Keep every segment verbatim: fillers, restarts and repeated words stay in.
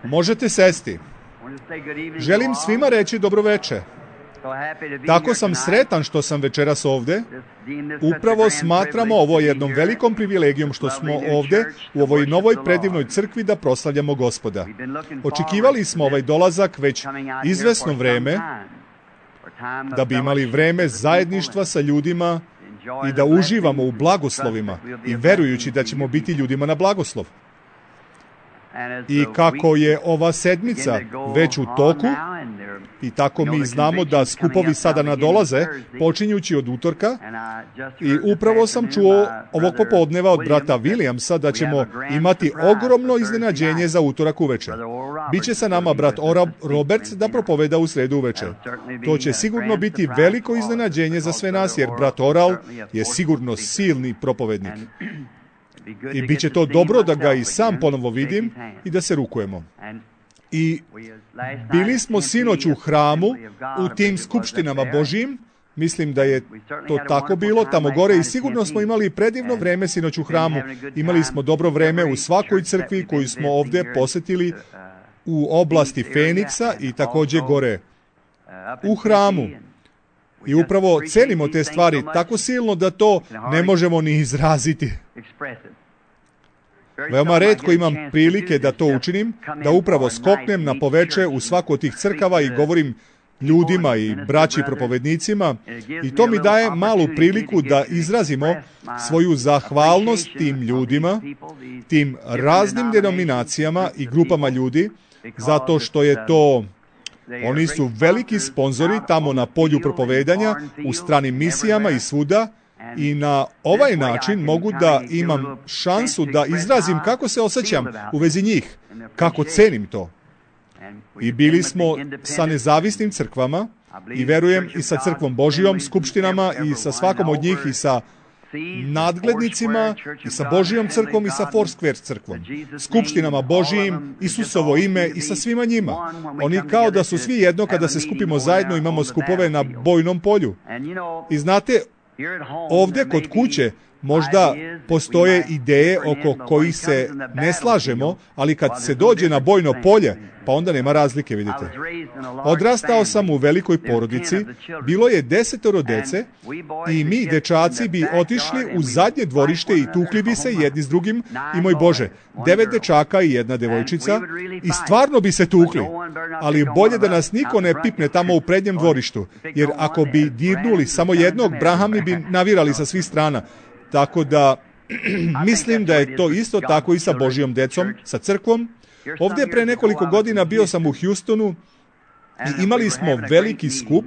Možete sesti. Želim svima reći dobroveče. Tako sam sretan što sam večeras ovde. Upravo smatramo ovo jednom velikom privilegijom što smo ovde u ovoj novoj predivnoj crkvi da proslavljamo Gospoda. Očekivali smo ovaj dolazak već izvesno vreme, da bi imali vreme zajedništva sa ljudima i da uživamo u blagoslovima i verujući da ćemo biti ljudima na blagoslov. I kako je ova sedmica već u toku, i tako mi znamo da skupovi sada nadolaze, počinjući od utorka, i upravo sam čuo ovog popodneva od brata Williamsa da ćemo imati ogromno iznenađenje za utorak uveče. Biće sa nama brat Oral Roberts da propoveda u sredu uveče. To će sigurno biti veliko iznenađenje za sve nas, jer brat Oral je sigurno silni propovednik. I bit će to dobro da ga i sam ponovo vidim i da se rukujemo. I bili smo sinoć u hramu, u tim skupštinama Božijim, mislim da je to tako bilo, tamo gore, i sigurno smo imali predivno vreme sinoć u hramu. Imali smo dobro vreme u svakoj crkvi koju smo ovde posetili u oblasti Feniksa i takođe gore u hramu. I upravo cenimo te stvari tako silno da to ne možemo ni izraziti. Veoma retko imam prilike da to učinim, da upravo skoknem na poveče u svaku od tih crkava i govorim ljudima i braći propovednicima, i to mi daje malu priliku da izrazimo svoju zahvalnost tim ljudima, tim raznim denominacijama i grupama ljudi, zato što je to... Oni su veliki sponzori tamo na polju propovedanja, u stranim misijama i svuda, i na ovaj način mogu da imam šansu da izrazim kako se osjećam u vezi njih, kako cenim to. I bili smo sa nezavisnim crkvama, i verujem i sa crkvom Božijom, skupštinama, i sa svakom od njih, i sa nadglednicima, i sa Božijom crkvom, i sa Foursquare crkvom, skupštinama Božijim, Isusovo ime, i sa svima njima. Oni kao da su svi jedno kada se skupimo zajedno, imamo skupove na bojnom polju. I znate, ovde kod kuće možda postoje ideje oko kojih se ne slažemo, ali kad se dođe na bojno polje, pa onda nema razlike, vidite. Odrastao sam u velikoj porodici, bilo je desetoro dece, i mi, dečaci, bi otišli u zadnje dvorište i tukli bi se jedni s drugim, i moj Bože, devet dečaka i jedna devojčica, i stvarno bi se tukli. Ali bolje da nas niko ne pipne tamo u prednjem dvorištu, jer ako bi dirnuli samo jednog, brahami bi navirali sa svih strana. Tako da, mislim da je to isto tako i sa Božijom decom, sa crkvom. Ovdje pre nekoliko godina bio sam u Houstonu i imali smo veliki skup,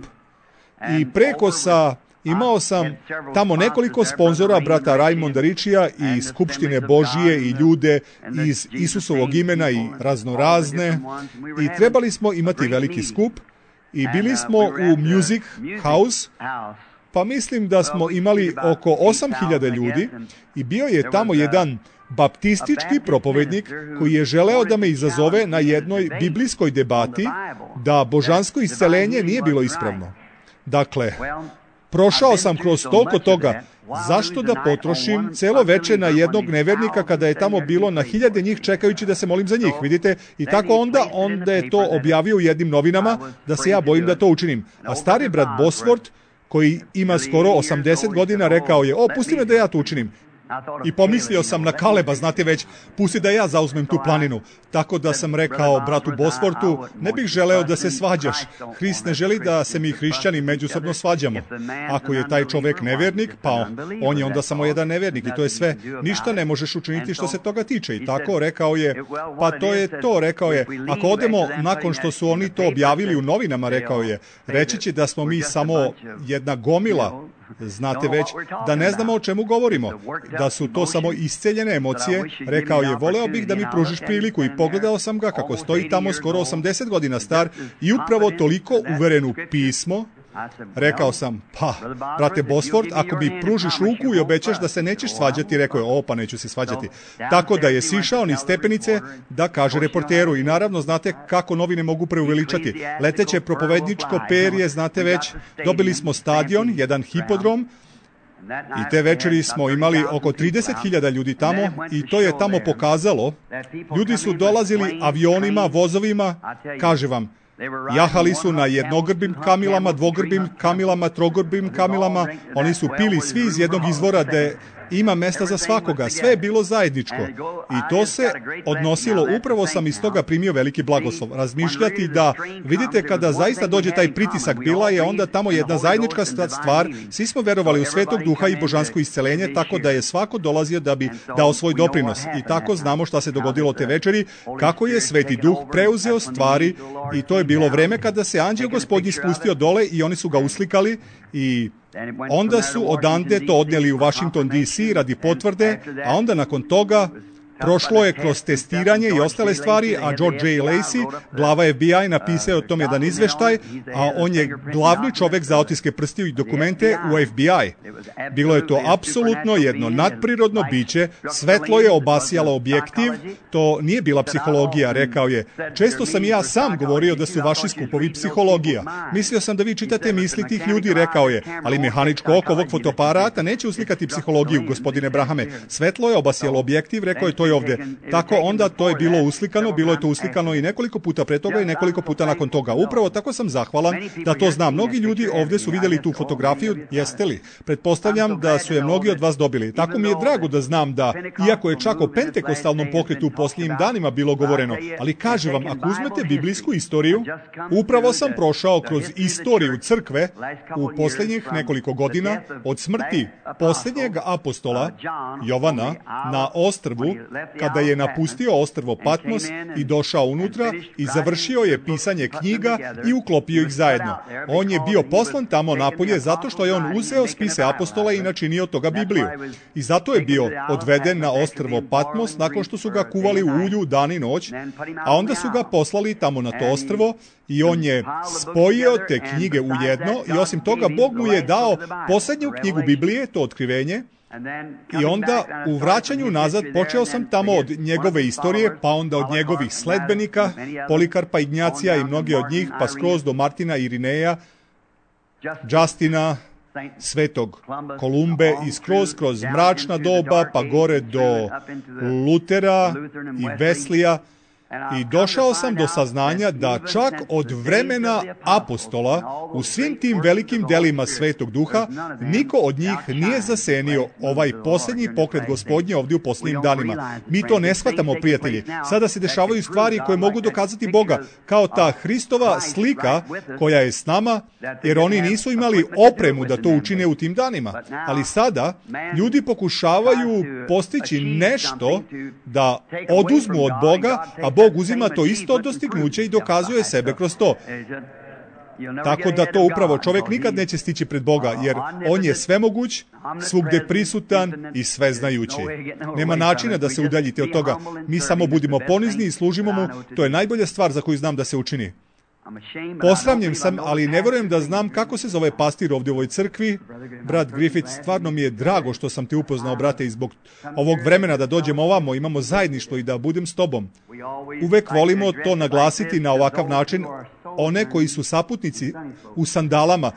i preko sa, imao sam tamo nekoliko sponzora, brata Raimonda Ričija i Skupštine Božije i ljude iz Isusovog imena i raznorazne, i trebali smo imati veliki skup, i bili smo u Music House, pa mislim da smo imali oko osam hiljada ljudi, i bio je tamo jedan baptistički propovednik koji je želeo da me izazove na jednoj biblijskoj debati da božansko iscelenje nije bilo ispravno. Dakle, prošao sam kroz toliko toga. Zašto da potrošim celo veče na jednog nevernika kada je tamo bilo na hiljade njih čekajući da se molim za njih, vidite? I tako onda, onda je to objavio u jednim novinama da se ja bojim da to učinim. A stari brat Bosworth, koji ima skoro osamdeset godina, rekao je, o, pusti me da ja to učinim. I pomislio sam na Kaleba, znate već, pusti da ja zauzmem tu planinu. Tako da sam rekao bratu Bosworthu, ne bih želeo da se svađaš. Hrist ne želi da se mi hrišćani međusobno svađamo. Ako je taj čovek nevernik, pa on je onda samo jedan nevernik, i to je sve. Ništa ne možeš učiniti što se toga tiče. I tako rekao je, pa to je to, rekao je. Ako odemo nakon što su oni to objavili u novinama, rekao je, reći će da smo mi samo jedna gomila, znate već, da ne znamo o čemu govorimo, da su to samo isceljene emocije. Rekao je, voleo bih da mi pružiš priliku, i pogledao sam ga kako stoji tamo skoro osamdeset godina star i upravo toliko uveren u pismo. Rekao sam, pa, brate Bosworth, ako mi pružiš ruku i obećaš da se nećeš svađati, rekao je, o, pa neću se svađati. Tako da je sišao niz stepenice da kaže reporteru, i naravno, znate kako novine mogu preuveličati. Leteće propovedničko perje, znate već, dobili smo stadion, jedan hipodrom, I te večeri smo imali oko trideset hiljada ljudi tamo i to je tamo pokazalo. Ljudi su dolazili avionima, vozovima, kaže vam, jahali su na jednogrbim kamilama, dvogrbim kamilama, trogrbim kamilama, oni su pili svi iz jednog izvora gde ima mesta za svakoga, sve je bilo zajedničko. I to se odnosilo, upravo sam iz toga primio veliki blagoslov. Razmišljati da, vidite, kada zaista dođe taj pritisak, bila je onda tamo jedna zajednička stvar, svi smo verovali u Svetog Duha i božansko isceljenje, tako da je svako dolazio da bi dao svoj doprinos. I tako znamo šta se dogodilo te večeri, kako je Sveti Duh preuzeo stvari i to je bilo vreme kada se anđeo Gospodnji spustio dole i oni su ga uslikali i onda su odande to odneli u Washington D C radi potvrde, a onda nakon toga prošlo je kroz testiranje i ostale stvari, a George J. Lacey, glava F B I, napisao je o tom jedan izveštaj, a on je glavni čovek za otiske prstiju i dokumente u F B I. Bilo je to apsolutno jedno nadprirodno biće, svetlo je obasjalo objektiv, to nije bila psihologija, rekao je. Često sam i ja sam govorio da su vaši skupovi psihologija. Mislio sam da vi čitate misli tih ljudi, rekao je, ali mehaničko oko ovog fotoaparata neće uslikati psihologiju, gospodine Brahame. Svetlo je obasjalo objektiv, rekao je, to je ovde. Tako onda to je bilo uslikano, bilo je to uslikano i nekoliko puta pre toga i nekoliko puta nakon toga. Upravo tako sam zahvalan da to znam. Mnogi ljudi ovde su videli tu fotografiju, jeste li? Pretpostavljam da su je mnogi od vas dobili. Tako mi je drago da znam da, iako je čak o pentekostalnom pokretu u posljednjim danima bilo govoreno, ali kažem vam, ako uzmete biblijsku istoriju, upravo sam prošao kroz istoriju crkve u posljednjih nekoliko godina od smrti posljednjeg apostola Jovana na ostrvu, kada je napustio ostrvo Patmos i došao unutra i završio je pisanje knjiga i uklopio ih zajedno. On je bio poslan tamo napolje zato što je on uzeo spise apostola i načinio toga Bibliju. I zato je bio odveden na ostrvo Patmos nakon što su ga kuvali u ulju dan i noć, a onda su ga poslali tamo na to ostrvo i on je spojio te knjige u jedno i osim toga Bog mu je dao posljednju knjigu Biblije, to otkrivenje. I onda u vraćanju nazad počeo sam tamo od njegove istorije, pa onda od njegovih sledbenika, Polikarpa, Ignjacija i mnogi od njih, pa skroz do Martina, Irineja, Justina, Svetog Kolumbe i skroz kroz mračna doba, pa gore do Lutera i Veslija. I došao sam do saznanja da čak od vremena apostola u svim tim velikim delima Svetog Duha niko od njih nije zasenio ovaj posljednji pokret Gospodnje ovdje u posljednjim danima. Mi to ne shvatamo, prijatelji. Sada se dešavaju stvari koje mogu dokazati Boga, kao ta Hristova slika koja je s nama, jer oni nisu imali opremu da to učine u tim danima. Ali sada ljudi pokušavaju postići nešto da oduzmu od Boga, a Bog uzima to isto dostignuće i dokazuje sebe kroz to. Tako da to upravo čovjek nikad neće stići pred Boga, jer on je svemoguć, svugde prisutan i sveznajući. Nema načina da se udaljite od toga. Mi samo budimo ponizni i služimo mu, to je najbolja stvar za koju znam da se učini. Posramljen sam, ali ne vjerujem da znam kako se zove pastir ovdje u ovoj crkvi. Brat Griffith, stvarno mi je drago što sam te upoznao, brate, i zbog ovog vremena da dođemo ovamo, imamo zajedništvo i da budem s tobom. Uvek volimo to naglasiti na ovakav način, one koji su saputnici u sandalama,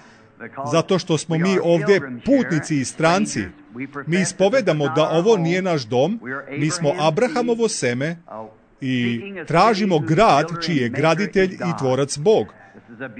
zato što smo mi ovdje putnici i stranci. Mi ispovedamo da ovo nije naš dom, mi smo Abrahamovo seme, i tražimo grad čiji je graditelj i tvorac Bog.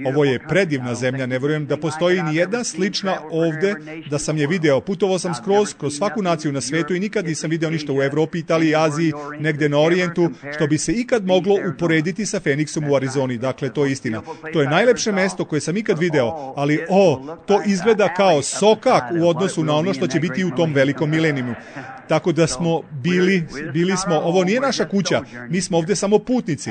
Ovo je predivna zemlja, ne vjerujem da postoji ni jedna slična ovdje, da sam je video. Putovao sam skroz kroz svaku naciju na svijetu i nikad nisam video ništa u Evropi, Italiji, Aziji, negde na Orijentu, što bi se ikad moglo uporediti sa Feniksom u Arizoni. Dakle, to je istina. To je najlepše mesto koje sam ikad video, ali o, to izgleda kao sokak u odnosu na ono što će biti u tom velikom milenijumu. Tako da smo bili, bili smo, ovo nije naša kuća, mi smo ovdje samo putnici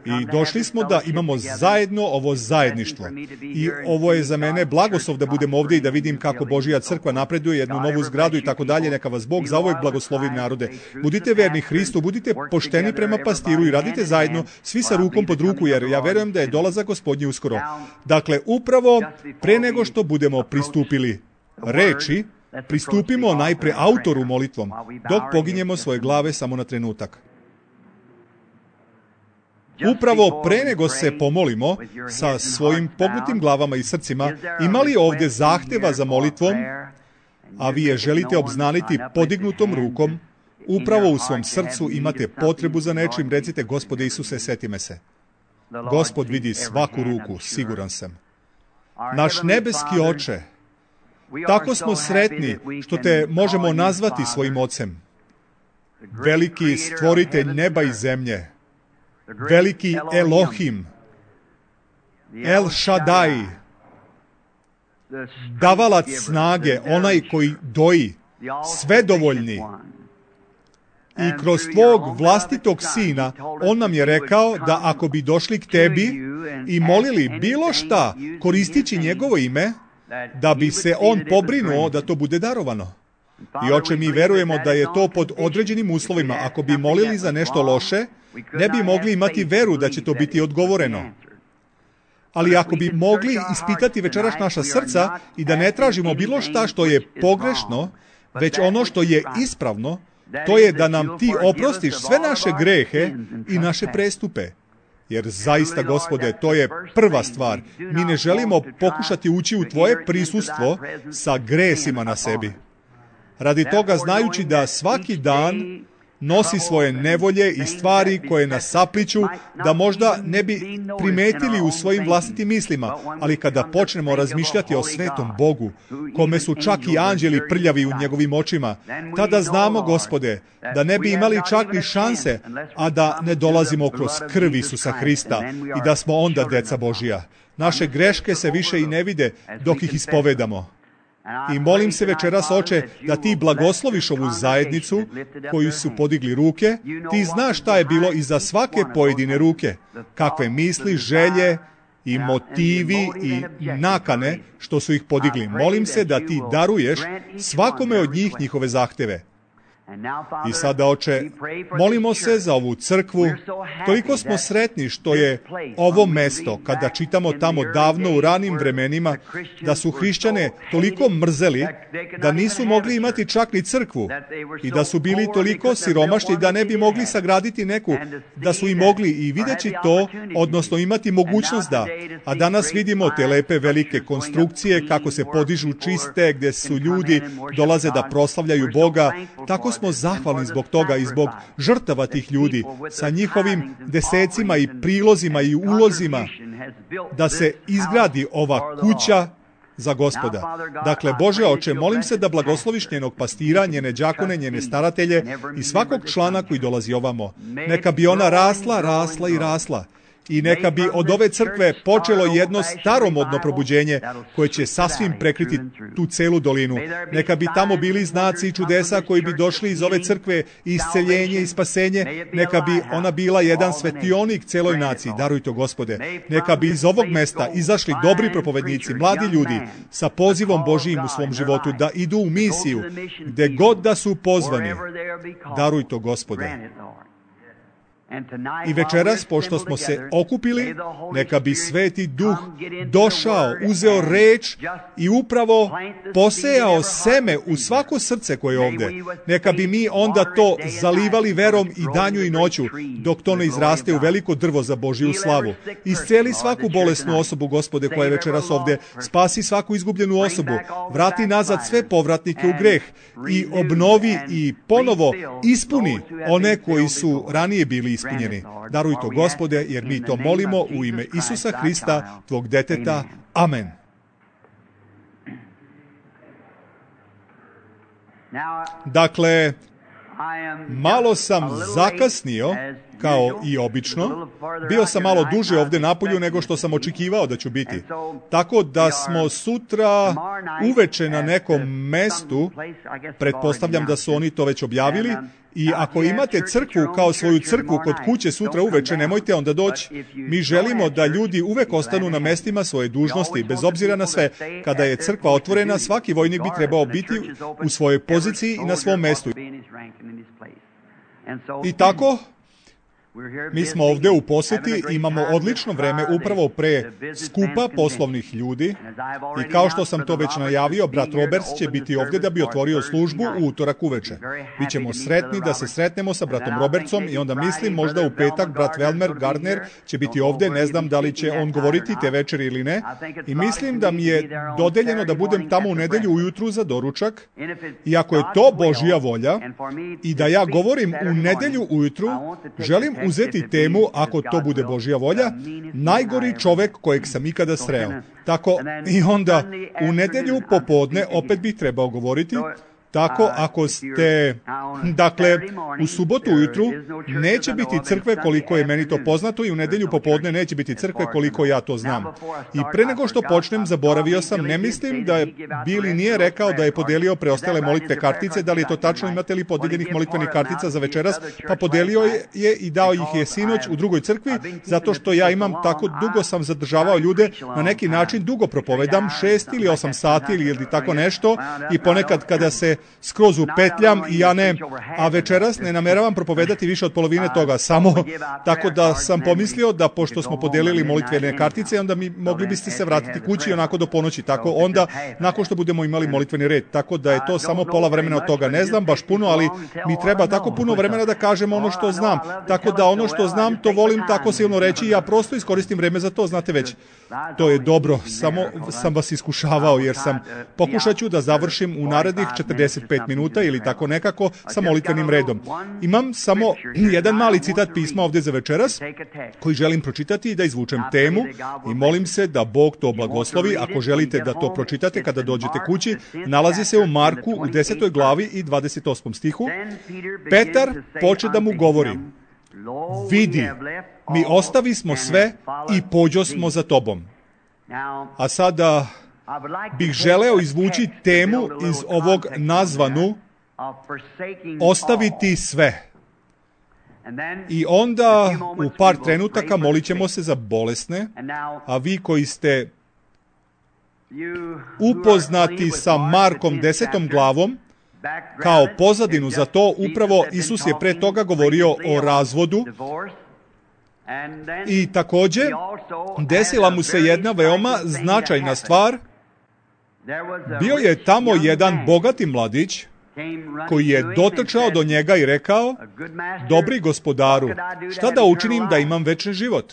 i došli smo da imamo zajedno ovo zajedništvo. I ovo je za mene blagoslov da budem ovdje i da vidim kako Božja crkva napreduje, jednu novu zgradu i tako dalje. Neka vas Bog zauvek blagoslovi, narode. Budite verni Hristu, budite pošteni prema pastiru i radite zajedno, svi sa rukom pod ruku, jer ja verujem da je dolazak Gospodnji uskoro. Dakle, upravo pre nego što budemo pristupili reči, pristupimo najpre autoru molitvom, dok poginjemo svoje glave samo na trenutak. Upravo pre nego se pomolimo sa svojim pognutim glavama i srcima, ima li ovdje zahteva za molitvom? a vi je želite obznaniti podignutom rukom, upravo u svom srcu imate potrebu za nečim, recite: Gospode Isuse, seti me se. Gospod vidi svaku ruku, siguran sam. Naš nebeski Oče, tako smo sretni što te možemo nazvati svojim Ocem. Veliki stvoritelj neba i zemlje, veliki Elohim, El Shaddai, davalac snage, onaj koji doji, svedovoljni. I kroz tvog vlastitog Sina, on nam je rekao da ako bi došli k tebi i molili bilo šta, koristići njegovo ime, da bi se on pobrinuo da to bude darovano. I Oče, mi verujemo da je to pod određenim uslovima. Ako bi molili za nešto loše, ne bi mogli imati veru da će to biti odgovoreno. Ali ako bi mogli ispitati večeras naša srca i da ne tražimo bilo šta što je pogrešno, već ono što je ispravno, to je da nam ti oprostiš sve naše grehe i naše prestupe. Jer zaista, Gospode, to je prva stvar. Mi ne želimo pokušati ući u tvoje prisustvo sa gresima na sebi. Radi toga, znajući da svaki dan nosi svoje nevolje i stvari koje nas sapliću, da možda ne bi primetili u svojim vlastitim mislima, ali kada počnemo razmišljati o svetom Bogu, kome su čak i anđeli prljavi u njegovim očima, tada znamo, Gospode, da ne bi imali čak ni šanse, a da ne dolazimo kroz krv Isusa Hrista i da smo onda deca Božija. Naše greške se više i ne vide dok ih ispovedamo. I molim se večeras, Oče, da ti blagosloviš ovu zajednicu koju su podigli ruke. Ti znaš šta je bilo iza svake pojedine ruke, kakve misli, želje i motivi i nakane što su ih podigli. Molim se da ti daruješ svakome od njih njihove zahteve. I sada, Oče, molimo se za ovu crkvu. Toliko smo sretni što je ovo mesto, kada čitamo tamo davno u ranim vremenima, da su hrišćane toliko mrzeli da nisu mogli imati čak ni crkvu i da su bili toliko siromašni da ne bi mogli sagraditi neku, da su i mogli i videći to, odnosno imati mogućnost da. A danas vidimo te lepe velike konstrukcije, kako se podižu čiste, gdje su ljudi dolaze da proslavljaju Boga. Tako smo zahvalni zbog toga i zbog žrtava tih ljudi sa njihovim desecima i prilozima i ulozima da se izgradi ova kuća za Gospoda. Dakle, Bože Oče, molim se da blagosloviš njenog pastira, njene đakone, njene staratelje i svakog člana koji dolazi ovamo. Neka bi ona rasla, rasla i rasla. I neka bi od ove crkve počelo jedno staromodno probuđenje koje će sasvim prekriti tu celu dolinu. Neka bi tamo bili znaci i čudesa koji bi došli iz ove crkve, i isceljenje i spasenje. Neka bi ona bila jedan svetionik celoj naciji. Daruj to, Gospode. Neka bi iz ovog mesta izašli dobri propovednici, mladi ljudi sa pozivom Božijim u svom životu da idu u misiju gde god da su pozvani. Daruj to, Gospode. I večeras, pošto smo se okupili, neka bi Sveti Duh došao, uzeo reč i upravo posejao seme u svako srce koje je ovdje. Neka bi mi onda to zalivali verom i danju i noću, dok to ne izraste u veliko drvo za Božiju slavu. Isceli svaku bolesnu osobu, Gospode, koja je večeras ovdje. Spasi svaku izgubljenu osobu. Vrati nazad sve povratnike u greh i obnovi i ponovo ispuni one koji su ranije bili ispunjeni. Daruj to, Gospode, jer mi to molimo u ime Isusa Hrista, tvog deteta. Amen. Dakle, malo sam zakasnio, kao i obično. Bio sam malo duže ovdje napolju nego što sam očekivao da ću biti. Tako da smo sutra uveče na nekom mestu, pretpostavljam da su oni to već objavili, i ako imate crkvu kao svoju crkvu kod kuće sutra uveče, nemojte onda doći. Mi želimo da ljudi uvek ostanu na mestima svoje dužnosti, bez obzira na sve. Kada je crkva otvorena, svaki vojnik bi trebao biti u svojoj poziciji i na svom mestu. I tako, Mi smo ovdje u posjeti, imamo odlično vreme upravo pre skupa poslovnih ljudi i kao što sam to već najavio, brat Roberts će biti ovdje da bi otvorio službu u utorak uveče. Bićemo sretni da se sretnemo sa bratom Robertsom i onda mislim možda u petak brat Welmer Gardner će biti ovdje, ne znam da li će on govoriti te večeri ili ne. I mislim da mi je dodeljeno da budem tamo u nedelju ujutru za doručak i ako je to Božja volja i da ja govorim u nedelju ujutru, želim uzeti temu, ako to bude Božja volja, najgori čovek kojeg sam ikada sreo. Tako i onda u nedelju popodne opet bih trebao govoriti. Tako, ako ste, dakle, u subotu ujutru neće biti crkve koliko je meni to poznato i u nedelju popodne neće biti crkve koliko ja to znam. I pre nego što počnem, zaboravio sam, ne mislim da je Billy nije rekao da je podelio preostale molitve kartice, da li je to tačno, imate li podeljenih molitvenih kartica za večeras, pa podelio je i dao ih je sinoć u drugoj crkvi, zato što ja imam tako dugo sam zadržavao ljude, na neki način dugo propovedam, šest ili osam sati ili tako nešto i ponekad kada se skroz upetljam i ja ne, a večeras ne nameravam propovedati više od polovine toga, samo tako da sam pomislio da pošto smo podelili molitvene kartice, onda mi mogli biste se vratiti kući onako do ponoći, tako onda nakon što budemo imali molitveni red, tako da je to samo pola vremena od toga, ne znam baš puno, ali mi treba tako puno vremena da kažem ono što znam, tako da ono što znam to volim tako silno reći i ja prosto iskoristim vreme za to, znate već. To je dobro, samo sam vas iskušavao jer sam, pokušat ću da završim u narednih četrdeset pet minuta ili tako nekako sa molitvenim redom. Imam samo jedan mali citat pisma ovdje za večeras koji želim pročitati i da izvučem temu i molim se da Bog to blagoslovi. Ako želite da to pročitate kada dođete kući, nalazi se u Marku u desetoj glavi i dvadeset osmom stihu. Petar poče da mu govori: vidi, mi ostavi smo sve i pođo smo za tobom. A sada bih želeo izvući temu iz ovog nazvanu ostaviti sve. I onda u par trenutaka molit ćemo se za bolesne, a vi koji ste upoznati sa Markom desetom glavom, kao pozadinu za to, upravo Isus je pre toga govorio o razvodu i također desila mu se jedna veoma značajna stvar. Bio je tamo jedan bogati mladić koji je dotrčao do njega i rekao: dobri gospodaru, šta da učinim da imam večni život?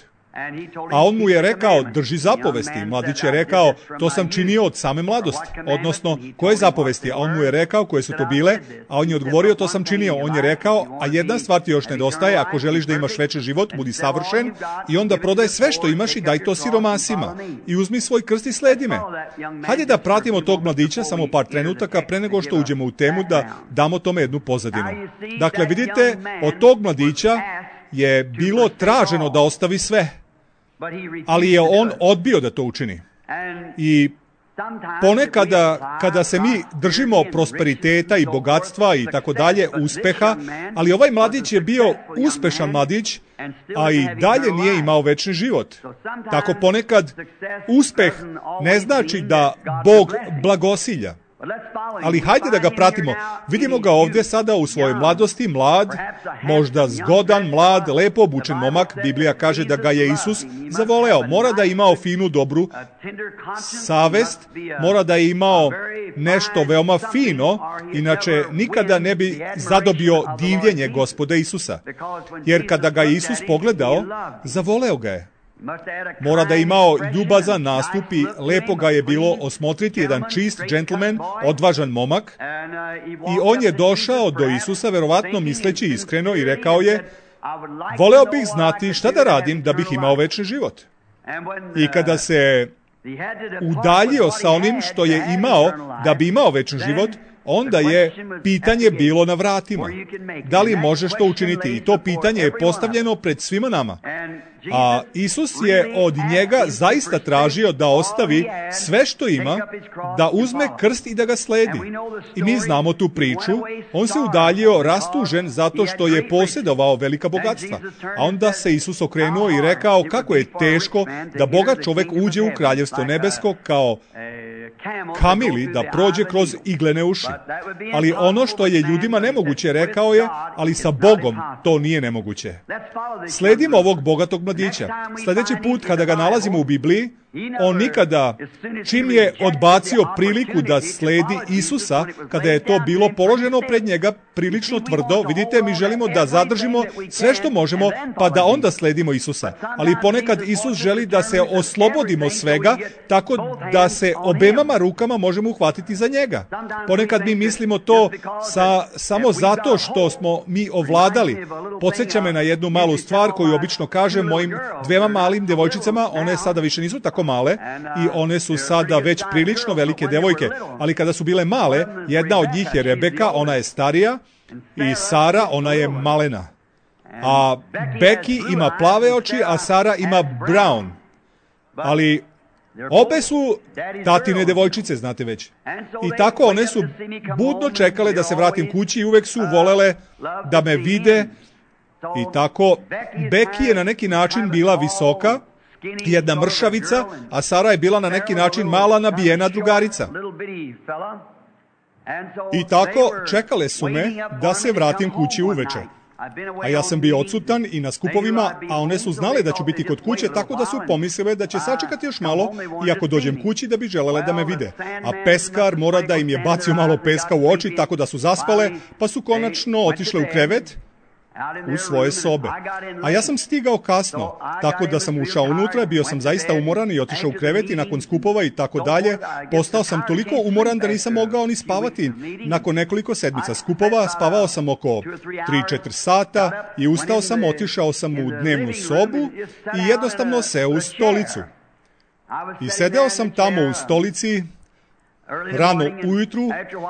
A on mu je rekao: drži zapovesti. Mladić je rekao: to sam činio od same mladosti. Odnosno, koje zapovesti? A on mu je rekao koje su to bile, a on je odgovorio: to sam činio. On je rekao: a jedna stvar ti još nedostaje, ako želiš da imaš večni život, budi savršen i onda prodaj sve što imaš i daj to siromasima. I uzmi svoj krst i sledi me. Hajde da pratimo tog mladića samo par trenutaka pre nego što uđemo u temu, da damo tome jednu pozadinu. Dakle, vidite, od tog mladića je bilo traženo da ostavi sve, ali je on odbio da to učini. I ponekada kada se mi držimo prosperiteta i bogatstva i tako dalje, uspeha, ali ovaj mladić je bio uspešan mladić, a i dalje nije imao večni život. Tako ponekad uspeh ne znači da Bog blagosilja. Ali hajde da ga pratimo. Vidimo ga ovdje sada u svojoj mladosti, mlad, možda zgodan, mlad, lepo obučen momak. Biblija kaže da ga je Isus zavoleo. Mora da je imao finu, dobru savest, mora da je imao nešto veoma fino, inače nikada ne bi zadobio divljenje Gospoda Isusa. Jer kada ga je Isus pogledao, zavoleo ga je. Mora da je imao ljubazan nastup i lepo ga je bilo osmotriti, jedan čist džentlmen, odvažan momak. I on je došao do Isusa, verovatno misleći iskreno, i rekao je: voleo bih znati šta da radim da bih imao večni život. I kada se udaljio sa onim što je imao da bi imao večni život, onda je pitanje bilo na vratima. Da li možeš to učiniti? I to pitanje je postavljeno pred svima nama. A Isus je od njega zaista tražio da ostavi sve što ima, da uzme krst i da ga sledi. I mi znamo tu priču. On se udaljio rastužen zato što je posjedovao velika bogatstva. A onda se Isus okrenuo i rekao kako je teško da bogat čovek uđe u kraljevstvo nebesko kao kamili da prođe kroz iglene uši. Ali ono što je ljudima nemoguće, rekao je, ali sa Bogom to nije nemoguće. Sledimo ovog bogatog mladića. Sljedeći put kada ga nalazimo u Bibliji, on nikada, čim je odbacio priliku da sledi Isusa, kada je to bilo položeno pred njega prilično tvrdo, vidite, mi želimo da zadržimo sve što možemo, pa da onda sledimo Isusa. Ali ponekad Isus želi da se oslobodimo svega, tako da se obemama rukama možemo uhvatiti za njega. Ponekad mi mislimo to sa, samo zato što smo mi ovladali. Podsjeća me na jednu malu stvar koju obično kažem mojim dvema malim devojčicama, one sada više nisu tako male i one su sada već prilično velike devojke, ali kada su bile male, jedna od njih je Rebeka, ona je starija, i Sara, ona je malena. A Becky ima plave oči, a Sara ima brown. Ali obe su tatine devojčice, znate već. I tako one su budno čekale da se vratim kući i uvek su volele da me vide. I tako, Becky je na neki način bila visoka, jedna mršavica, a Sara je bila na neki način mala nabijena drugarica. I tako čekale su me da se vratim kući uveče. A ja sam bio odsutan i na skupovima, a one su znale da ću biti kod kuće, tako da su pomislile da će sačekati još malo i ako dođem kući da bi želele da me vide. A peskar mora da im je bacio malo peska u oči, tako da su zaspale, pa su konačno otišle u krevet, u svoje sobe. A ja sam stigao kasno, tako da sam ušao unutra, bio sam zaista umoran i otišao u krevet i nakon skupova i tako dalje. Postao sam toliko umoran da nisam mogao ni spavati. Nakon nekoliko sedmica skupova spavao sam oko tri četiri sata i ustao sam, otišao sam u dnevnu sobu i jednostavno seo u stolicu. I sedeo sam tamo u stolici rano ujutru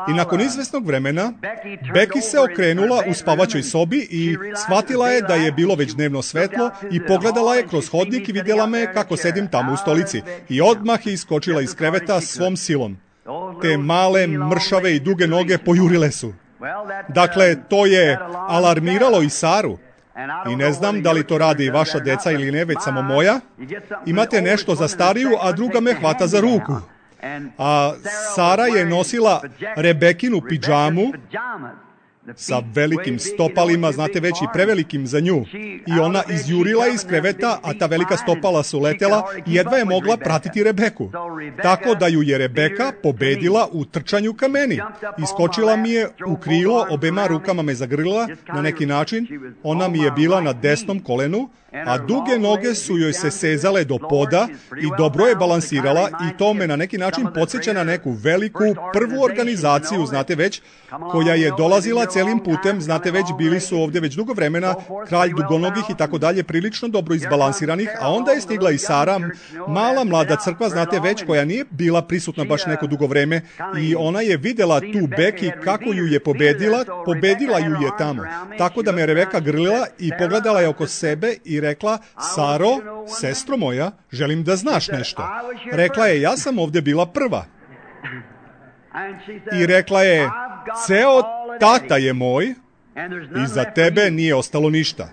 i nakon izvesnog vremena Becky se okrenula u spavaćoj sobi i shvatila je da je bilo već dnevno svetlo i pogledala je kroz hodnik i vidjela me kako sedim tamo u stolici. I odmah je iskočila iz kreveta svom silom. Te male, mršave i duge noge pojurile su. Dakle, to je alarmiralo i Saru. I ne znam da li to radi i vaša deca ili ne, već samo moja. Imate nešto za stariju, a druga me hvata za ruku. A Sara je nosila Rebekinu pidžamu sa velikim stopalima, znate već i prevelikim za nju. I ona izjurila iz kreveta, a ta velika stopala su letela i jedva je mogla pratiti Rebeku. Tako da ju je Rebeka pobedila u trčanju ka meni. Iskočila mi je u krilo, obema rukama me zagrlila na neki način. Ona mi je bila na desnom kolenu, a duge noge su joj se sezale do poda i dobro je balansirala i to me na neki način podsjeća na neku veliku prvu organizaciju, znate već, koja je dolazila celim putem, znate već, bili su ovdje već dugo vremena, kralj dugonogih i tako dalje, prilično dobro izbalansiranih, a onda je stigla i Sara, mala mlada crkva, znate već, koja nije bila prisutna baš neko dugo vreme i ona je vidjela tu Becky kako ju je pobedila, pobedila ju je tamo. Tako da me Rebeka grlila i pogledala je oko sebe i rekla: Saro, sestro moja, želim da znaš nešto. Rekla je: ja sam ovdje bila prva. I rekla je: ceo tata je moj i za tebe nije ostalo ništa.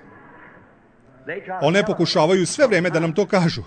One pokušavaju sve vrijeme da nam to kažu.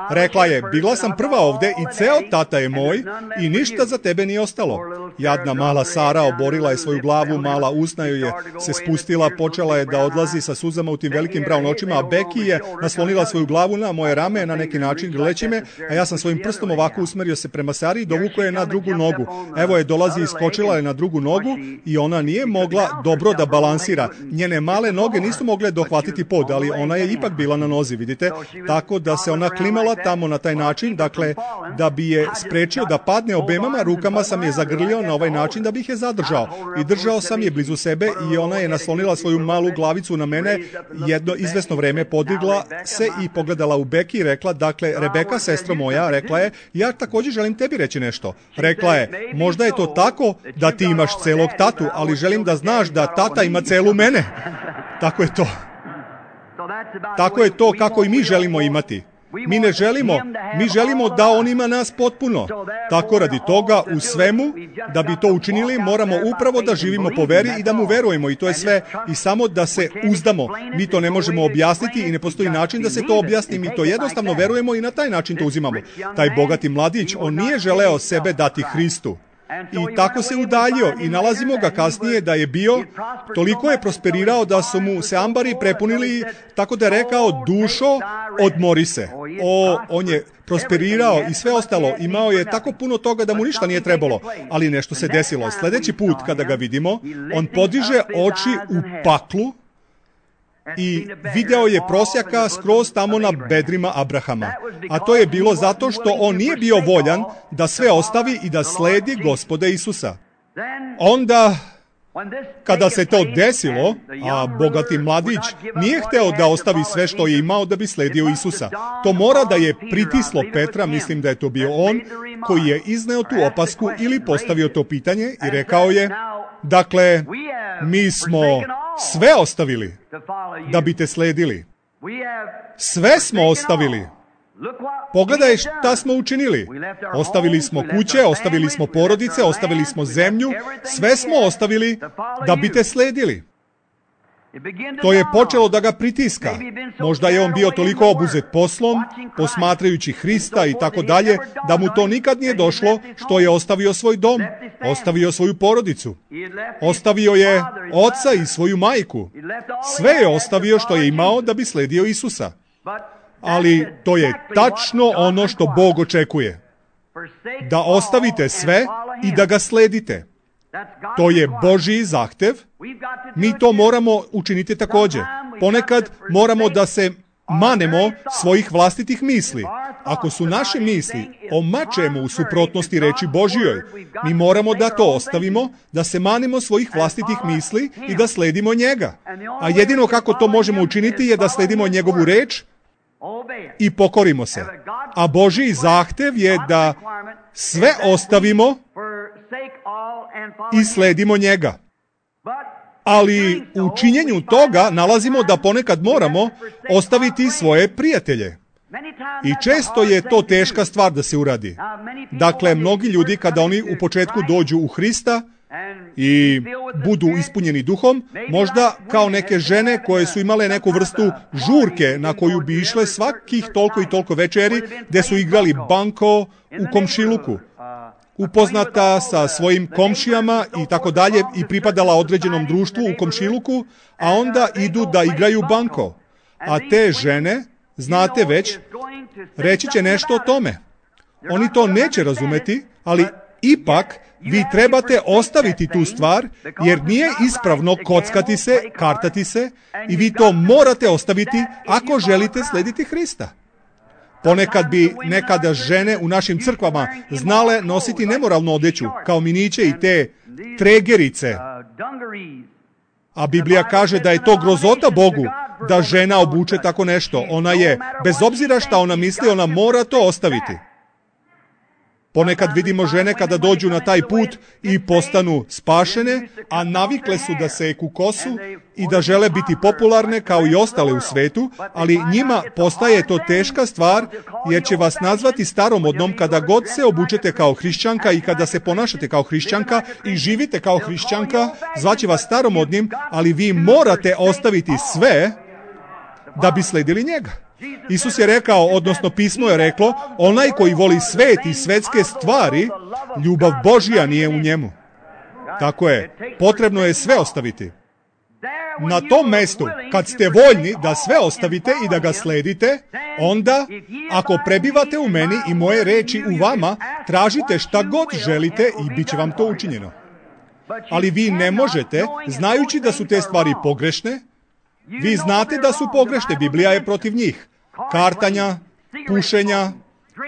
Rekla je: bila sam prva ovdje i ceo tata je moj i ništa za tebe nije ostalo. Jadna mala Sara oborila je svoju glavu, mala usna joj je se spustila, počela je da odlazi sa suzama u tim velikim brown očima, a Becky je naslonila svoju glavu na moje rame na neki način grleći me, a ja sam svojim prstom ovako usmerio se prema Sari i dovukao je na drugu nogu. Evo je dolazi, iskočila je na drugu nogu i ona nije mogla dobro da balansira. Njene male noge nisu mogle dohvatiti pod, ali ona je ipak bila na nozi, vidite, tako da se ona klimala tamo na taj način, dakle, da bi je sprečio da padne, obemama rukama sam je zagrlio na ovaj način da bih je zadržao. I držao sam je blizu sebe i ona je naslonila svoju malu glavicu na mene, jedno izvesno vreme podigla se i pogledala u Becky i rekla: dakle, Rebeka, sestro moja, rekla je, ja također želim tebi reći nešto. Rekla je: možda je to tako da ti imaš celog tatu, ali želim da znaš da tata ima celu mene. Tako je to. Tako je to kako i mi želimo imati. Mi ne želimo, mi želimo da on ima nas potpuno. Tako radi toga u svemu, da bi to učinili, moramo upravo da živimo po veri i da mu verujemo i to je sve. I samo da se uzdamo. Mi to ne možemo objasniti i ne postoji način da se to objasni. Mi to jednostavno verujemo i na taj način to uzimamo. Taj bogati mladić, on nije želeo sebe dati Hristu. I tako se udaljio i nalazimo ga kasnije da je bio, toliko je prosperirao da su mu se ambari prepunili, tako da je rekao, dušo, odmori se. O, on je prosperirao i sve ostalo, imao je tako puno toga da mu ništa nije trebalo, ali nešto se desilo. Sljedeći put kada ga vidimo, on podiže oči u paklu i video je prosjaka skroz tamo na bedrima Abrahama. A to je bilo zato što on nije bio voljan da sve ostavi i da sledi Gospoda Isusa. Onda, kada se to desilo, a bogati mladić nije hteo da ostavi sve što je imao da bi sledio Isusa. To mora da je pritislo Petra, mislim da je to bio on, koji je izneo tu opasku ili postavio to pitanje i rekao je, dakle, mi smo sve ostavili da bi te sledili. Sve smo ostavili. Pogledaj šta smo učinili. Ostavili smo kuće, ostavili smo porodice, ostavili smo zemlju, sve smo ostavili da bi te sledili. To je počelo da ga pritiska. Možda je on bio toliko obuzet poslom, posmatrajući Hrista i tako dalje, da mu to nikad nije došlo što je ostavio svoj dom, ostavio svoju porodicu. Ostavio je oca i svoju majku. Sve je ostavio što je imao da bi sledio Isusa. Ali to je tačno ono što Bog očekuje. Da ostavite sve i da ga sledite. To je Božji zahtev. Mi to moramo učiniti također. Ponekad moramo da se manemo svojih vlastitih misli. Ako su naše misli o mačemu u suprotnosti reči Božjoj, mi moramo da to ostavimo, da se manemo svojih vlastitih misli i da sledimo njega. A jedino kako to možemo učiniti je da sledimo njegovu reč i pokorimo se. A Božji zahtev je da sve ostavimo i sledimo njega. Ali u činjenju toga nalazimo da ponekad moramo ostaviti svoje prijatelje. I često je to teška stvar da se uradi. Dakle, mnogi ljudi kada oni u početku dođu u Hrista i budu ispunjeni duhom, možda kao neke žene koje su imale neku vrstu žurke na koju bi išle svakih toliko i toliko večeri, gde su igrali banko u komšiluku, upoznata sa svojim komšijama i tako dalje i pripadala određenom društvu u komšiluku, a onda idu da igraju banko. A te žene, znate već, reći će nešto o tome. Oni to neće razumeti, ali ipak vi trebate ostaviti tu stvar, jer nije ispravno kockati se, kartati se, i vi to morate ostaviti ako želite slediti Hrista. Ponekad bi nekada žene u našim crkvama znale nositi nemoralnu odeću, kao miniće i te tregerice. A Biblija kaže da je to grozota Bogu, da žena obuče tako nešto. Ona je, bez obzira šta ona misli, ona mora to ostaviti. Ponekad vidimo žene kada dođu na taj put i postanu spašene, a navikle su da seku kosu i da žele biti popularne kao i ostale u svetu, ali njima postaje to teška stvar, jer će vas nazvati staromodnom kada god se obučete kao hrišćanka i kada se ponašate kao hrišćanka i živite kao hrišćanka, zvaće vas staromodnim, ali vi morate ostaviti sve da bi sledili njega. Isus je rekao, odnosno pismo je reklo, onaj koji voli svet i svetske stvari, ljubav Božja nije u njemu. Tako je, potrebno je sve ostaviti. Na tom mestu, kad ste voljni da sve ostavite i da ga sledite, onda, ako prebivate u meni i moje reči u vama, tražite šta god želite i bit će vam to učinjeno. Ali vi ne možete, znajući da su te stvari pogrešne, vi znate da su pogrešne, Biblija je protiv njih. Kartanja, pušenja,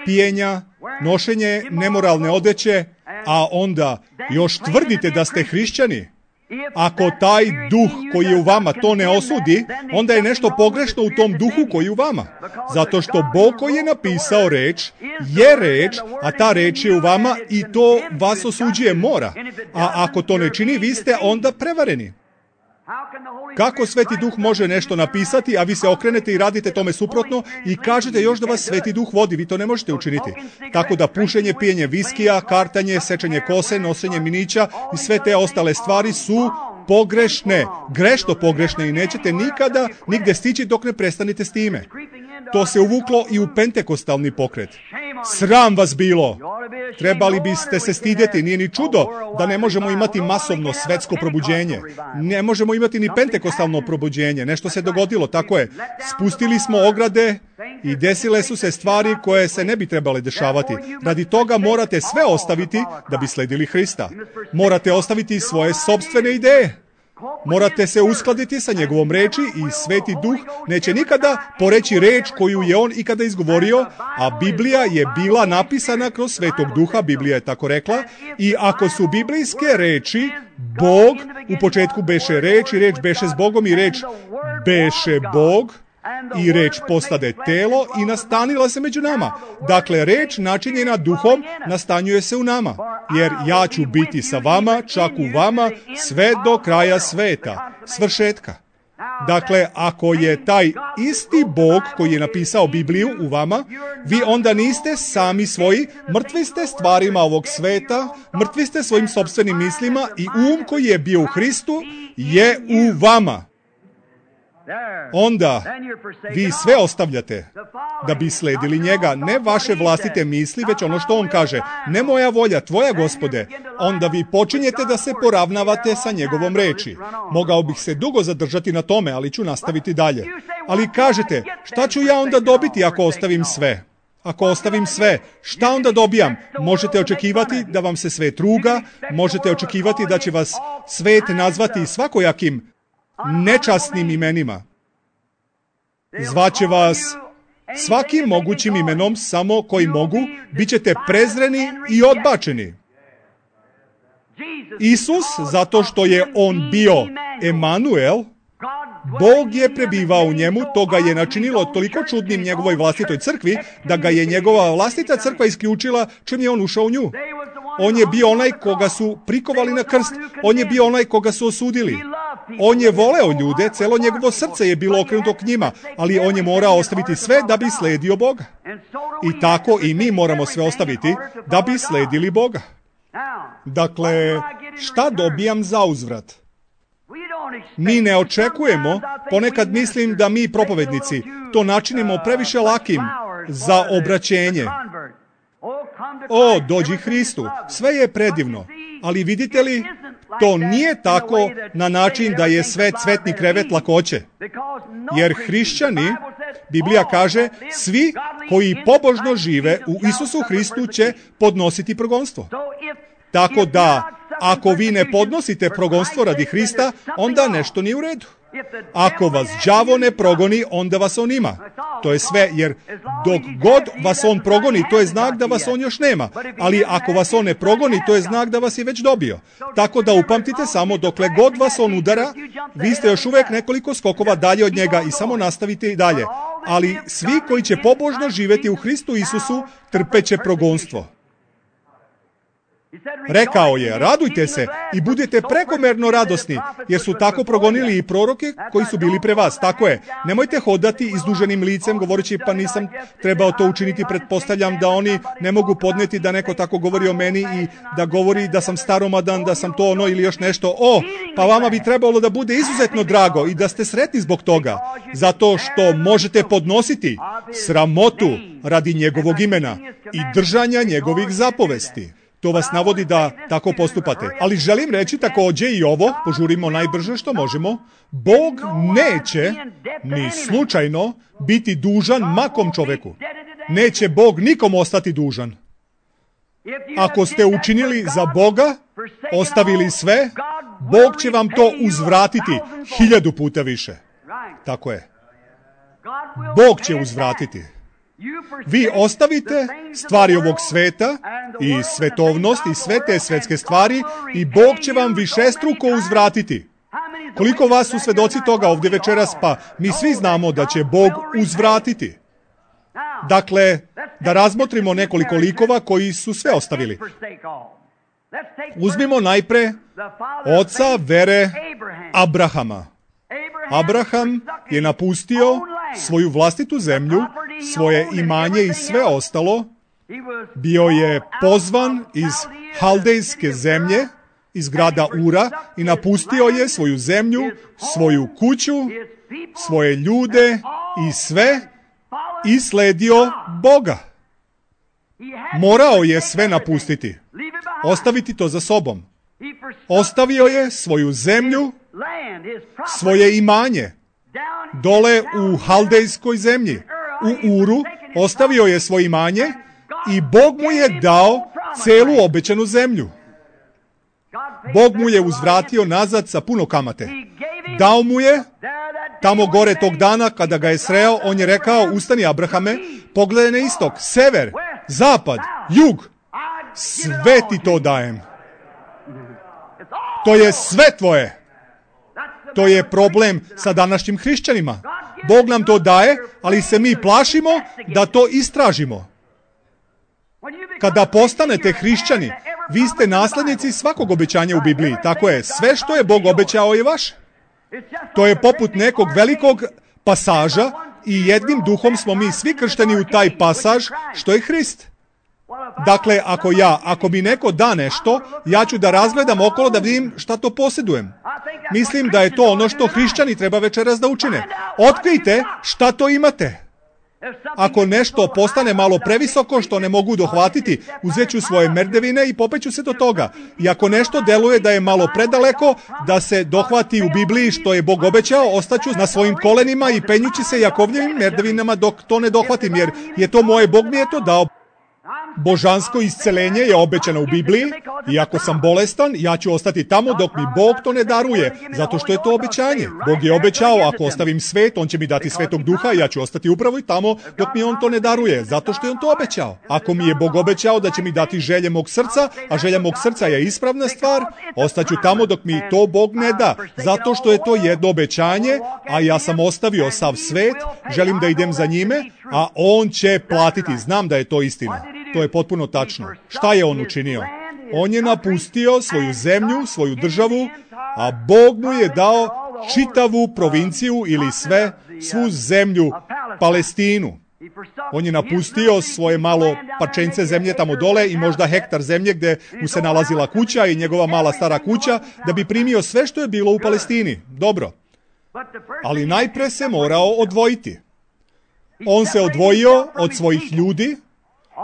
pijenja, nošenje nemoralne odeće, a onda još tvrdite da ste hrišćani. Ako taj duh koji je u vama to ne osudi, onda je nešto pogrešno u tom duhu koji je u vama. Zato što Bog koji je napisao reč, je reč, a ta reč je u vama i to vas osuđuje mora. A ako to ne čini, vi ste onda prevareni. Kako Sveti Duh može nešto napisati, a vi se okrenete i radite tome suprotno i kažete još da vas Sveti Duh vodi? Vi to ne možete učiniti. Tako da pušenje, pijenje viskija, kartanje, sečenje kose, nosenje minića i sve te ostale stvari su pogrešne, grešno pogrešne i nećete nikada nigde stići dok ne prestanete s time. To se uvuklo i u pentekostalni pokret. Sram vas bilo! Trebali biste se stidjeti, nije ni čudo da ne možemo imati masovno svetsko probuđenje. Ne možemo imati ni pentekostalno probuđenje. Nešto se dogodilo, tako je. Spustili smo ograde i desile su se stvari koje se ne bi trebale dešavati. Radi toga morate sve ostaviti da bi sledili Hrista. Morate ostaviti svoje sopstvene ideje. Morate se uskladiti sa njegovom reči i Sveti Duh neće nikada poreći reč koju je on ikada izgovorio, a Biblija je bila napisana kroz Svetog Duha, Biblija je tako rekla, i ako su biblijske reči, Bog, u početku beše reč i reč beše s Bogom i reč beše Bog, i reč postade telo i nastanila se među nama. Dakle, reč načinjena duhom nastanjuje se u nama. Jer ja ću biti sa vama, čak u vama, sve do kraja sveta, svršetka. Dakle, ako je taj isti Bog koji je napisao Bibliju u vama, vi onda niste sami svoji, mrtvi ste stvarima ovog sveta, mrtvi ste svojim sopstvenim mislima i um koji je bio u Hristu je u vama. Onda vi sve ostavljate da bi sledili njega, ne vaše vlastite misli, već ono što on kaže. Ne moja volja, tvoja Gospode. Onda vi počinjete da se poravnavate sa njegovom reči. Mogao bih se dugo zadržati na tome, ali ću nastaviti dalje. Ali kažete, šta ću ja onda dobiti ako ostavim sve? Ako ostavim sve, šta onda dobijam? Možete očekivati da vam se svet ruga, možete očekivati da će vas svet nazvati svakojakim nečasnim imenima. Zvaće vas svakim mogućim imenom, samo koji mogu, bit ćete prezreni i odbačeni. Isus, zato što je on bio Emanuel, Bog je prebivao u njemu, to ga je načinilo toliko čudnim njegovoj vlastitoj crkvi, da ga je njegova vlastita crkva isključila čim je on ušao u nju. On je bio onaj koga su prikovali na krst, on je bio onaj koga su osudili. On je voleo ljude, celo njegovo srce je bilo okrenuto k njima, ali on je morao ostaviti sve da bi sledio Boga. I tako i mi moramo sve ostaviti da bi sledili Boga. Dakle, šta dobijam za uzvrat? Mi ne očekujemo, ponekad mislim da mi propovednici to načinimo previše lakim za obraćenje. O, dođi Hristu, sve je predivno, ali vidite li, to nije tako na način da je sve cvetni krevet lakoće. Jer hrišćani, Biblija kaže, svi koji pobožno žive u Isusu Hristu će podnositi progonstvo. Tako da, ako vi ne podnosite progonstvo radi Hrista, onda nešto nije u redu. Ako vas đavo ne progoni, onda vas on ima. To je sve, jer dok god vas on progoni, to je znak da vas on još nema. Ali ako vas on ne progoni, to je znak da vas je već dobio. Tako da upamtite samo, dokle god vas on udara, vi ste još uvijek nekoliko skokova dalje od njega i samo nastavite i dalje. Ali svi koji će pobožno živjeti u Hristu Isusu, trpeće progonstvo. Rekao je, radujte se i budite prekomerno radosni, jer su tako progonili i proroke koji su bili pre vas. Tako je, nemojte hodati izduženim licem govoreći pa nisam trebao to učiniti, pretpostavljam da oni ne mogu podneti da neko tako govori o meni i da govori da sam staromadan, da sam to ono ili još nešto. O, pa vama bi trebalo da bude izuzetno drago i da ste sretni zbog toga, zato što možete podnositi sramotu radi njegovog imena i držanja njegovih zapovesti. To vas navodi da tako postupate. Ali želim reći također i ovo, požurimo najbrže što možemo, Bog neće ni slučajno biti dužan makom čoveku. Neće Bog nikom ostati dužan. Ako ste učinili za Boga, ostavili sve, Bog će vam to uzvratiti hiljadu puta više. Tako je. Bog će uzvratiti. Vi ostavite stvari ovog sveta i svetovnost i sve te svetske stvari i Bog će vam višestruko uzvratiti. Koliko vas su svedoci toga ovdje večeras, pa mi svi znamo da će Bog uzvratiti. Dakle, da razmotrimo nekoliko likova koji su sve ostavili. Uzmimo najpre oca vere Abrahama. Abraham je napustio svoju vlastitu zemlju, svoje imanje i sve ostalo. Bio je pozvan iz Haldejske zemlje, iz grada Ura, i napustio je svoju zemlju, svoju kuću, svoje ljude i sve i sledio Boga. Morao je sve napustiti, ostaviti to za sobom. Ostavio je svoju zemlju, svoje imanje, dole u Haldejskoj zemlji, u Uru, ostavio je svoje imanje i Bog mu je dao celu obećanu zemlju. Bog mu je uzvratio nazad sa puno kamate. Dao mu je, tamo gore tog dana kada ga je sreo, on je rekao, ustani Abrahame, pogledaj na istok, sever, zapad, jug, sve ti to dajem. To je sve tvoje. To je problem sa današnjim hrišćanima. Bog nam to daje, ali se mi plašimo da to istražimo. Kada postanete hrišćani, vi ste naslednici svakog obećanja u Bibliji. Tako je, sve što je Bog obećao je vaše. To je poput nekog velikog pasaža i jednim duhom smo mi svi kršteni u taj pasaž što je Hrist. Dakle, ako ja, ako mi neko da nešto, ja ću da razgledam okolo da vidim šta to posjedujem. Mislim da je to ono što hrišćani treba večeras da učine. Otkrijte šta to imate. Ako nešto postane malo previsoko što ne mogu dohvatiti, uzet ću svoje merdevine i popeću se do toga. I ako nešto deluje da je malo predaleko, da se dohvati u Bibliji što je Bog obećao, ostaću na svojim kolenima i penjući se Jakovljevim merdevinama dok to ne dohvatim, jer je to moje, Bog mi je to dao. Božansko isceljenje je obećano u Bibliji i ako sam bolestan, ja ću ostati tamo dok mi Bog to ne daruje, zato što je to obećanje. Bog je obećao, ako ostavim svet, on će mi dati Svetog Duha i ja ću ostati upravo i tamo dok mi on to ne daruje, zato što je on to obećao. Ako mi je Bog obećao da će mi dati želje mog srca, a želja mog srca je ispravna stvar, ostaću tamo dok mi to Bog ne da, zato što je to jedno obećanje, a ja sam ostavio sav svet, želim da idem za njime, a on će platiti, znam da je to istina. To je potpuno tačno. Šta je on učinio? On je napustio svoju zemlju, svoju državu, a Bog mu je dao čitavu provinciju ili sve, svu zemlju, Palestinu. On je napustio svoje malo parčence zemlje tamo dole i možda hektar zemlje gdje mu se nalazila kuća i njegova mala stara kuća, da bi primio sve što je bilo u Palestini. Dobro. Ali najpre se morao odvojiti. On se odvojio od svojih ljudi,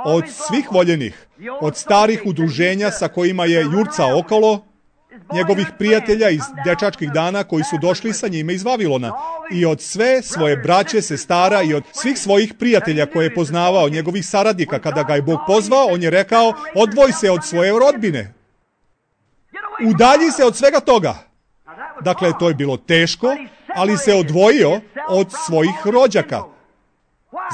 od svih voljenih, od starih udruženja sa kojima je jurcao okolo, njegovih prijatelja iz dečačkih dana koji su došli sa njime iz Vavilona, i od sve svoje braće, sestara i od svih svojih prijatelja koje je poznavao, njegovih saradnika. Kada ga je Bog pozvao, on je rekao, odvoj se od svoje rodbine. Udalji se od svega toga. Dakle, to je bilo teško, ali se odvojio od svojih rođaka.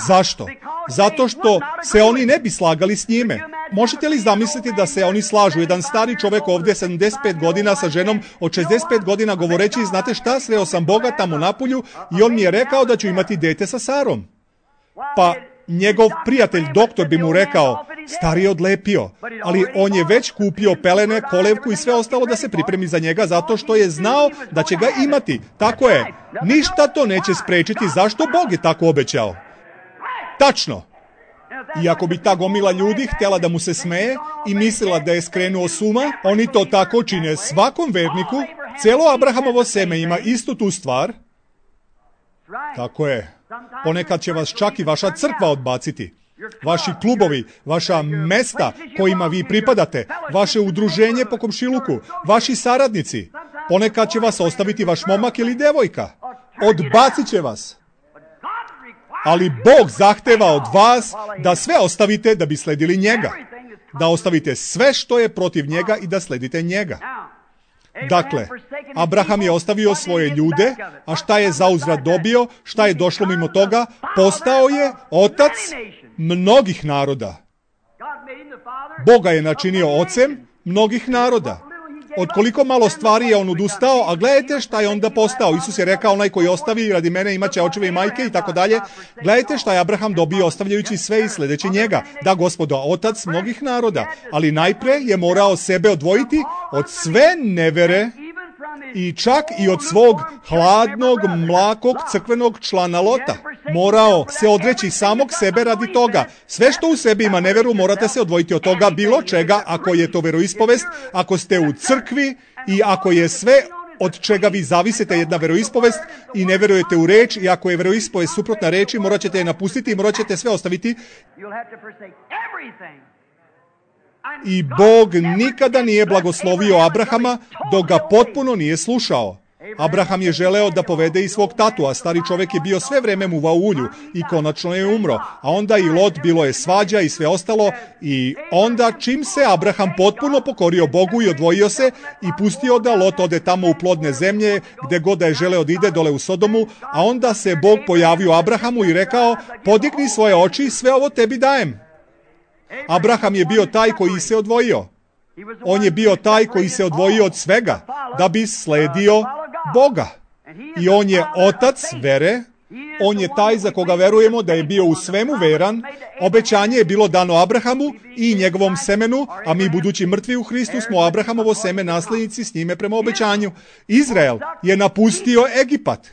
Zašto? Zato što se oni ne bi slagali s njime. Možete li zamisliti da se oni slažu? Jedan stari čovjek ovdje, sedamdeset pet godina, sa ženom od šezdeset pet godina, govoreći, znate šta, sreo sam Boga tamo na polju i on mi je rekao da ću imati dete sa Sarom. Pa njegov prijatelj, doktor, bi mu rekao, stari je odlepio, ali on je već kupio pelene, kolevku i sve ostalo da se pripremi za njega, zato što je znao da će ga imati. Tako je. Ništa to neće sprečiti. Zašto? Bog je tako obećao. Tačno. I ako bi ta gomila ljudi htjela da mu se smeje i mislila da je skrenuo s uma, oni to tako čine svakom verniku. Cijelo Abrahamovo seme ima istu tu stvar. Tako je. Ponekad će vas čak i vaša crkva odbaciti. Vaši klubovi, vaša mesta kojima vi pripadate, vaše udruženje po komšiluku, vaši saradnici. Ponekad će vas ostaviti vaš momak ili devojka. Odbacit će vas. Ali Bog zahteva od vas da sve ostavite da bi sledili njega. Da ostavite sve što je protiv njega i da sledite njega. Dakle, Abraham je ostavio svoje ljude, a šta je zauzvrat dobio, šta je došlo mimo toga? Postao je otac mnogih naroda. Boga je načinio ocem mnogih naroda. Od koliko malo stvari je on odustao, a gledajte šta je onda postao. Isus je rekao, onaj koji ostavi radi mene imaće očeve i majke i tako dalje. Gledajte šta je Abraham dobio ostavljajući sve i sledeći njega. Da, Gospodo, otac mnogih naroda. Ali najpre je morao sebe odvojiti od sve nevere i čak i od svog hladnog, mlakog crkvenog člana Lota. Morao se odreći samog sebe radi toga. Sve što u sebi ima neveru, morate se odvojiti od toga bilo čega, ako je to veroispovest, ako ste u crkvi i ako je sve od čega vi zavisite jedna veroispovest i ne verujete u reč, i ako je veroispovest suprotna reči, morat ćete je napustiti i morat ćete sve ostaviti. I Bog nikada nije blagoslovio Abrahama dok ga potpuno nije slušao. Abraham je želeo da povede i svog tatu, a stari čovjek je bio sve vreme muvao u ulju i konačno je umro. A onda i Lot, bilo je svađa i sve ostalo, i onda čim se Abraham potpuno pokorio Bogu i odvojio se i pustio da Lot ode tamo u plodne zemlje, gde god da je želeo da ide, dole u Sodomu, a onda se Bog pojavio Abrahamu i rekao: podigni svoje oči, sve ovo tebi dajem. Abraham je bio taj koji se odvojio. On je bio taj koji se odvojio od svega da bi sledio Boga. I on je otac vere. On je taj za koga verujemo da je bio u svemu veran. Obećanje je bilo dano Abrahamu i njegovom semenu, a mi budući mrtvi u Hristu smo Abrahamovo seme, naslednici s njime prema obećanju. Izrael je napustio Egipat.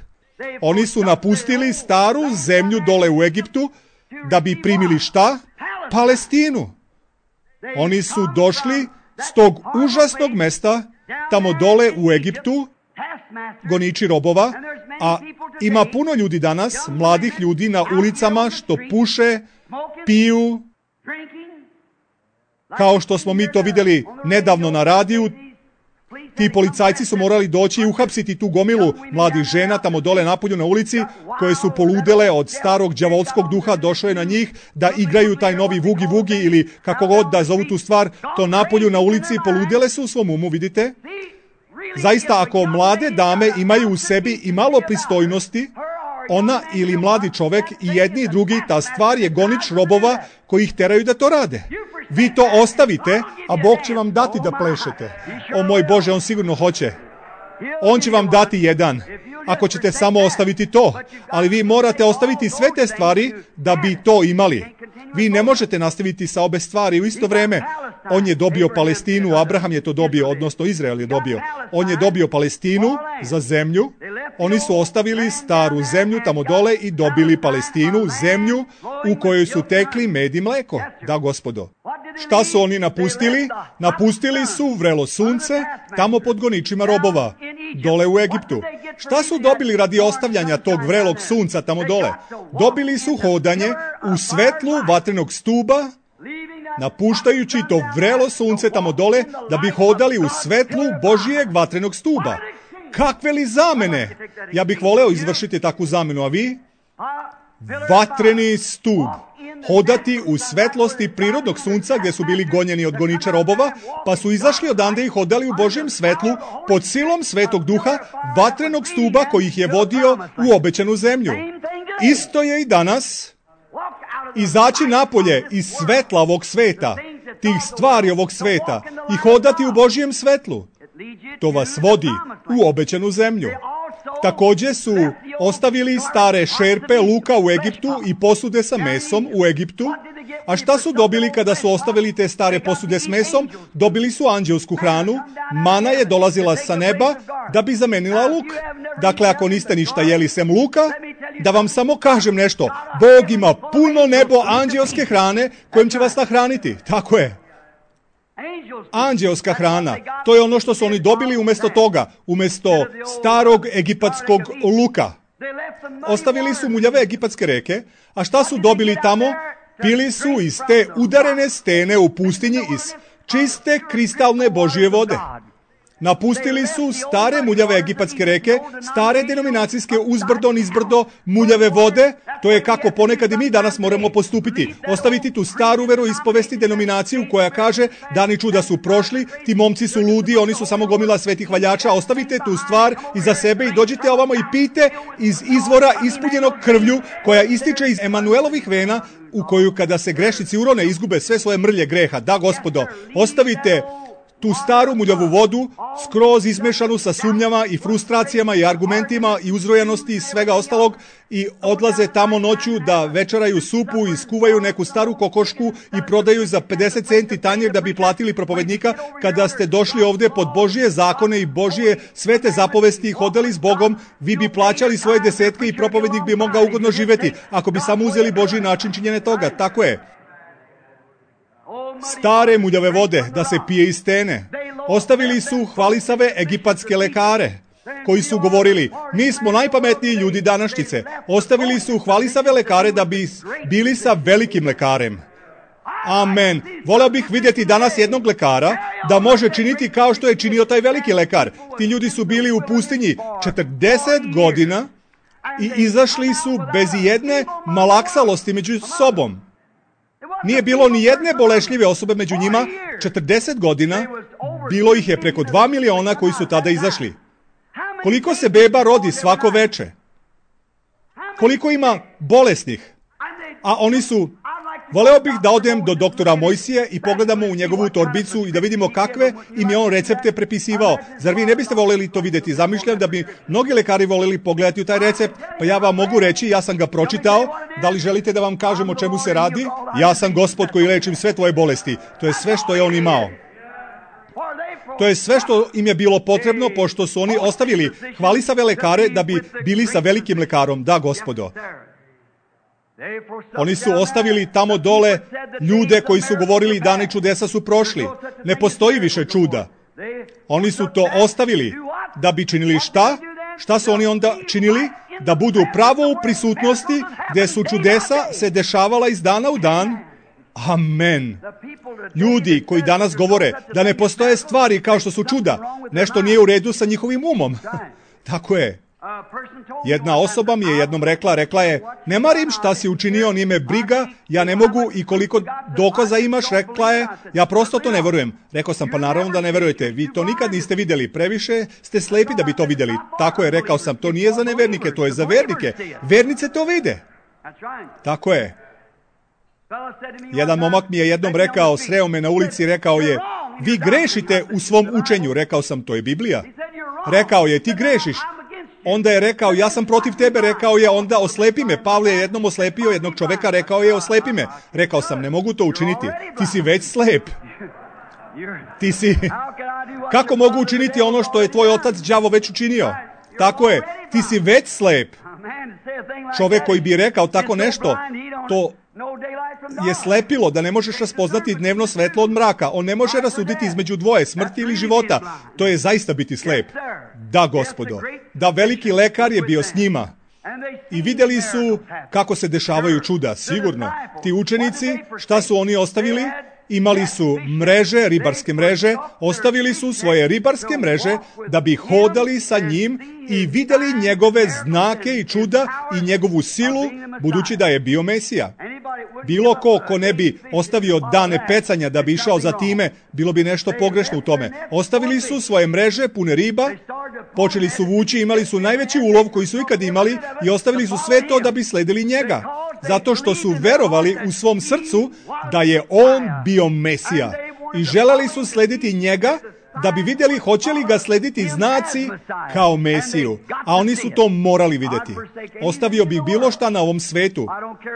Oni su napustili staru zemlju dole u Egiptu da bi primili šta? Palestinu. Oni su došli s tog užasnog mesta tamo dole u Egiptu, goniči robova, a ima puno ljudi danas, mladih ljudi na ulicama što puše, piju, kao što smo mi to vidjeli nedavno na radiju. Ti policajci su morali doći i uhapsiti tu gomilu mladih žena tamo dole napolju na ulici, koje su poludele od starog đavolskog duha, došao je na njih da igraju taj novi vugi vugi ili kako god da zovu tu stvar, to napolju na ulici, poludele su u svom umu, vidite? Zaista, ako mlade dame imaju u sebi i malo pristojnosti, ona ili mladi čovek i jedni i drugi, ta stvar je gonič robova koji ih teraju da to rade. Vi to ostavite, a Bog će vam dati da plešete. O moj Bože, on sigurno hoće. On će vam dati jedan, ako ćete samo ostaviti to. Ali vi morate ostaviti sve te stvari da bi to imali. Vi ne možete nastaviti sa obe stvari u isto vreme. On je dobio Palestinu, Abraham je to dobio, odnosno Izrael je dobio. On je dobio Palestinu za zemlju. Oni su ostavili staru zemlju tamo dole i dobili Palestinu, zemlju u kojoj su tekli med i mleko. Da, gospodo. Šta su oni napustili? Napustili su vrelo sunce tamo pod goničima robova, dole u Egiptu. Šta su dobili radi ostavljanja tog vrelog sunca tamo dole? Dobili su hodanje u svetlu vatrenog stuba, napuštajući to vrelo sunce tamo dole da bi hodali u svetlu Božijeg vatrenog stuba. Kakve li zamene? Ja bih voleo izvršiti takvu zamenu, a vi? Vatreni stub. Hodati u svetlosti prirodnog sunca gdje su bili gonjeni od goniča robova, pa su izašli odande i hodali u Božjem svetlu pod silom Svetog Duha, vatrenog stuba koji ih je vodio u obećanu zemlju. Isto je i danas izaći napolje iz svetla ovog sveta, tih stvari ovog sveta, i hodati u Božjem svetlu. To vas vodi u obećanu zemlju. Također su ostavili stare šerpe luka u Egiptu i posude sa mesom u Egiptu. A šta su dobili kada su ostavili te stare posude s mesom? Dobili su anđelsku hranu. Mana je dolazila sa neba da bi zamenila luk. Dakle, ako niste ništa jeli sem luka, da vam samo kažem nešto. Bog ima puno nebo anđelske hrane kojim će vas nahraniti. Tako je. Anđelska hrana, to je ono što su oni dobili umjesto toga, umjesto starog egipatskog luka. Ostavili su muljave egipatske reke, a šta su dobili tamo? Pili su iz te udarene stene u pustinji iz čiste kristalne Božje vode. Napustili su stare muljave egipatske reke, stare denominacijske uzbrdo, nizbrdo, muljave vode. To je kako ponekad i mi danas moramo postupiti. Ostaviti tu staru veroispovesti denominaciju koja kaže dani čuda su prošli, ti momci su ludi, oni su samo gomila svetih valjača. Ostavite tu stvar iza sebe i dođite ovamo i pijte iz izvora ispunjenog krvlju koja ističe iz Emanuelovih vena, u koju kada se grešnici urone izgube sve svoje mrlje greha. Da, gospodo, ostavite tu staru muljavu vodu, skroz izmešanu sa sumnjama i frustracijama i argumentima i uzrojanosti i svega ostalog, i odlaze tamo noću da večeraju supu i skuvaju neku staru kokošku i prodaju za pedeset centi tanjir da bi platili propovednika, kada ste došli ovdje pod Božije zakone i Božije svete zapovesti i hodali s Bogom, vi bi plaćali svoje desetke i propovednik bi mogao ugodno živjeti, ako bi samo uzeli Božji način činjenja toga. Tako je. Stare muljave vode da se pije iz stene. Ostavili su hvalisave egipatske lekare koji su govorili, mi smo najpametniji ljudi današnjice. Ostavili su hvalisave lekare da bi bili sa velikim lekarem. Amen. Voleo bih vidjeti danas jednog lekara da može činiti kao što je činio taj veliki lekar. Ti ljudi su bili u pustinji četrdeset godina i izašli su bez jedne malaksalosti među sobom. Nije bilo ni jedne bolešljive osobe među njima. četrdeset godina, bilo ih je preko dva miliona koji su tada izašli. Koliko se beba rodi svako veče? Koliko ima bolesnih? A oni su... Voleo bih da odem do doktora Mojsije i pogledamo u njegovu torbicu i da vidimo kakve im je on recepte prepisivao. Zar vi ne biste voljeli to vidjeti? Zamišljam da bi mnogi lekari voljeli pogledati u taj recept, pa ja vam mogu reći, ja sam ga pročitao. Da li želite da vam kažem o čemu se radi? Ja sam Gospod koji lečim sve tvoje bolesti. To je sve što je on imao. To je sve što im je bilo potrebno, pošto su oni ostavili hvalisave lekare da bi bili sa velikim lekarom. Da, Gospodo. Oni su ostavili tamo dole ljude koji su govorili dani čudesa su prošli. Ne postoji više čuda. Oni su to ostavili da bi činili šta? Šta su oni onda činili? Da budu pravo u prisutnosti gdje su čudesa se dešavala iz dana u dan. Amen. Ljudi koji danas govore da ne postoje stvari kao što su čuda, nešto nije u redu sa njihovim umom. Tako je. Jedna osoba mi je jednom rekla, rekla je, ne marim šta si učinio, nije me briga, ja ne mogu i koliko dokaza imaš, rekla je, ja prosto to ne verujem. Rekao sam, pa naravno da ne verujete, vi to nikad niste vidjeli, previše ste slepi da bi to vidjeli. Tako je, rekao sam, to nije za nevernike, to je za vernike. Vernice to vide. Tako je. Jedan momak mi je jednom rekao, sreo me na ulici, rekao je, vi grešite u svom učenju. Rekao sam, to je Biblija. Rekao je, ti grešiš. Onda je rekao, ja sam protiv tebe, rekao je, onda oslepi me. Pavle je jednom oslepio jednog čoveka, rekao je, oslepi me. Rekao sam, ne mogu to učiniti. Ti si već slep. Ti si... Kako mogu učiniti ono što je tvoj otac đavo već učinio? Tako je, ti si već slep. Čovek koji bi rekao tako nešto, to je slepilo, da ne možeš raspoznati dnevno svetlo od mraka. On ne može rasuditi između dvoje, smrti ili života. To je zaista biti slep. Da, Gospodo. Da, veliki lekar je bio s njima. I vidjeli su kako se dešavaju čuda, sigurno. Ti učenici, šta su oni ostavili? Imali su mreže, ribarske mreže, ostavili su svoje ribarske mreže da bi hodali sa njim i vidjeli njegove znake i čuda i njegovu silu, budući da je bio Mesija. Bilo ko ko ne bi ostavio dane pecanja da bi išao za time, bilo bi nešto pogrešno u tome. Ostavili su svoje mreže pune riba, počeli su vući, imali su najveći ulov koji su ikad imali i ostavili su sve to da bi sledili njega. Zato što su verovali u svom srcu da je on bio Mesija. I želeli su slediti njega da bi vidjeli hoće li ga slediti znaci kao Mesiju. A oni su to morali vidjeti. Ostavio bih bilo šta na ovom svetu.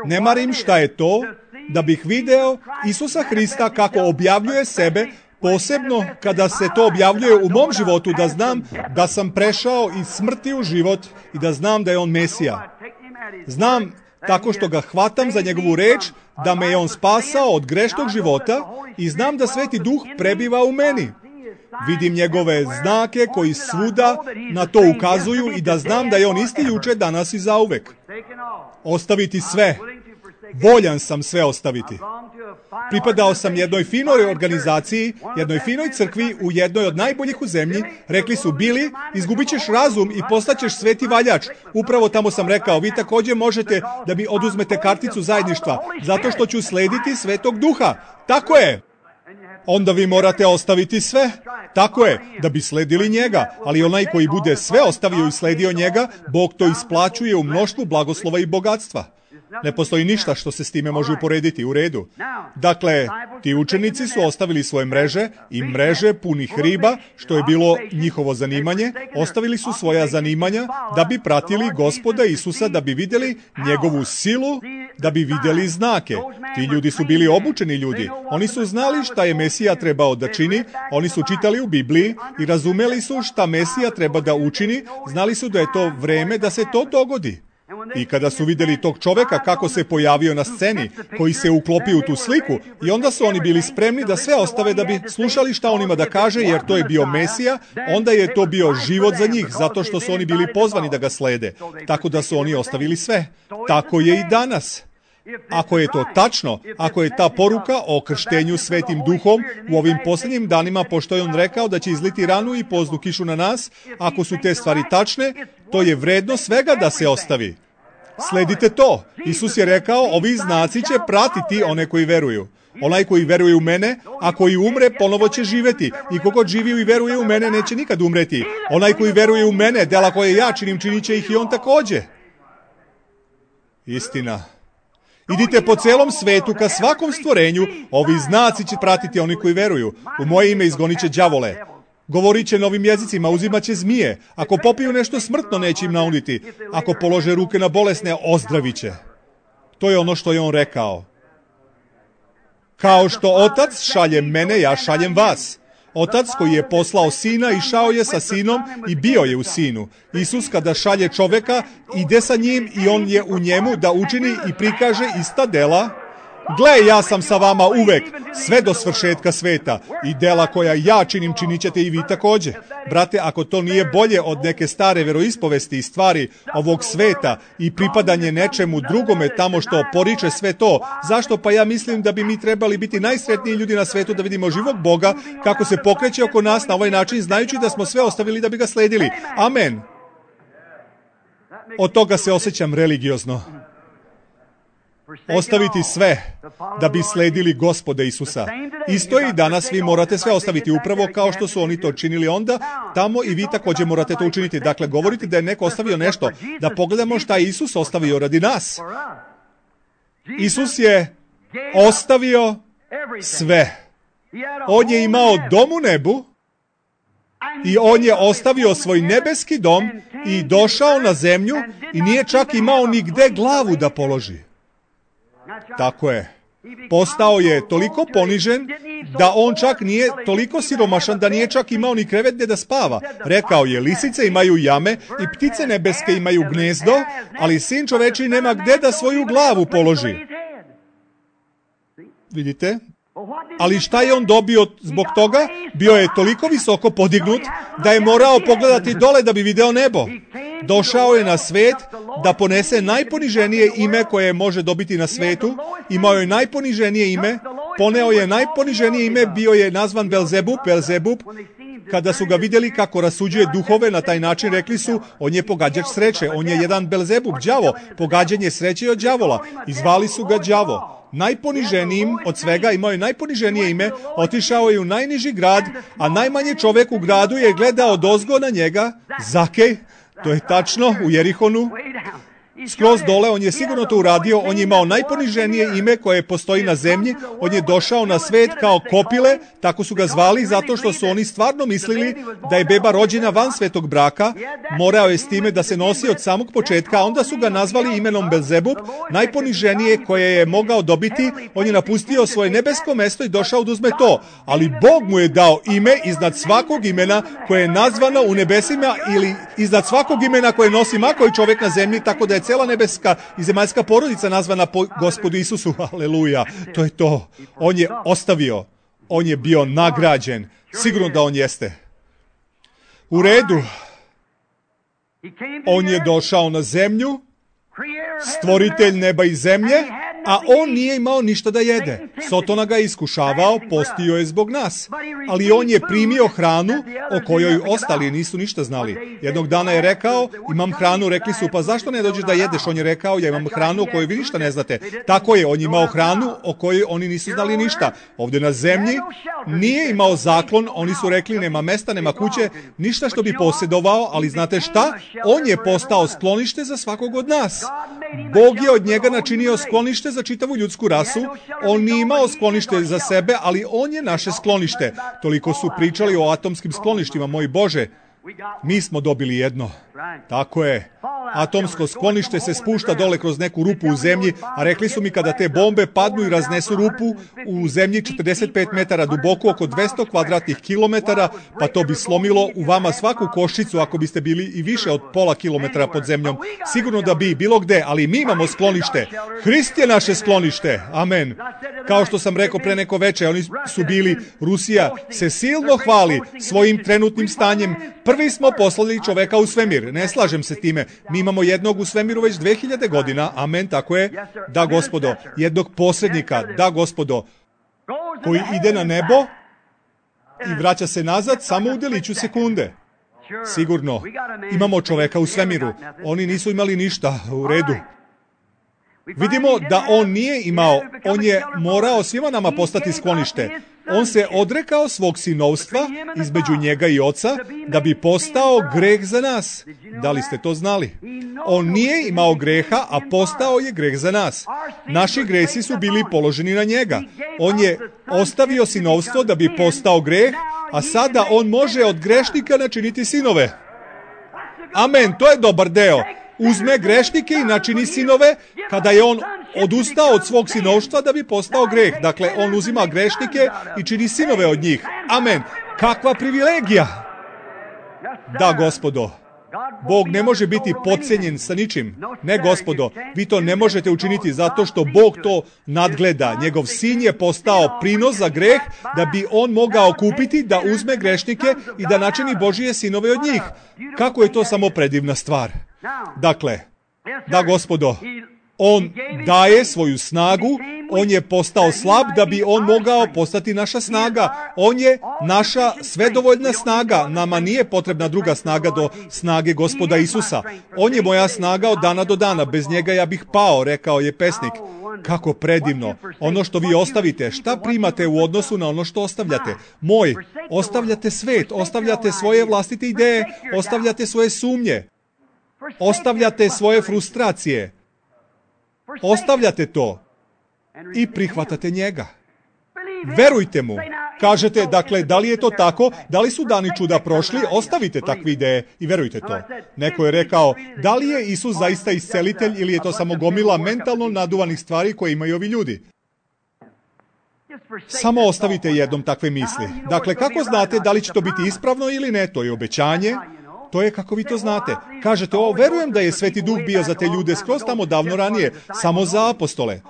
Ne marim šta je to, da bih video Isusa Hrista kako objavljuje sebe, posebno kada se to objavljuje u mom životu, da znam da sam prešao iz smrti u život i da znam da je on Mesija. Znam tako što ga hvatam za njegovu reč, da me je on spasao od grešnog života i znam da Sveti Duh prebiva u meni. Vidim njegove znake koji svuda na to ukazuju i da znam da je on isti juče, danas i zauvek. Ostaviti sve. Voljan sam sve ostaviti. Pripadao sam jednoj finoj organizaciji, jednoj finoj crkvi u jednoj od najboljih u zemlji. Rekli su, Bili, izgubit ćeš razum i postaćeš sveti valjač. Upravo tamo sam rekao, vi također možete da mi oduzmete karticu zajedništva, zato što ću slediti Svetog Duha. Tako je. Onda vi morate ostaviti sve. Tako je, da bi sledili njega. Ali onaj koji bude sve ostavio i sledio njega, Bog to isplaćuje u mnoštvu blagoslova i bogatstva. Ne postoji ništa što se s time može uporediti. U redu. Dakle, ti učenici su ostavili svoje mreže i mreže punih riba, što je bilo njihovo zanimanje. Ostavili su svoja zanimanja da bi pratili Gospoda Isusa, da bi vidjeli njegovu silu, da bi vidjeli znake. Ti ljudi su bili obučeni ljudi. Oni su znali šta je Mesija trebao da čini. Oni su čitali u Bibliji i razumeli su šta Mesija treba da učini. Znali su da je to vreme da se to dogodi. I kada su vidjeli tog čoveka kako se pojavio na sceni, koji se uklopio u tu sliku, i onda su oni bili spremni da sve ostave da bi slušali šta on ima da kaže, jer to je bio Mesija, onda je to bio život za njih, zato što su oni bili pozvani da ga slede. Tako da su oni ostavili sve. Tako je i danas. Ako je to tačno, ako je ta poruka o krštenju Svetim Duhom u ovim posljednjim danima, pošto je on rekao da će izliti ranu i poznu kišu na nas, ako su te stvari tačne, to je vredno svega da se ostavi. Sledite to. Isus je rekao, ovi znaci će pratiti one koji veruju. Onaj koji veruje u mene, a koji umre, ponovo će živjeti. I kogod živi i veruje u mene, neće nikad umreti. Onaj koji veruje u mene, dela koje ja činim, činit će ih i on također. Istina. Idite po celom svetu ka svakom stvorenju, ovi znaci će pratiti oni koji veruju. U moje ime izgonit će đavole. Govorit će novim jezicima, uzimat će zmije. Ako popiju nešto smrtno, neće im nauditi. Ako polože ruke na bolesne, ozdravit će. To je ono što je on rekao. Kao što Otac šalje mene, ja šaljem vas. Otac koji je poslao Sina išao je sa Sinom i bio je u Sinu. Isus kada šalje čoveka, ide sa njim i on je u njemu da učini i prikaže ista dela. Gle, ja sam sa vama uvek, sve do svršetka sveta, i dela koja ja činim, činit ćete i vi također. Brate, ako to nije bolje od neke stare veroispovesti i stvari ovog sveta i pripadanje nečemu drugome tamo što poriče sve to, zašto pa ja mislim da bi mi trebali biti najsretniji ljudi na svetu da vidimo živog Boga kako se pokreće oko nas na ovaj način, znajući da smo sve ostavili da bi ga sledili. Amen. Od toga se osjećam religiozno. Ostaviti sve da bi sledili Gospoda Isusa. Isto i danas vi morate sve ostaviti upravo kao što su oni to činili onda, tamo i vi također morate to učiniti. Dakle, govorite da je neko ostavio nešto, da pogledamo šta je Isus ostavio radi nas. Isus je ostavio sve. On je imao dom u nebu i on je ostavio svoj nebeski dom i došao na zemlju i nije čak imao nigde glavu da položi. Tako je. Postao je toliko ponižen da on čak nije toliko siromašan da nije čak imao ni krevet gdje da spava. Rekao je, lisice imaju jame i ptice nebeske imaju gnezdo, ali sin čoveči nema gdje da svoju glavu položi. Vidite? Ali šta je on dobio zbog toga? Bio je toliko visoko podignut da je morao pogledati dole da bi video nebo. Došao je na svet da ponese najponiženije ime koje može dobiti na svetu. Imao je najponiženije ime. Poneo je najponiženije ime, bio je nazvan Belzebub, Belzebub. Kada su ga vidjeli kako rasuđuje duhove na taj način, rekli su, on je pogađač sreće, on je jedan Belzebub, đavo, pogađanje sreće od đavola. I zvali su ga đavo. Najponiženijim od svega, imao je najponiženije ime, otišao je u najniži grad, a najmanje čovjek u gradu je gledao odozgo na njega, Zakej, to je tačno, u Jerihonu. Skroz dole, on je sigurno to uradio, on je imao najponiženije ime koje postoji na zemlji, on je došao na svet kao kopile, tako su ga zvali, zato što su oni stvarno mislili da je beba rođena van svetog braka, morao je s time da se nosi od samog početka, a onda su ga nazvali imenom Belzebub, najponiženije koje je mogao dobiti, on je napustio svoje nebesko mesto i došao da uzme to, ali Bog mu je dao ime iznad svakog imena koje je nazvano u nebesima ili iznad svakog imena koje nosi ma koji čovjek na zemlji, tako da je cela nebeska i zemaljska porodica nazvana po Gospodu Isusu. Aleluja. To je to. On je ostavio. On je bio nagrađen. Sigurno da on jeste. U redu. On je došao na zemlju, stvoritelj neba i zemlje, a on nije imao ništa da jede. Sotona ga je iskušavao, postio je zbog nas. Ali on je primio hranu o kojoj ostali nisu ništa znali. Jednog dana je rekao, imam hranu, rekli su, pa zašto ne dođeš da jedeš? On je rekao, ja imam hranu o kojoj vi ništa ne znate. Tako je, on je imao hranu o kojoj oni nisu znali ništa. Ovdje na zemlji nije imao zaklon, oni su rekli, nema mesta, nema kuće, ništa što bi posjedovao, ali znate šta? On je postao sklonište za svakog od nas. Bog je od njega načinio sklonište za čitavu ljudsku rasu. On nije imao sklonište za sebe, ali on je naše sklonište. Toliko su pričali o atomskim skloništima, moj Bože. Mi smo dobili jedno. Tako je. Atomsko sklonište se spušta dole kroz neku rupu u zemlji, a rekli su mi kada te bombe padnu i raznesu rupu u zemlji četrdeset pet metara duboko, oko dvesta kvadratnih kilometara, pa to bi slomilo u vama svaku koščicu ako biste bili i više od pola kilometra pod zemljom. Sigurno da bi bilo gde, ali mi imamo sklonište. Hrist je naše sklonište. Amen. Kao što sam rekao pre neko veče, oni su bili, Rusija se silno hvali svojim trenutnim stanjem. Prvi smo poslali čoveka u svemir. Ne slažem se s time. Mi imamo jednog u svemiru već dve hiljade godina. Amen, tako je. Da, gospodo. Jednog posrednika. Da, gospodo. Koji ide na nebo i vraća se nazad samo u deliću sekunde. Sigurno. Imamo čoveka u svemiru. Oni nisu imali ništa. U redu. Vidimo da on nije imao, on je morao svima nama postati sklonište. On se odrekao svog sinovstva između njega i oca da bi postao greh za nas. Da li ste to znali? On nije imao greha, a postao je greh za nas. Naši gresi su bili položeni na njega. On je ostavio sinovstvo da bi postao greh, a sada on može od grešnika načiniti sinove. Amen, to je dobar deo. Uzme grešnike i načini sinove kada je on odustao od svog sinovstva da bi postao greh. Dakle, on uzima grešnike i čini sinove od njih. Amen. Kakva privilegija! Da, gospodo. Bog ne može biti podcenjen sa ničim. Ne, gospodo, vi to ne možete učiniti zato što Bog to nadgleda. Njegov sin je postao prinos za greh da bi on mogao kupiti, da uzme grešnike i da načini Božije sinove od njih. Kako je to samo predivna stvar. Dakle, da, gospodo, on daje svoju snagu, on je postao slab da bi on mogao postati naša snaga. On je naša svedovoljna snaga. Nama nije potrebna druga snaga do snage Gospoda Isusa. On je moja snaga od dana do dana. Bez njega ja bih pao, rekao je pesnik. Kako predivno. Ono što vi ostavite, šta primate u odnosu na ono što ostavljate? Moj, ostavljate svet, ostavljate svoje vlastite ideje, ostavljate svoje sumnje, ostavljate svoje frustracije, ostavljate to i prihvatate njega. Verujte mu. Kažete, dakle, da li je to tako? Da li su dani čuda prošli? Ostavite takve ideje i verujte to. Neko je rekao, da li je Isus zaista iscelitelj ili je to samo gomila mentalno naduvanih stvari koje imaju ovi ljudi? Samo ostavite jednom takve misli. Dakle, kako znate da li će to biti ispravno ili ne? To je obećanje. To je kako vi to znate. Kažete, o, verujem da je Sveti Duh bio za te ljude skroz tamo davno ranije, samo za apostole.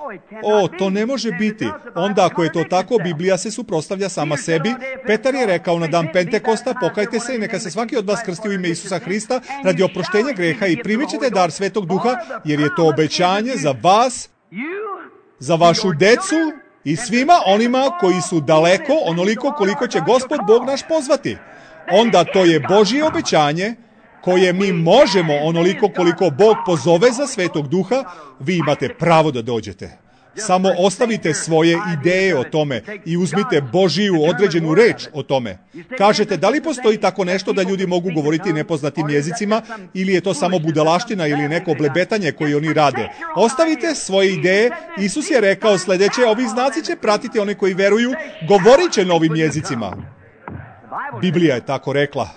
O, to ne može biti. Onda ako je to tako, Biblija se suprotstavlja sama sebi. Petar je rekao na dan Pentekosta, pokajte se i neka se svaki od vas krsti u ime Isusa Hrista radi oproštenja greha i primit ćete dar Svetog Duha, jer je to obećanje za vas, za vašu decu i svima onima koji su daleko, onoliko koliko će Gospod Bog naš pozvati. Onda to je Božje obećanje koje mi možemo onoliko koliko Bog pozove za Svetog Duha, vi imate pravo da dođete. Samo ostavite svoje ideje o tome i uzmite Božiju određenu reč o tome. Kažete, da li postoji tako nešto da ljudi mogu govoriti nepoznatim jezicima ili je to samo budalaština ili neko blebetanje koje oni rade? Ostavite svoje ideje. Isus je rekao sljedeće, ovi znaci će pratiti one koji veruju, govorit će novim jezicima. Biblija je tako rekla.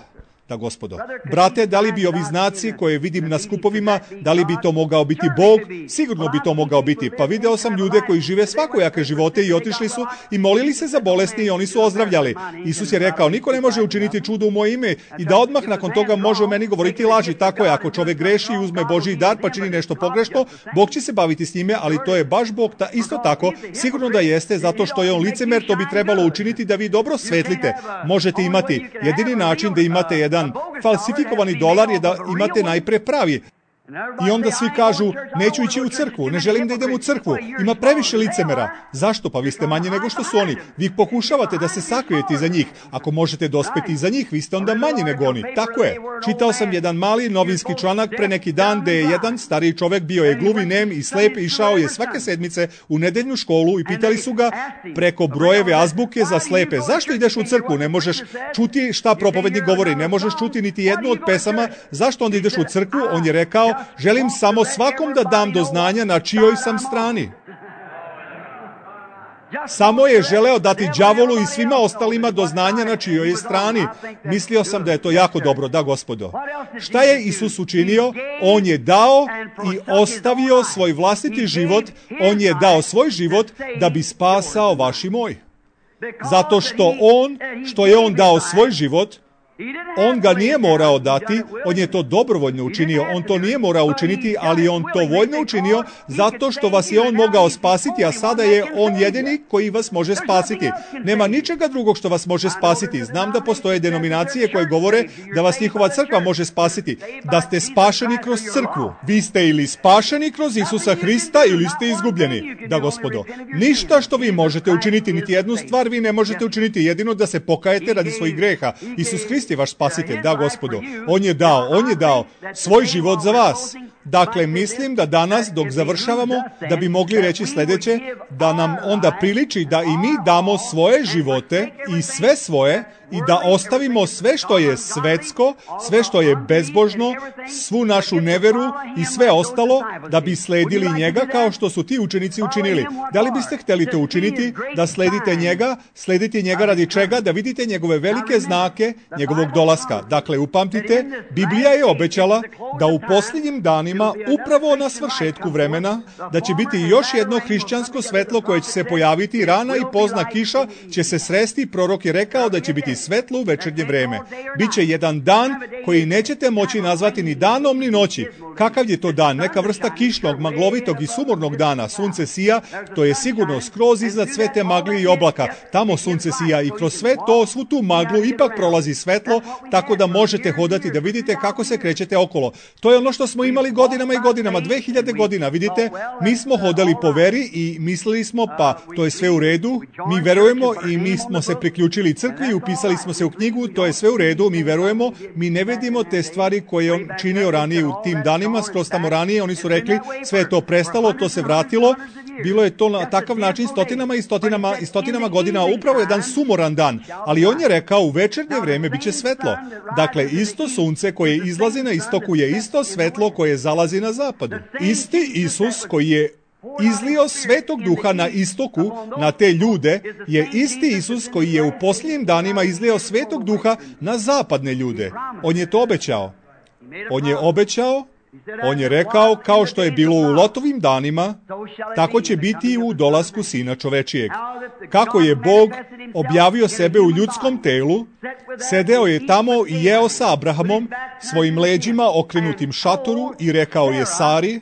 Da, gospodo. Brate, da li bi ovi znaci koje vidim na skupovima, da li bi to mogao biti Bog? Sigurno bi to mogao biti. Pa video sam ljude koji žive svakojake živote i otišli su i molili se za bolesni i oni su ozdravljali. Isus je rekao, niko ne može učiniti čudo u moje ime i da odmah nakon toga može o meni govoriti laži. Tako je, ako čovjek greši i uzme Božji dar pa čini nešto pogrešno, Bog će se baviti s njime, ali to je baš Bog ta, isto tako. Sigurno da jeste, zato što je on licemer, to bi trebalo učiniti da vi dobro svetlite. Možete imati jedini način da imate jedan falsifikovani dolar je da imate najpre pravi. I onda svi kažu, neću ići u crkvu, ne želim da idem u crkvu, ima previše licemera. Zašto? Pa vi ste manje nego što su oni. Vi pokušavate da se sakrijete iza njih. Ako možete dospeti iza njih, vi ste onda manji nego oni. Tako je. Čitao sam jedan mali novinski članak pre neki dan gde je jedan stariji čovek, bio je gluvi, nem i slep, išao je svake sedmice u nedeljnu školu i pitali su ga preko brojeve azbuke za slepe, zašto ideš u crkvu, ne možeš čuti šta propovednik govori, ne možeš čuti niti jednu od pesama, zašto onda ideš u crkvu? On je rekao, želim samo svakom da dam do znanja na čijoj sam strani. Samo je želeo dati đavolu i svima ostalima do znanja na čijoj je strani. Mislio sam da je to jako dobro, da gospodo. Šta je Isus učinio? On je dao i ostavio svoj vlastiti život, on je dao svoj život da bi spasao vaš i moj. Zato što on, što je on dao svoj život, on ga nije morao dati, on je to dobrovoljno učinio, on to nije morao učiniti, ali on to voljno učinio zato što vas je on mogao spasiti, a sada je on jedini koji vas može spasiti. Nema ničega drugog što vas može spasiti. Znam da postoje denominacije koje govore da vas njihova crkva može spasiti, da ste spašeni kroz crkvu. Vi ste ili spašeni kroz Isusa Hrista ili ste izgubljeni. Da gospodo, ništa što vi možete učiniti, niti jednu stvar vi ne možete učiniti, jedino da se pokajete radi svojih greha. Isus Hrist je vaš spasitelj, da gospodo. On je dao, on je dao svoj život za vas. Dakle, mislim da danas, dok završavamo, da bi mogli reći sljedeće, da nam onda priliči da i mi damo svoje živote i sve svoje i da ostavimo sve što je svetsko, sve što je bezbožno, svu našu neveru i sve ostalo, da bi sledili njega kao što su ti učenici učinili. Da li biste htjeli to učiniti? Da sledite njega, sledite njega radi čega? Da vidite njegove velike znake njegovog dolaska. Dakle, upamtite, Biblija je obećala da u posljednjim danima, upravo na svršetku vremena, da će biti još jedno hrišćansko svetlo koje će se pojaviti, rana i pozna kiša će se sresti. Prorok je rekao da će biti svetlo u večernje vreme. Biće jedan dan koji nećete moći nazvati ni danom ni noći. Kakav je to dan? Neka vrsta kišnog, maglovitog i sumornog dana. Sunce sija, to je sigurno skroz iznad sve te magli i oblaka. Tamo sunce sija i kroz sve to, svu tu maglu ipak prolazi svetlo, tako da možete hodati, da vidite kako se krećete okolo. To je ono što smo imali godinama i godinama, dve hiljade godina, vidite, mi smo hodali po veri i mislili smo, pa to je sve u redu, mi verujemo i mi smo se priključili crkvi i upisali smo se u knjigu, to je sve u redu, mi verujemo, mi ne vidimo te stvari koje on činio ranije u tim danima, skroz tamo ranije, oni su rekli, sve je to prestalo, to se vratilo, bilo je to na takav način stotinama i stotinama i stotinama godina, upravo jedan sumoran dan, ali on je rekao, u večernje vreme bit će svetlo. Dakle, isto sunce koje izlazi na istoku je isto svetlo koje zalazi na zapadu. Isti Isus koji je izlio Svetog Duha na istoku, na te ljude, je isti Isus koji je u posljednjim danima izlio Svetog Duha na zapadne ljude. On je to obećao. On je obećao, on je rekao, kao što je bilo u Lotovim danima, tako će biti i u dolasku Sina čovečijeg. Kako je Bog objavio sebe u ljudskom telu, sedeo je tamo i jeo sa Abrahamom, svojim leđima okrenutim šatoru i rekao je Sari,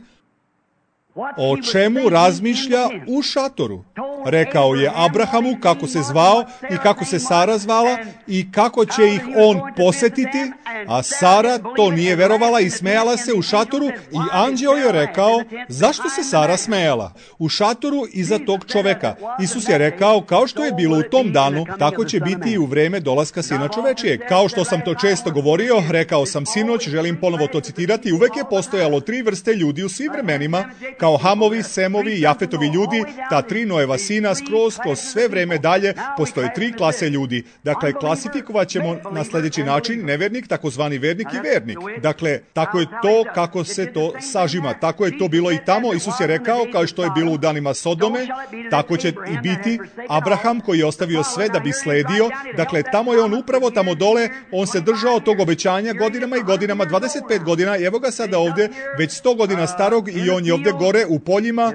o čemu razmišlja u šatoru. Rekao je Abrahamu kako se zvao i kako se Sara zvala i kako će ih on posetiti, a Sara to nije verovala i smejala se u šatoru i anđeo je rekao, zašto se Sara smejala? U šatoru iza tog čoveka. Isus je rekao, kao što je bilo u tom danu, tako će biti i u vreme dolaska Sina čovečijeg. Kao što sam to često govorio, rekao sam sinoć, želim ponovo to citirati, uvek je postojalo tri vrste ljudi u svim vremenima, kao Hamovi, Semovi, Jafetovi ljudi, ta tri Noeva sina, skroz kroz sve vreme dalje postoje tri klase ljudi. Dakle, klasifikovat ćemo na sljedeći način nevernik, takozvani vernik i vernik. Dakle, tako je to kako se to sažima. Tako je to bilo i tamo. Isus je rekao, kao što je bilo u danima Sodome, tako će i biti Abraham koji je ostavio sve da bi sledio. Dakle, tamo je on upravo tamo dole, on se držao tog obećanja godinama i godinama, dvadeset pet godina, evo ga sada ovdje, već sto godina starog i on je ovdje gore u poljima,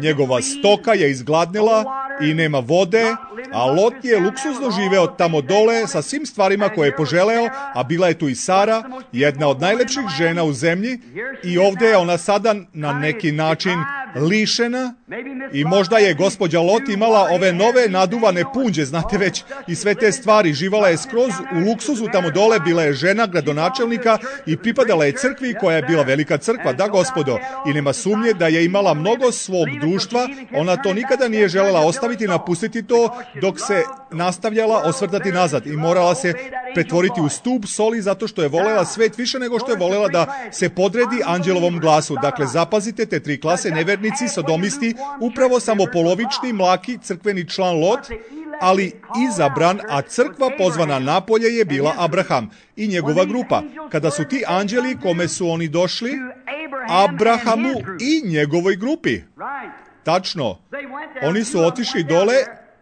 njegova stoka je izgladnila i nema vode, a Lot je luksuzno živeo tamo dole sa svim stvarima koje je poželeo, a bila je tu i Sara, jedna od najlepših žena u zemlji, i ovdje je ona sada na neki način lišena i možda je gospođa Lot imala ove nove naduvane punđe, znate već, i sve te stvari. Živala je skroz u luksuzu tamo dole, bila je žena gradonačelnika i pripadala je crkvi koja je bila velika crkva, da gospodo, i nema sumnje da je imala mnogo svog društva. Ona to nikada nije želela ostaviti, napustiti to dok se nastavljala osvrtati nazad i morala se pretvoriti u stup soli zato što je volela svet više nego što je volela da se podredi anđelovom glasu. Dakle, zapazite te tri klase: nevernici, sodomisti, upravo samo polovični mlaki crkveni član Lot, ali izabran, a crkva pozvana napolje je bila Abraham i njegova grupa. Kada su ti anđeli, kome su oni došli? Abrahamu i njegovoj grupi. Tačno. Oni su otišli dole,